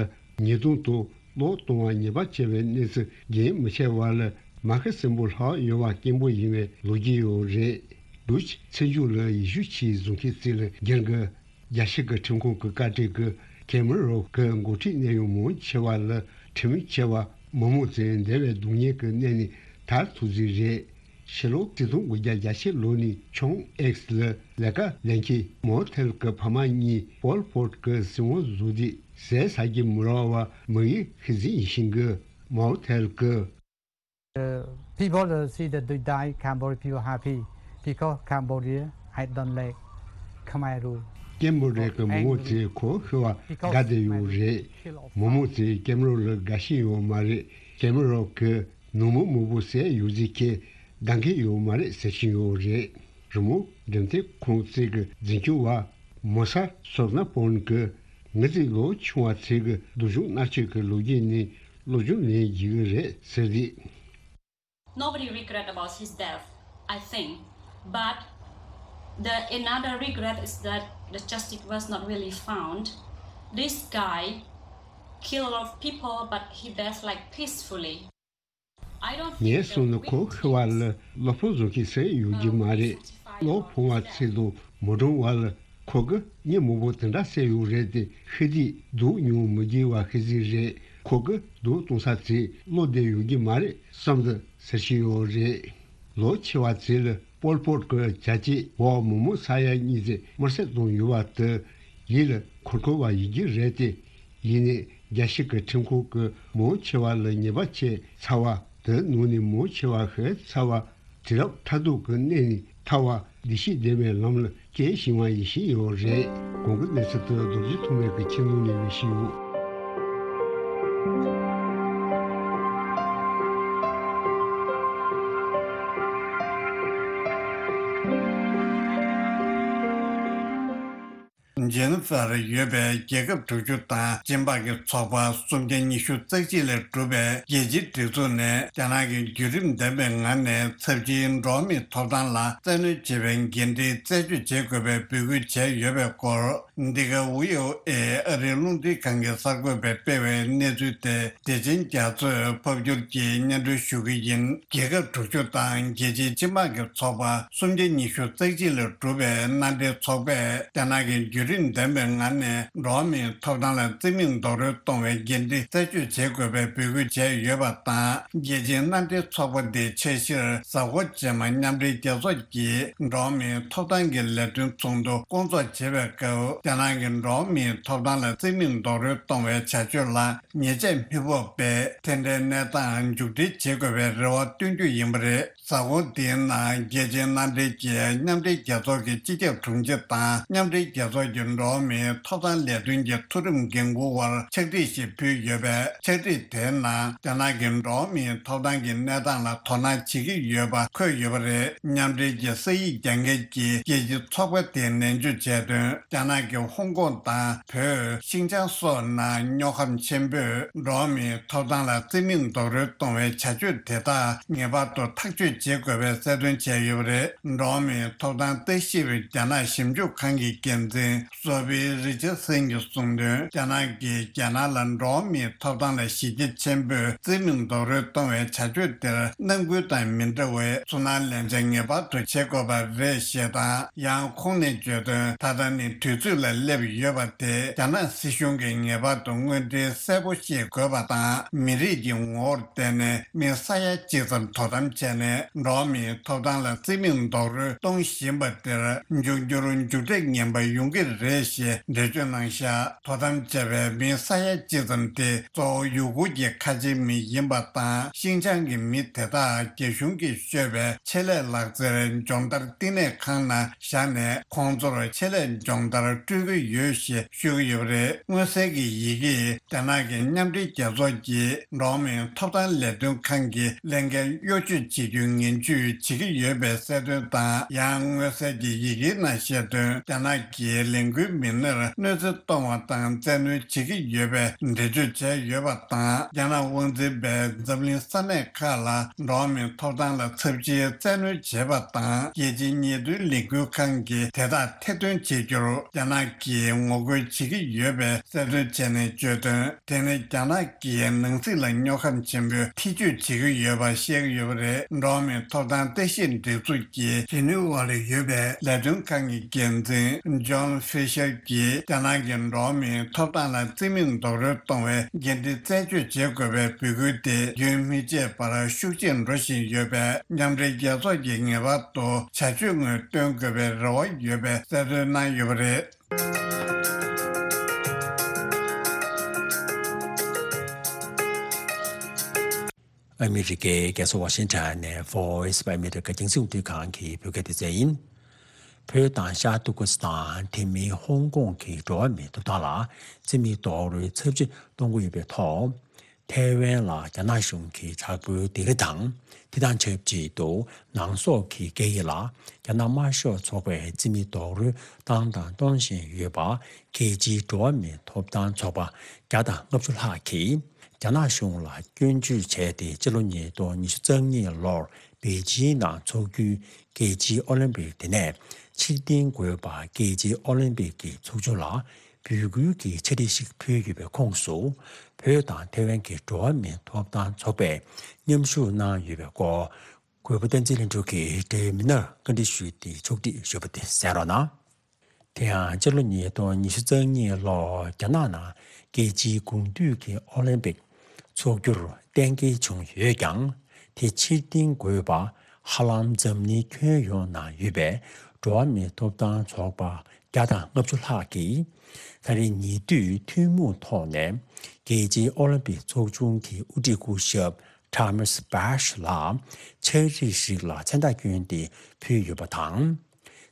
ཉེས་རྡུང་དང་གློད་གཏོང་བ་ཉེས་པ་ཆེ་བའི་གནས་ཚུལ་རྒྱུན་མི་ཆད་པ་ལ། མ་ཤི་གསོན་པོ་ལྷག་ཡོད་པ་སྐྱེན་པོ་ཡིན་པའི་ལོ་རྒྱུས་ཡོད་རེད། ཌུ་ཆི་ཚེ་མཇུག་ལ་ཡེ་ཤུ་ཆོས་བཟུང་མཁན་ཅིག་ལ་སྒེར་གྱི། རྒྱལ་སྤྱི་གི་ཁྲིམས་ཁང་གི་བཀའ་ཁྲིད་ཀྱིས་ཁེ་མ་རོབ་ཀྱི་འགོ་ཁྲིད་གནས་ཡུལ་མང་ཆེ་བ་ལ་ཁྲིམས་ཆེ་བ་མི་མང་ཚོས་འདས་པའི་སྡུག་བསྔལ་གྱི་གནས་ནས་ཐར་ཐུབ་རྩིས་རེད། ཕྱི་ལོ་ཆིག་སྟོང་དགུ་བརྒྱ་གྱ་བཞི་ལོ་ནས་ཆུང་ཨེགས་ལ་ལས་ཀ་ལེན་མཁན་མའོ་ཐེལ་གྱི་ཕ་མ་གཉིས་པོལ་པོཊ་གྱི་སྲིད་དབང་བཟུང་དུས་ཟས་ཟ་གི་མི་རག་པ་དམིགས་ཡུལ་ཤེས་གཟིགས་ཡིན་ཞིང་གི། མའོ་ཐེལ་གྱིས། Uh, people uh, see that they die, Cambodian people happy because Cambodia, I don't like Khmer rule. ཀེམ་བོ་ཌི་ཡ་གི་མི་མང་ཚོས་ཁོ་ཤི་བ་དགའ་བསྡད་ཡོད་རེད། མི་མང་ཚོས་ཀེམ་རོབ་ལ་དགའ་ཞེན་ཡོད་མ་རེད། ཀེམ་རོབ་གིས་ནང་མི་མང་པོ་བསད་ཡོད་ཟེར་མཁན་དགའ་མཁན་ཡོད་མ་རེད་ཟེར་བཞིན་ཡོད་རེད། རི་མོ་འགྲེམས་སྟོན་ཁང་གཅིག་གི་འཛིན་སྐྱོང་བ་མོ་ས་སོར་ན་པོན་གྱིས། ང་ཚོའི་ལོ་ཆུང་བ་ཚོས་ཀྱི་སྡུག་སྦྱོང་མནར་གཅོད་ཀྱི་ལོ་རྒྱུས་ནས་སློབ་སྦྱོང་ལེན་དགོས་ཀྱི་རེད་ཟེར་ཏེ། Nobody regret about his death, I think. But the another regret is that the justice was not really found. This guy killed a lot of people, but he died like peacefully. I don't think ངས་གསུངས་ན་ཁོ་ཤི་བ་ལ་གློ་ཕུང་བཟོ་མཁན་སུ་ཡོད་ཀྱི་མ་རེད། གློ་ཕུང་བ་ཚོ་དང་མི་གྲོངས་པ་ལ་ཁོ་གིས་མི་མང་པོ་དེ་འདྲ་བསད་ཡོད་རེད་དེ། ཤི་དུས་སྡུག་མྱོང་མི་དགོས་པ་ཤེས་ཀྱི་རེད། ཁོ་གིས་སྡུག་གཏོང་ས་ཚོ་བློ་བདེ་ཡོད་ཀྱི་མ་རེད་བསམ་སྟེ་ཟེར་བཞིན་ཡོད་རེད། ལོ་ཆེ་བ་ཚོ་ལ་པོལ་པོཊ་གི་བྱ་བྱེད་འོག་མི་མང་ས་ཡ་གཉིས་ཙམ་དམར་གསོད་བཏང་ཡོད་པ་དེ་ཡིད་ལ་འཁོར་འཁོར་བ་ཡིན་གྱི་རེད་དེ། ཡིན་ནའི་རྒྱལ་སྤྱི་གི་ཁྲིམས་ཁང་གིས་མང་ཆེ་བ་ལ་ཉེས་པ་ཆེ་ཚ་བ་དེ་ནང་ནས་མང་ཆེ་བ་ཤི་ཚ་བ་དུས་རབས་མཐར་ཐུག་གི་གནས་ནས་ཐར་བ་བདེ་སྐྱིད་ལྡན་པའི་ལམ་ལ་སྐྱེལ་བཞིན་པ་ཡིན་བཞིན་ཡོད་རེད། གོང་གི་གནས་ཚུལ་དེ་རྡོ་རྗེ་ཐོགས་མེད་ཀྱིས་ཁྱེད་ངོ་ནས་སྤེལ་བཞིན་ཡོད། ཇེ་ནི་ཧྥར་ཡོད་པའི་རྒྱལ་ཁབ་དྲུག་ཅུ་དང་སྦྱིན་པ་གི་ཚོགས་པ་སུམ་བརྒྱ་ཉི་ཤུ་རྩ་གཅིག་ལས་གྲུབ་པའི་རྒྱལ་སྤྱིའི་སྒྲིག་འཛུགས་ནས། རྒྱ་ནག་གི་བརྒྱུད་རིམ་ལྡན་པའི་ངང་ནས་ཚབས་ཆེའི་འགྲོ་བ་མིའི་ཐོབ་ཐང་ལ་བཙན་གནོན་བྱེད་པའི་འགན་འཁྲི་རྩད་གཅོད་བྱེད་དགོས་པའི་འབོད་སྐུལ་བྱས་ཡོད་པའི་སྐོར། འདི་ག་ཝི་ཨོ་ཨེ་ཨ་རིའི་རླུང་འཕྲིན་ཁང་གི་གསར་འགོད་པས་སྤེལ་བའི་གནས་ཚུལ་དེ་བདེ་ཆེན་རྒྱ་མཚོས་ཕབ་སྒྱུར་གྱིས་སྙན་སྒྲོན་ཞུ་གི་ཡིན། རྒྱལ་ཁབ་དྲུག་ཅུ་དང་རྒྱལ་སྤྱིའི་སྤྱི་དམངས་ཀྱི་ཚོགས་པ་སུམ་བརྒྱ་ཉི་ཤུ་རྩ་གཅིག་ལས་གྲུབ་པའི་མནའ་འབྲེལ་ཚོགས་པས། རྒྱ་ནག་གི་བརྒྱུད་རིམ་ལྡན་པའི་ངང་ནས་འགྲོ་བ་མིའི་ཐོབ་ཐང་ལ་བརྩི་མེད་རྡོག་རོལ་གཏོང་བའི་འགན་འཁྲི་རྩད་གཅོད་བྱེད་དགོས་པའི་འབོད་སྐུལ་བྱས་ཡོད་པ་དང་། རྒྱལ་སྤྱིའི་མནའ་འབྲེལ་ཚོགས་པ་འདིའི་འཆར་གཞིར་གཟའ་འཁོར་རྗེས་མ་མཉམ་འབྲེལ་རྒྱལ་ཚོགས་ཀྱི་འགྲོ་བ་མིའི་ཐོབ་ཐང་གི་ལས་དོན་ཚོགས་འདུ་སྐོང་ཚོགས་བྱེད་པའི་སྐབས། རྒྱ་ནག་གི་འགྲོ་བ་མིའི་ཐོབ་ཐང་ལ་བརྩི་མེད་རྡོག་རོལ་གཏོང་བའི་བྱ་སྤྱོད་ལ་ཉེས་ཆད་མི་ཕོག་པའི་དེ་འདྲའི་གནས་སྟངས་མཇུག་སྒྲིལ་བྱེད་དགོས་པའི་རེ་བ་བཏོན་རྒྱུ་ཡིན་པ་རེད། གཟའ་འཁོར་འདིའི་ནང་རྒྱལ་སྤྱིའི་མནའ་འབྲེལ་གྱིས་མཉམ་འབྲེལ་རྒྱལ་ཚོགས་ཀྱི་སྤྱི་ཁྱབ་དྲུང་ཆེ་དང་། མཉམ་འབྲེལ་རྒྱལ་ཚོགས་ཀྱི་འགྲོ་བ་མིའི་ཐོབ་ཐང་ལས་དོན་གྱི་མཐོ་རིམ་འགན་འཁུར་བར་ཕྱག་བྲིས་ཤིག་ཕུལ་ཡོད་པས། ཕྱག་བྲིས་དེའི་ནང་རྒྱ་ནག་གི་འགྲོ་བ་མིའི་ཐོབ་ཐང་གི་གནས་སྟངས་ལ་དོ་སྣང་བྱེད་ཀྱི་ཡོད་པ་འཁོད་ཡོད་པ་རེད། མཉམ་འབྲེལ་གྱི་ས་ཡིག་རྒྱག་མཁན་གྱི་རྒྱལ་སྤྱིའི་ཚོགས་པ་དེས་ནན་བརྗོད་བྱས་དོན། རྒྱ་ནག་གི་ཧོང་ཀོང་དང་བོད། ཤིན་ཅང་སོགས་ནང་དངོས་ཁམས་ཆེན་པོས་འགྲོ་བ་མིའི་ཐོབ་ཐང་ལ་བརྩི་མེད་རྡོག་རོལ་གཏོང་བའི་བྱ་སྤྱོད་དེ་དག་ངེས་པར་དུ་ཐག་གཅོད་བྱེད་དགོས་པའི་གསལ་སྟོན་བྱས་ཡོད་པ་རེད། འགྲོ་བ་མིའི་ཐོབ་ཐང་ལྟ་ཞིབ་རྒྱ་ནག་ཞིབ་འཇུག་ཁང་གི་འགན་འཛིན་སོ་ཕི་རི་ཅར་སན་གྱིས་གསུངས་དོན། རྒྱ་ནག་གིས་རྒྱ་ནག་ལ་འགྲོ་བ་མིའི་ཐོབ་ཐང་ལ་གཞི་རྒྱ་ཆེན་པོས་བརྩི་མེད་རྡོག་རོལ་གཏོང་བའི་བྱ་སྤྱོད་དེར་ནང་ཁུལ་དང་མི་འདྲ་བའི་ཚུར་སྣང་ལེན་བྱ་ངེས་པར་དུ་བྱེད་དགོས་པ་རེད་ཞེས་དང་། ཡང་ཁོང་ནས་བརྗོད་དོན། ད་ལྟ་ནི་དུས་ཚོད་ལ་སླེབས་ཡོད་པ་དེ་རྒྱ་ནག་སྲིད་གཞུང་གིས་ངེས་པར་དུ་དངོས་འབྲེལ་གསལ་པོ་ཤེས་དགོས་པ་དང་། མི་རིགས་ཀྱི་ངོ་བོར་བརྟེན་ནས་མི་ས་ཡ་གཅིག་ཙམ་དོ་དམ་བྱས་ནས། འགྲོ་བ་མིའི་ཐོབ་ཐང་ལ་བརྩི་མེད་རྡོག་རོལ་གཏོང་བཞིན་པ་དེར་འབྱུང་འགྱུར་མཇུག་འབྲས་ངན་པ་ཡོང་གི་རེད་ཞེས་འགྲེལ་བརྗོད་གནང་བཞག་དོ་དམ་བྱས་པའི་མི་ས་ཡ་གཅིག་ཙམ་དེ་གཙོ་བོ་ཡུ་གུར་གྱི་ཁ་ཆེའི་མི་ཡིན་པ་དང་། ཤིན་ཅང་གི་མི་དེ་དག་རྒྱ་གཞུང་གིས་བཤོས་པའི་ཆེད་ལས་ལག་རྩལ་སྦྱོང་བརྡར་བསྟི་གནས་ཁང་ནང་བཞག་ནས། ཁོང་ཚོར་ཆེད་ལས་སྦྱོང་བརྡར་སྤྲོད་ཀྱི་ཡོད་ཞེས་ཤོད་ཀྱི་ཡོད་པ་རེད། མངོན་གསལ་གྱི་ཡི་གེས་རྒྱ་ནག་གི་མཉམ་འབྲེལ་རྒྱལ་ཚོགས་ཀྱི་འགྲོ་བ་མིའི་ཐོབ་ཐང་ལས་དོན་ཁང་གི་ལས་འགན་གཡོ་ཇུས་བྱེད་རྒྱུའི་ངན་ཇུས་བྱེད་ཀྱི་ཡོད་པའི་གསལ་སྟོན་དང་། ཡང་མངོན་གསལ་གྱི་ཡི་གེའི་ནང་བཤད་དོན། རྒྱ་ནག་གི་ལས་འགུལ་མི་སྣར་གནོད་འཚེ་གཏོང་བ་དང་བཙན་གནོན་བྱེད་ཀྱི་ཡོད་པའི་འགྲེལ་བརྗོད་བྱས་ཡོད་པ་དང་། རྒྱ་ནག་དབང་འཛིན་པས་འཛམ་གླིང་ས་གནས་ཁག་ལ་འགྲོ་བ་མིའི་ཐོབ་ཐང་ལ་ཚབས་ཆེའི་བཙན་གནོན་བྱས་པ་དང་། རྒྱལ་སྤྱིའི་ཉེས་དོན་ལས་འགུལ་ཁང་གིས་དེ་དག་ཐེར་འདོན་བྱེད་རྒྱུར་རྒྱ་ནག་གིས་ངོ་རྒོལ་བྱེད་ཀྱི་ཡོད་པའི་གསལ་སྟོན་བྱས་ནས་བརྗོད་དོན། དེ་ནི་རྒྱ་ནག་གིས་ནང་སྲིད་ལ་སྨྱོ་ཁམས་ཆེན་པོས་ཐེ་བྱུས་བྱེད་ཀྱི་ཡོད་པ་བཤད་ཀྱི་ཡོད་པ་རེད། འགྲོ་བ་མིའི་ཐོབ་ཐང་ལྟ་ཞིབ་སྒྲིག་འཛུགས་ཀྱི་ཇི་ནི་ཝ་ལ་ཡོད་པའི་ལས་དོན་ཁང་གི་འགན་འཛིན་ཇོན་ཧྥི་ཤར་གྱིས། རྒྱ་ནག་གིས་འགྲོ་བ་མིའི་ཐོབ་ཐང་ལ་བརྩི་མེད་རྡོག་རོལ་གཏོང་བའི་འགན་འཁྲི་རྩད་གཅོད་བྱེད་དགོས་པའི་འབོད་སྐུལ་དེ་རྒྱུན་མི་ཆད་པར་ཤུགས་ཆེར་འགྲོ་བཞིན་ཡོད་པས། མཉམ་འབྲེལ་རྒྱལ་ཚོགས་ཀྱིས་ངེས་པར་དུ་བྱ་སྤྱོད་དངོས་སྟོན་དགོས་པའི་རེ་བ་ཡོད་པའི་གསལ་སྟོན་གནང་ཡོད་པ་རེད། ཨ་མི་རི་ཀའི་རྒྱལ་ས་ཝ་ཤིང་ཊོན་ནས་Voice of America རྒྱང་སྲིང་རླུང་འཕྲིན་ཁང་གི་བོད་སྐད་སྡེ་ཚན་ཡིན། བོད་དང་ཤར་ཏུར་ཀི་སི་ཐན། དེ་མིན་ཧོང་ཀོང་གི་འགྲོ་བ་མིའི་ཐོབ་ཐང་ལ་བརྩི་མེད་རྡོག་རོལ་ཚབས་ཆེ་གཏོང་གི་ཡོད་པའི་ཐོག་ཐའེ་ཝན་ལ་རྒྱ་ནག་གཞུང་གིས་དྲག་པོའི་སྡིགས་ར་དང་། དེ་དང་ཆབས་ཅིག་ཏུ་ནང་སོག་གི་སྐད་ཡིག་ལ་རྒྱ་ནག་དམར་ཤོག་ཚོགས་པས་བརྩི་མེད་རྡོག་རོལ་བཏང་དང་གཏོང་བཞིན་ཡོད་པ། རྒྱལ་སྤྱིའི་འགྲོ་བ་མིའི་ཐོབ་ཐང་ཚོགས་པ་བརྒྱ་དང་ལྔ་བཅུ་ལྷག་གིས་རྒྱ་ནག་གཞུང་ལ་སྐྱོན་བརྗོད་བྱས་ཏེ། སྤྱི་ལོ་ཉིས་སྟོང་ཉི་ཤུ་རྩ་གཉིས་ལོར་པེ་ཅིང་ནང་འཚོགས་རྒྱུའི་རྒྱལ་སྤྱིའི་ཨོ་ལིམ་པིག་དེ་ནས་ཕྱིར་འཐེན་དགོས་པ། རྒྱལ་སྤྱིའི་ཨོ་ལིམ་པིག་གི་ཚོགས་ཆུང་ལ་འབོད་སྐུལ་གྱི་ཕྱག་བྲིས་ཤིག་ཕུལ་ཡོད་པའི་ཁོངས་སུ། བོད་དང་ཐའེ་ཝན་གྱི་འགྲོ་བ་མིའི་ཐོབ་ཐང་ཚོགས་པས་མཉམ་ཞུགས་གནང་ཡོད་པའི་སྐོར། གུས་པ་བསྟན་འཛིན་ལྷུན་གྲུབ་ཀྱིས་འབྲེལ་ཡོད་མི་སྣར་བཀའ་འདྲི་ཞུས་ཏེ་ཕྱོགས་སྒྲིག་ཞུས་པ་དེ་གསན་རོགས་གནང་། དེ་ཡང་སྤྱི་ལོ་ཉིས་སྟོང་ཉི་ཤུ་རྩ་གཉིས་ལོར་རྒྱ་ནག་ནང་རྒྱལ་སྤྱིའི་དགུང་དུས་ཀྱི་ཨོ་ལིམ་པིག་འཚོགས་རྒྱུར་གཏན་འཁེལ་བྱུང་ཡོད་ཀྱང་། དེ་ཕྱིར་འཐེན་དགོས་པ་ཧ་ལམ་འཛམ་གླིང་ཁྱོན་ཡོངས་ནང་ཡོད་པའི་འགྲོ་བ་མིའི་ཐོབ་ཐང་ཚོགས་པ་བརྒྱ་དང་ལྔ་བཅུ་ལྷག་གིས། ད་རེས་ཉེ་དུས་ཐུན་མོང་ཐོག་ནས་རྒྱལ་སྤྱིའི་ཨོ་ལིམ་པིག་ཚོགས་ཆུང་གི་དབུ་ཁྲིད་སྐུ་ཞབས་Thomas Bach ལ་ཕྱག་བྲིས་ཤིག་ལ་མཚན་རྟགས་བསྐྱོན་ཏེ་ཕུལ་ཡོད་པ་དང་།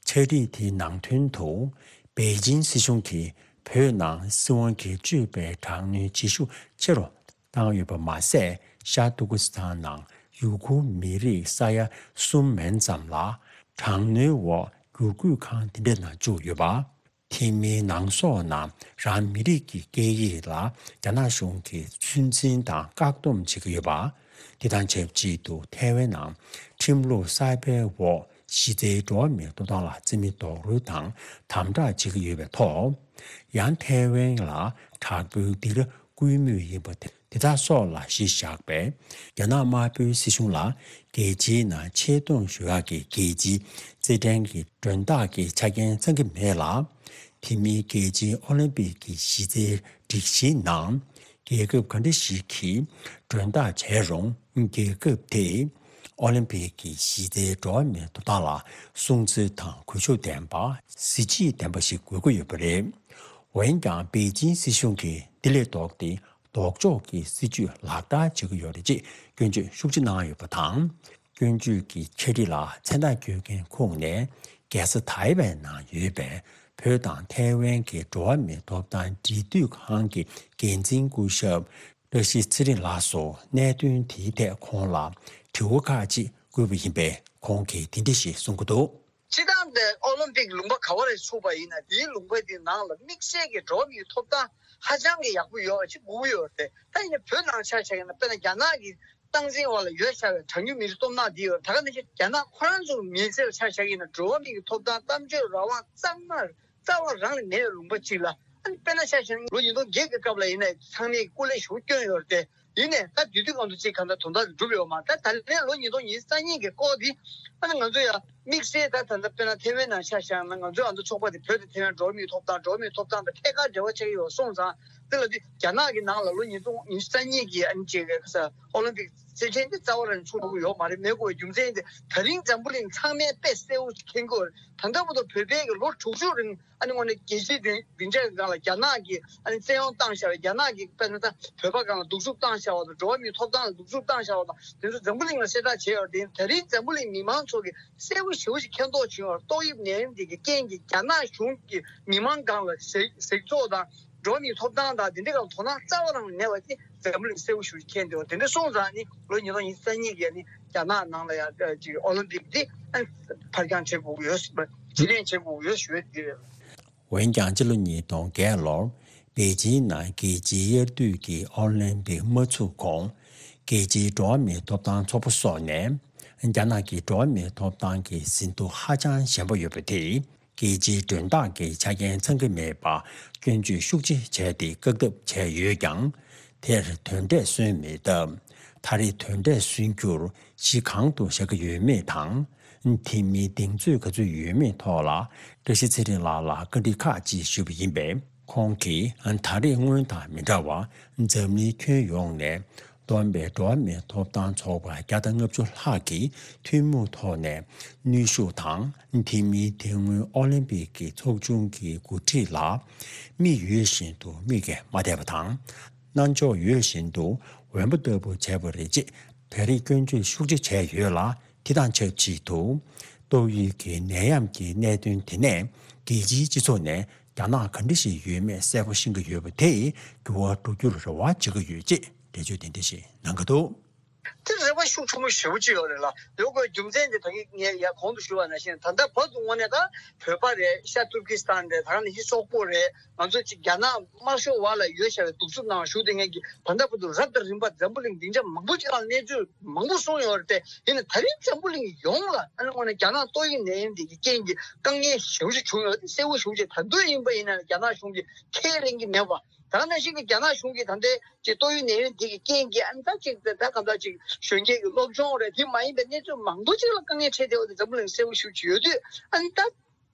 ཕྱག་བྲིས་དེའི་ནང་དོན་དུ། པེ་ཅིང་སྲིད་གཞུང་གིས་བོད་ནང་སྲིད་དབང་སྒེར་གཅོད་པའི་དྲག་གནོན་བྱེད་ཤུགས་ཆེ་རུ་བཏང་ཡོད་པ་མ་ཟད། ཤར་ཏུར་ཀི་སི་ཐན་ནང་ཡུ་གུར་མི་རིགས་ས་ཡ་གསུམ་མན་ཙམ་ལ་དྲག་གནོན་འོག་བསྒྱུར་བཀོད་ཁང་དེ་འདྲའི་ནང་བཅུག་ཡོད་པ། ཐེ་མིའི་ནང་སོག་ནང་རང་མི་རིགས་ཀྱི་སྐད་ཡིག་ལ་རྒྱ་ནག་གཞུང་གིས་ཚོད་འཛིན་དང་བཀག་སྡོམ་བྱེད་ཀྱི་ཡོད་པ། དེ་དང་ཆབས་ཅིག་ཏུ་ཐའེ་ཝན་ནང་ཁྲིམས་ལུགས་གསར་པའི་འོག་གཞི་རྩའི་འགྲོ་བ་མིའི་ཐོབ་ཐང་ལ་བརྩི་མེད་རྡོག་རོལ་དང་དམ་དྲག་བྱེད་ཀྱི་ཡོད་པའི་ཐོག་ཡང་ཐའེ་ཝན་ལ་དྲག་པོའི་སྡིགས་ར་བསྐུལ་མུས་ཡིན་པ་དེ་དག་སོགས་ལ་གཞི་བཞག་པའི་རྒྱ་ནག་དམར་པོའི་སྲིད་གཞུང་ལ་རྒྱལ་སྤྱིའི་ནང་ཆེ་མཐོང་ཞུ་ཡག་གི་རྒྱལ་སྤྱིའི་རྩེད་འགྲན་གྱི་མགྲོན་བདག་གི་ཆ་རྐྱེན་ཚང་གི་མེད་ལ། དེ་མིན་རྒྱལ་སྤྱིའི་ཨོ་ལིམ་པིག་གི་གཞི་རྩའི་སྒྲིག་གཞིའི་ནང་རྒྱལ་ཁབ་ག་འདྲ་ཞིག་གིས་མགྲོན་བདག་བྱས་རུང་རྒྱལ་ཁབ་དེས་ཨོ་ལིམ་པིག་གི་གཞི་རྩའི་འགྲོ་བ་མིའི་ཐོབ་ཐང་ལ་སྲུང་བརྩི་དང་གུས་ཞབས་ལྡན་པ་གཟི་བརྗིད་ལྡན་པ་ཞིག་དགོས་ཀྱི་ཡོད་པ་རེད། འོན་ཀྱང་པེ་ཅིན་སྲིད་གཞུང་གིས་འདི་ལས་ལྡོག་སྟེ་ལྡོག་ཕྱོགས་ཀྱི་སྲིད་ཇུས་ལག་བསྟར་བྱེད་ཀྱི་ཡོད་རེད་ཅེས་སྐྱོན་བརྗོད་ཤུགས་ཆེ་གནང་ཡོད་པ་དང་། སྐྱོན་བརྗོད་ཀྱི་འཆད་ཁྲིད་ལ་མཚན་རྟགས་བཀོད་མཁན་ཁོངས་ནས་རྒྱལ་ས་ཐའེ་ཝན་ནང་ཡོད་པའི་བོད་དང་ཐའེ་ཝན་གྱི་འགྲོ་བ་མིའི་ཐོབ་ཐང་འབྲེལ་མཐུད་ཁང་གི་འགན་འཛིན་སྐུ་ཞབས་བཀྲ་ཤིས་ཚེ་རིང་ལགས་སུ་གནད་དོན་དེའི་ཐད་ཁོང་ལ་དྲི་བ་ཁག་ཅིག་བཀོད་པ་ཡིན་པས་ཁོང་གིས་དེ་འདྲ་ཞིག་གསུང་གི་འདུག་སྤྱིར་བཏང་དེ་ཨོ་ལིམ་པིག་ལུང་པ་ག་བ་རེ་ཚུགས་པ་ཡིན་ན་དེའི་ལུང་པ་དེའི་ནང་ལ་དམིགས་བསལ་གྱི་འགྲོ་བ་མིའི་ཐོབ་ཐང་ཧ་ཅང་གི་ཡག་པོ་ཡོད་པ་ཅིག་དགོས་ཀྱི་ཡོད་རེད། ད་ཡིན་ན་བོད་ནང་ཆ་བཞག་ཡིན་ན་དཔེར་ན་རྒྱ་ནག་གི་སྟངས་འཛིན་འོག་ལ་ཡོད་བཞག་པའི་གྲངས་ཉུང་མི་རིགས་སྟོབས་ནག་འདི་ཡོད། ད་ག་ནང་བཞིན་རྒྱ་ནག་ཁོ་རང་ཚོ་མི་སེར་ཆ་བཞག་ཡིན་ན་འགྲོ་བ་མིའི་ཐོབ་ཐང་གཏམ་བརྗོད་རང་དབང་གཙང་མ་རྩ་བ་རང་ལས་མེད་པའི་ལུང་པ་ཅིག་ལ། ཨ་ནི་དཔེར་ན་ཆ་བཞག་ན་ལོ་ཉིས་སྟོང་བརྒྱད་ཀྱི་སྐབས་ལ་ཡིན་ན་ཚང་མས་སྐུ་ལས་ཞེ་པོ་བསྐྱོན་ཡོད་རེད་དེ། ཡིན་ནའི་ད་དུས་དུས་གང་དུ་ཅིག་གང་ལྟར་དོན་དག་འགྲུབ་ཡོད་མ་རེད། ད་ད་ལན་ལོ་ཉིས་སྟོང་ཉི་ཤུ་རྩ་གཉིས་ཀྱི་སྐོར་འདི་ཨ་ནི་ང་ཚོ་ཡང་དམིགས་བསལ་ད་ད་ལྟ་དཔེར་ན་ཐེ་ཝན་ནང་ཆ་བཞག་ན་ང་ཚོའི་ཨ་མདོ་ཚོགས་པ་དེ་བོད་དང་ཐེ་ཝན་འགྲོ་བ་མིའི་ཐོབ་ཐང་འགྲོ་བ་མིའི་ཐོབ་ཐང་དང་ཐད་ཀར་འབྲེལ་བ་ཆགས་ཀྱི་ཡོད་སོང་ཙང་དེ་ལ་དུས་རྒྱ་ནག་གི་ནང་ལ་ལོ་ཉིས་སྟོང་ཉི་ཤུ་རྩ་གཉིས་ཀྱི་ཨ་ནི་ཅིག་ག་ས་ཨོ་ལིམ་པིག་རྩེད་འགྲན་འདི་རྩ་བ་རང་ཚུགས་ཐུབ་ཀྱི་ཡོད་མ་རེད། མེད་དགོས་པའི་རྒྱུ་མཚན་དེ་ད་རིང་འཛམ་བུ་གླིང་ཚང་མས་དཔེ་གསལ་བོ་ཞིག་མཁྱེན་གྱི་ཡོད་རེད། ད་ལྟ་བར་དུ་བོད་པའི་གི་ལོ་དྲུག་ཅུ་རིང་ཨ་ནི་དངོས་གནས་རྒྱལ་སྤྱིའི་སྡིངས་སྡིངས་ཆ་གི་སྒང་ལ་རྒྱ་ནག་གིས་ཨ་ནི་བཙན་གཡོག་བཏང་བཞག་པའི་རྒྱ་ནག་གིས་དཔེར་ན་ད་བོད་པ་སྒང་ལ་སྡུག་རུས་བཏང་བཞག་པ་དང་འགྲོ་བ་མིའི་ཐོབ་ཐང་ལ་སྡུག་རུས་བཏང་བཞག་པ་དང་དེ་ཚོ་འཛམ་བུ་གླིང་ལ་གསལ་བསྒྲགས་བྱས་ཡོད་རེད། དེ་ད་རིང་འཛམ་བུ་གླིང་མི་མང་ཚོ་གིས་གསལ་པོ་ཞེ་པོ་ཞིག་མཁྱེན་རྟོགས་བྱུང་ཡོད་རེད། ཏོག་དབྱིབས་ནད་ཡམས་འདི་གི་རྐྱེན་གྱིས་རྒྱ་ནག་གཞུང་གིས་མི་མང་སྒང་ལ་ཟེགས་ཟེགས་བཙོག་དང་འགྲོ་བ་མིའི་ཐོབ་ཐང་དང་དེ་འདྲའི་སྒང་ལ་དོ་སྣང་རྩ་བ་རང་མེད་པ་དེ་འཛམ་བུ་གླིང་གསལ་པོ་ཞེ་པོ་ཞིག་མཁྱེན་འདུག་དེ་འདྲ་སོང་ཙང་ནི་ལོ་ཉིས་སྟོང་ཉི་ཤུ་རྩ་གཉིས་ཀྱི་ནི་རྒྱ་ནག་ནང་ལ་ཡང་ཅིག་ཨོ་ལིམ་པིག་འདི་ཕར་འགྱངས་བྱེད་དགོས་ཀྱི་ཡོད་ཟེར་བ། རྗེས་ལེན་བྱེད་དགོས་ཀྱི་ཡོད་ཞུ་ཡ་འདི་རེད། འོན་ཀྱང་སྤྱི་ལོ་ཉིས་སྟོང་བརྒྱད་ལོར་པེ་ཅིན་ནང་རྒྱལ་སྤྱིའི་དབྱར་དུས་ཀྱི་ཨོ་ལིམ་པིག་མ་ཚུགས་གོང་རྒྱལ་སྤྱིའི་འགྲོ་བ་མིའི་ཐོབ་ཐང་ཚོགས་པ་སོགས་ནས་རྒྱ་ནག་གི་འགྲོ་བ་མིའི་ཐོབ་ཐང་གི་ཟིན་ཐོ་ཧ་ཅང་ཞན་པ་ཡོད་པ་དེས་རྒྱལ་སྤྱིའི་མགྲོན་བདག་གི་ཆ་རྐྱེན་ཚང་གི་མེད་པ་སྐྱོན་བརྗོད་ཤུགས་ཆེ་བྱས་ཏེ་བཀག་སྡོམ་བྱས་ཡོད་ཀྱང་། དེར་དོན་འབྲས་སོན་མེད་སྟབས། ད་རེས་དོན་འབྲས་སོན་རྒྱུར་གཞི་གང་དུ་བཞག་གི་ཡོད་མེད་དང་། དེ་མིན་གདེང་ཚོད་ག་ཚོད་ཡོད་མེད་ཐོག་ལ་བཀྲ་ཤིས་ཚེ་རིང་ལགས་ལ་བཀའ་འདྲི་ཁག་ཅིག་ཞུས་པ་ཡིན་པས། ཁོང་གིས་ད་རེས་སྔོན་དང་མི་འདྲ་བར་འཛམ་གླིང་ཁྱོན་ཡོངས་ནས་བསྡོམས་པའི་འགྲོ་བ་མིའི་ཐོབ་ཐང་ཚོགས་པ་བརྒྱ་དང་ལྔ་བཅུ་ལྷག་གིས་ཐུན་མོང་ཐོག་ནས་གནོན་ཤུགས་དང་། དེ་མིན་དེ་སྔོན་ཨོ་ལིམ་པིག་གི་ཚོགས་ཆུང་གི་འགོ་ཁྲིད་ལ་མིག་ཡོད་བཞིན་དུ་མིག་གིས་མ་བལྟས་པ་དང་། རྣ་མཆོག་ཡོད་བཞིན་དུ་འོན་པོ་ལྟ་བུ་བྱས་པ་རེད་ཅེས་བོད་རིགས་སྐྱོན་བརྗོད་ཤུགས་ཆེ་བྱས་ཡོད་ལ། དེ་དང་ཆབས་ཅིག་ཏུ་ཏོག་དབྱིབས་ཀྱི་ནད་ཡམས་ཀྱི་གནད་དོན་དེ་ནས་རྒྱལ་སྤྱིའི་སྤྱི་ཚོགས་ནས་རྒྱ་ནག་ག་འདྲ་ཞིག་ཡོད་མེད་གསལ་པོ་ཤེས་ཀྱི་ཡོད་པ་དེས་འགྱུར་བ་འགྲོ་རྒྱུར་རེ་བ་བྱེད་ཀྱི་ཡོད་ཅེས་འགྲེལ་བརྗོད་དེ་འདྲ་ཞིག་གནང་གི་འདུག་དེ་རེ་བ་ཤུགས་ཆེན་པོ་ཞེ་པོ་ཅིག་ཡོད་རེད་ལ། ཡོད་དགོས་རྒྱུ་མཚན་དེ་ད་གིན་ངས་ཡར་གོང་དུ་ཞུས་པ་ནང་བཞིན་ད་ལྟ་བར་དུ་དངོས་གནས་ད་བོད་པ་རེད། ཤར་ཏུར་ཀི་སི་ཐན་རེད། ད་ག་ནང་བཞིན་སོག་པོ་རེད། ང་ཚོ་ཅིག་རྒྱ་ནག་དམར་ཤོག་འོག་ལ་ཡོད་བཞག་པའི་གདུག་རྩུབ་ནང་བཞུགས་བསྡད་མཁན་གྱི་ད་ལྟ་བར་དུ་རབ་དང་རིམ་པ་འཛམ་བུ་གླིང་སྡིངས་ཆ་མང་པོ་ཅིག་ལ་གནས་ཚུལ་མང་པོ་གསུངས་ཡོད་རེད་དེ། ཡིན་ན་ད་རིང་འཛམ་བུ་གླིང་ཡོངས་ལ་ཨ་ནི་དངོས་གནས་རྒྱ་ནག་ཏོག་དབྱིབས་ནད་ཡམས་འདི་གི་རྐྱེན་གྱིས་དཀའ་ངལ་ཞེ་པོ་ཅིག་བྱུང་ཡོད་དེ་གསལ་པོ་ཞེ་པོ་ཅིག་ད་དུང་ཡིན་པ་ཡིན་ན་རྒྱ་ནག་གཞུང་གིས་ཁས་ལེན་གྱི་མེད་པ། ད་ག་ནང་བཞིན་གྱི་རྒྱ་ནག་གཞུང་གིས་ད་ལྟའི་ཅིག་ཏོག་དབྱིབས་ནད་ཡམས་འདི་གི་རྐྱེན་གྱིས་ཨ་ནི་ད་ཅིག་ད་གང་ལྟར་ཅིག་གཞོན་སྐྱེས་ཀྱི་སློབ་སྦྱོང་རེད། དེ་མ་ཡིན་པའི་གནས་ཚུལ་མང་པོ་ཅིག་ལ་དཀའ་ངལ་འཕྲད་བསྡད་ཡོད་དེ་འཛམ་བུ་གླིང་གསལ་པོ་ཞེ་པོ་ཅིག་ཡོད་དུས་ཨ་ནི་ད།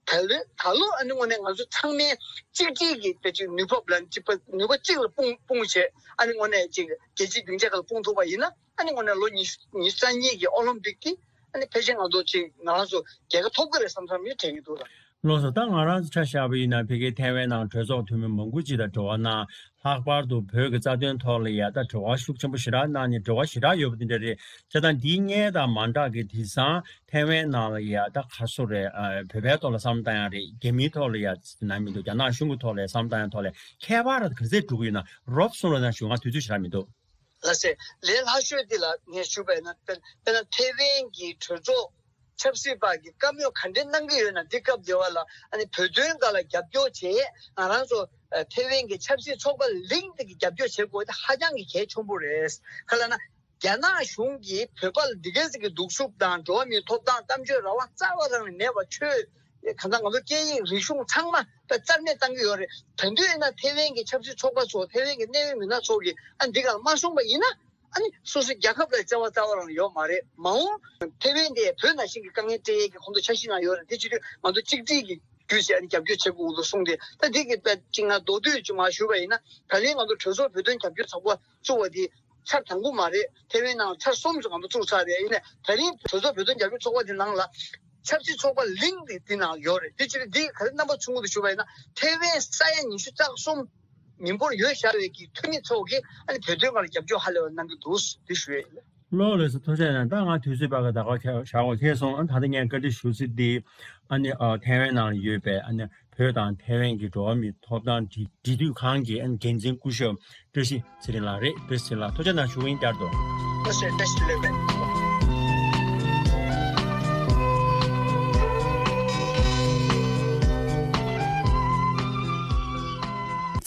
ད་ལོ་ད་ལོ་ཨ་ནི་དངོས་གནས་ང་ཚོ་ཚང་མས་གཅིག་གཅིག་གི་དེ་ཅིག་ནུས་པ་ལ་གཅིག་པ་ནུས་པ་གཅིག་ལ་སྤུངས་སྤུངས་བྱས། ཨ་ནི་དངོས་གནས་ཅིག་རྒྱལ་སྤྱིའི་སྡིངས་ཆ་ཁག་ལ་སྤུངས་ཐུབ་པ་ཡིན་ན་ཨ་ནི་དངོས་གནས་ལོ་ཉི་ཉི་ཤུ་རྩ་གཉིས་ཀྱི་ཨོ་ལིམ་པིག་གི་ཨ་ནི་ཕལ་ཆེར་ང་ཚོ་ཅིག་ང་རང་ཚོ་རྒྱལ་ཁ་ཐོབ་ཀྱི་རེད་བསམ་བསམ་ཡོད་དྲན་གྱི་འདུག་ལ། ལགས་སོ། ད་ང་རང་ཚོ་ཆ་བཞག་པ་ཡིན་ན་ཕ་གིའི་ཐའེ་ཝན་ནང་གྲོས་ཚོགས་འཐུས་མི་མང་པོ་ཅིག་དང་འབྲེལ་བ་གནང་། ལྷག་པར་དུ་བོད་ཀྱི་རྩ་དོན་ཐོག་ལ་ཡ་ད་འབྲེལ་བ་ཤུགས་ཆེན་པོ་ཞེ་དྲག་གནང་ནས་འབྲེལ་བ་ཞེ་དྲག་ཡོད་པ་དེ་འདྲ་རེད། བྱས་ཙང་འདིའི་སྔོན་དང་མ་འདྲ་གི་དེང་སང་ཐའེ་ཝན་ནང་ལ་ཡ་ད་ག་སོ་རེད། ཨ། བོད་པའི་ཐོག་ལ་བསམ་བློ་བཏང་ཡ་རེད། རྒྱ་མིའི་ཐོག་ལ་ཡ་ན་མི་འདུག་རྒྱ་ནག་གཞུང་གི་ཐོག་ལ་ཡ་བསམ་བློ་བཏང་ཡ་ཐོག་ལ་ཁྱད་པར་ག་ཚད་འགྲོ་གི་ཡོད་ན་རོབ་གསུང་རོགས་གནང་ཞུ། ང་དུས་ཚོད་ཞེ་དྲག་མི་འདུག་ལགས་སེ། ལས་སླ་ཤོས་འདི་ལ་ངས་ཞུ་བ་ཡིན་ན་དཔེར་དཔེར་ན་ཐའེ་ཝན་གྱི་གྲོས་ཚོགས་ ཆབ་སྲིད་པ་གི་བཀའ་མོལ་ག་འདྲའི་གནང་གི་ཡོད་ན། འདི་སྐབས་དེ་བ་ལ་ཨ་ནི་བོད་དོན་སྒང་ལ་རྒྱབ་སྐྱོར་བྱེད་ང་རང་ཚོ་ཨ་ཐེ་ཝན་གྱི་ཆབ་སྲིད་ཚོགས་པ་ལིང་དེ་གི་རྒྱབ་སྐྱོར་བྱེད་དགོས་དེ་ཧ་ཅང་གི་གལ་ཆེན་པོ་རེད། ག་ལ་ན། རྒྱ་ནག་གཞུང་གིས་བོད་པ་ལ་འདི་གའི་ཟིག་གི་སྡུག་སྲུབ་དང་འགྲོ་བ་མིའི་ཐོབ་ཐང་གཏམ་བརྗོད་རང་དབང་རྩ་བ་རང་ནས་མེད་པ། ཆོས་གང་ལྟར་ང་ཚོ་སྐད་ཡིག་རིག་གཞུང་ཚང་མ་ད་རྩ་མེད་བཏང་གི་ཡོད་རེད། ད་དུང་ཡིན་ན་ཐེ་ཝན་གྱི་ཆབ་སྲིད་ཚོགས་པ་ཚོ་ཐེ་ཝན་གྱི་གནད་ཡོད་མི་སྣ་ཚོ་གིས་ཨ་འདི་ག་ལ་མ་གསུངས་པ་ཡིན་ན། ཨ་ནི་སོ་སོའི་རྒྱལ་ཁབ་ལ་བརྩེ་བ་རྩ་བ་རང་ཡོད་མ་རེད། མ་འོངས་ཐེ་ཝན་དེ་བོད་ནང་བཞིན་གྱི་དཀའ་ངལ་སྤྲད་ཡས་ཀྱི་ཁོང་ཚོ་འཆར་གཞི་ནང་ཡོད་རེད། དེ་བྱེད་དུས་ང་ཚོ་གཅིག་སྒྲིལ་གྱི་བརྒྱུད་བྱས་ཨ་ནི་རྒྱབ་སྐྱོར་བྱེད་དགོས་འདུག་གསུངས་ཏེ། ད་འདི་གི་ད་ཅིག་ང་མདོར་བསྡུས་ཅིག་མར་ཞུས་པ་ཡིན་ན། ད་རིང་ང་ཚོ་གྲོས་ཚོགས་བོད་དོན་རྒྱབ་སྐྱོར་ཚོགས་པ་བཙུགས་པ་འདི་ཆར་དང་པོ་མ་རེད། ཐེ་ཝན་ནང་ཆར་གསུམ་ཙམ་ང་ཚོ་བཙུགས་ཚར་རེད། ཡིན་ནའི་ད་རིང་གྲོས་ཚོགས་བོད་དོན་རྒྱབ་སྐྱོར་ཚོགས་པ་འདི་ནང་ལ་ཆབ་སྲིད་ཚོགས་པ་ལིང་དེ་འདི་ནང་ཡོད་རེད། དེ་ཕྱིར་འདི་ག་རེ་རྣམ་པ་ཚོས་མངོན་དུ་ཞུས་པ་ཡིན་ན། ཐེ་ཝན་ས་ཡ་ཉི་ཤུ་རྩ་གསུམ་མི་འབོར་ཡོད་བཞག་པའི་གི་འཐུས་མི་ཚོ་གིས་ཨ་ནི་བོད་དོན་སྒང་ལ་རྒྱབ་སྐྱོར་ཧ་ལས་པ་གནང་གི་འདུག་འདི་ཞུ་ཡས་ཡིན། ལགས་ལགས་སོ། ཐུགས་རྗེ་གནང་། ད་ང་དུས་ཚོད་ཕར་ཁ་ད་ག་བཞག་གོ་ཁེལ་སོང་། ཨ་ད་ལྟ་ངས་བཀའ་འདྲི་ཞུ་ཚིག་འདི་ཨ་ནི་ཨ་ཐེ་ཝན་ནང་ཡོད་པའི་ཨ་ནི་བོད་དང་ཐེ་ཝན་གྱི་འགྲོ་བ་མིའི་ཐོབ་ཐང་འབྲེལ་འབྲེལ་མཐུད་ཁང་གི་ཨ་ནི་འགན་འཛིན་སྐུ་ཞབས་བཀྲ་ཤིས་ཚེ་རིང་ལགས་རེད། བཀྲ་ཤིས་ཚེ་རིང་ལགས་ཐུགས་རྗེ་གནང་ཞུ་གི་ཡིན། བསྐྱར་དུ། ཨ་སེ་བཀྲ་ཤིས་བདེ་ལེགས།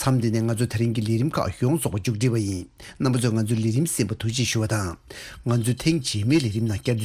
མཚམས་འདི་ནས་ང་ཚོ་དེ་རིང་གི་ལས་རིམ་ཁག་ཡོངས་རྫོགས་པ་མཇུག་སྒྲིལ་བ་ཡིན། རྣམ་པ་ཚོས་ང་ཚོའི་ལས་རིམ་གསན་པར་ཐུགས་རྗེ་ཆེ་ཞུ་བ་དང་། ང་ཚོའི་ཐེངས་རྗེས་མའི་ལས་རིམ་ནང་བསྐྱར་དུ།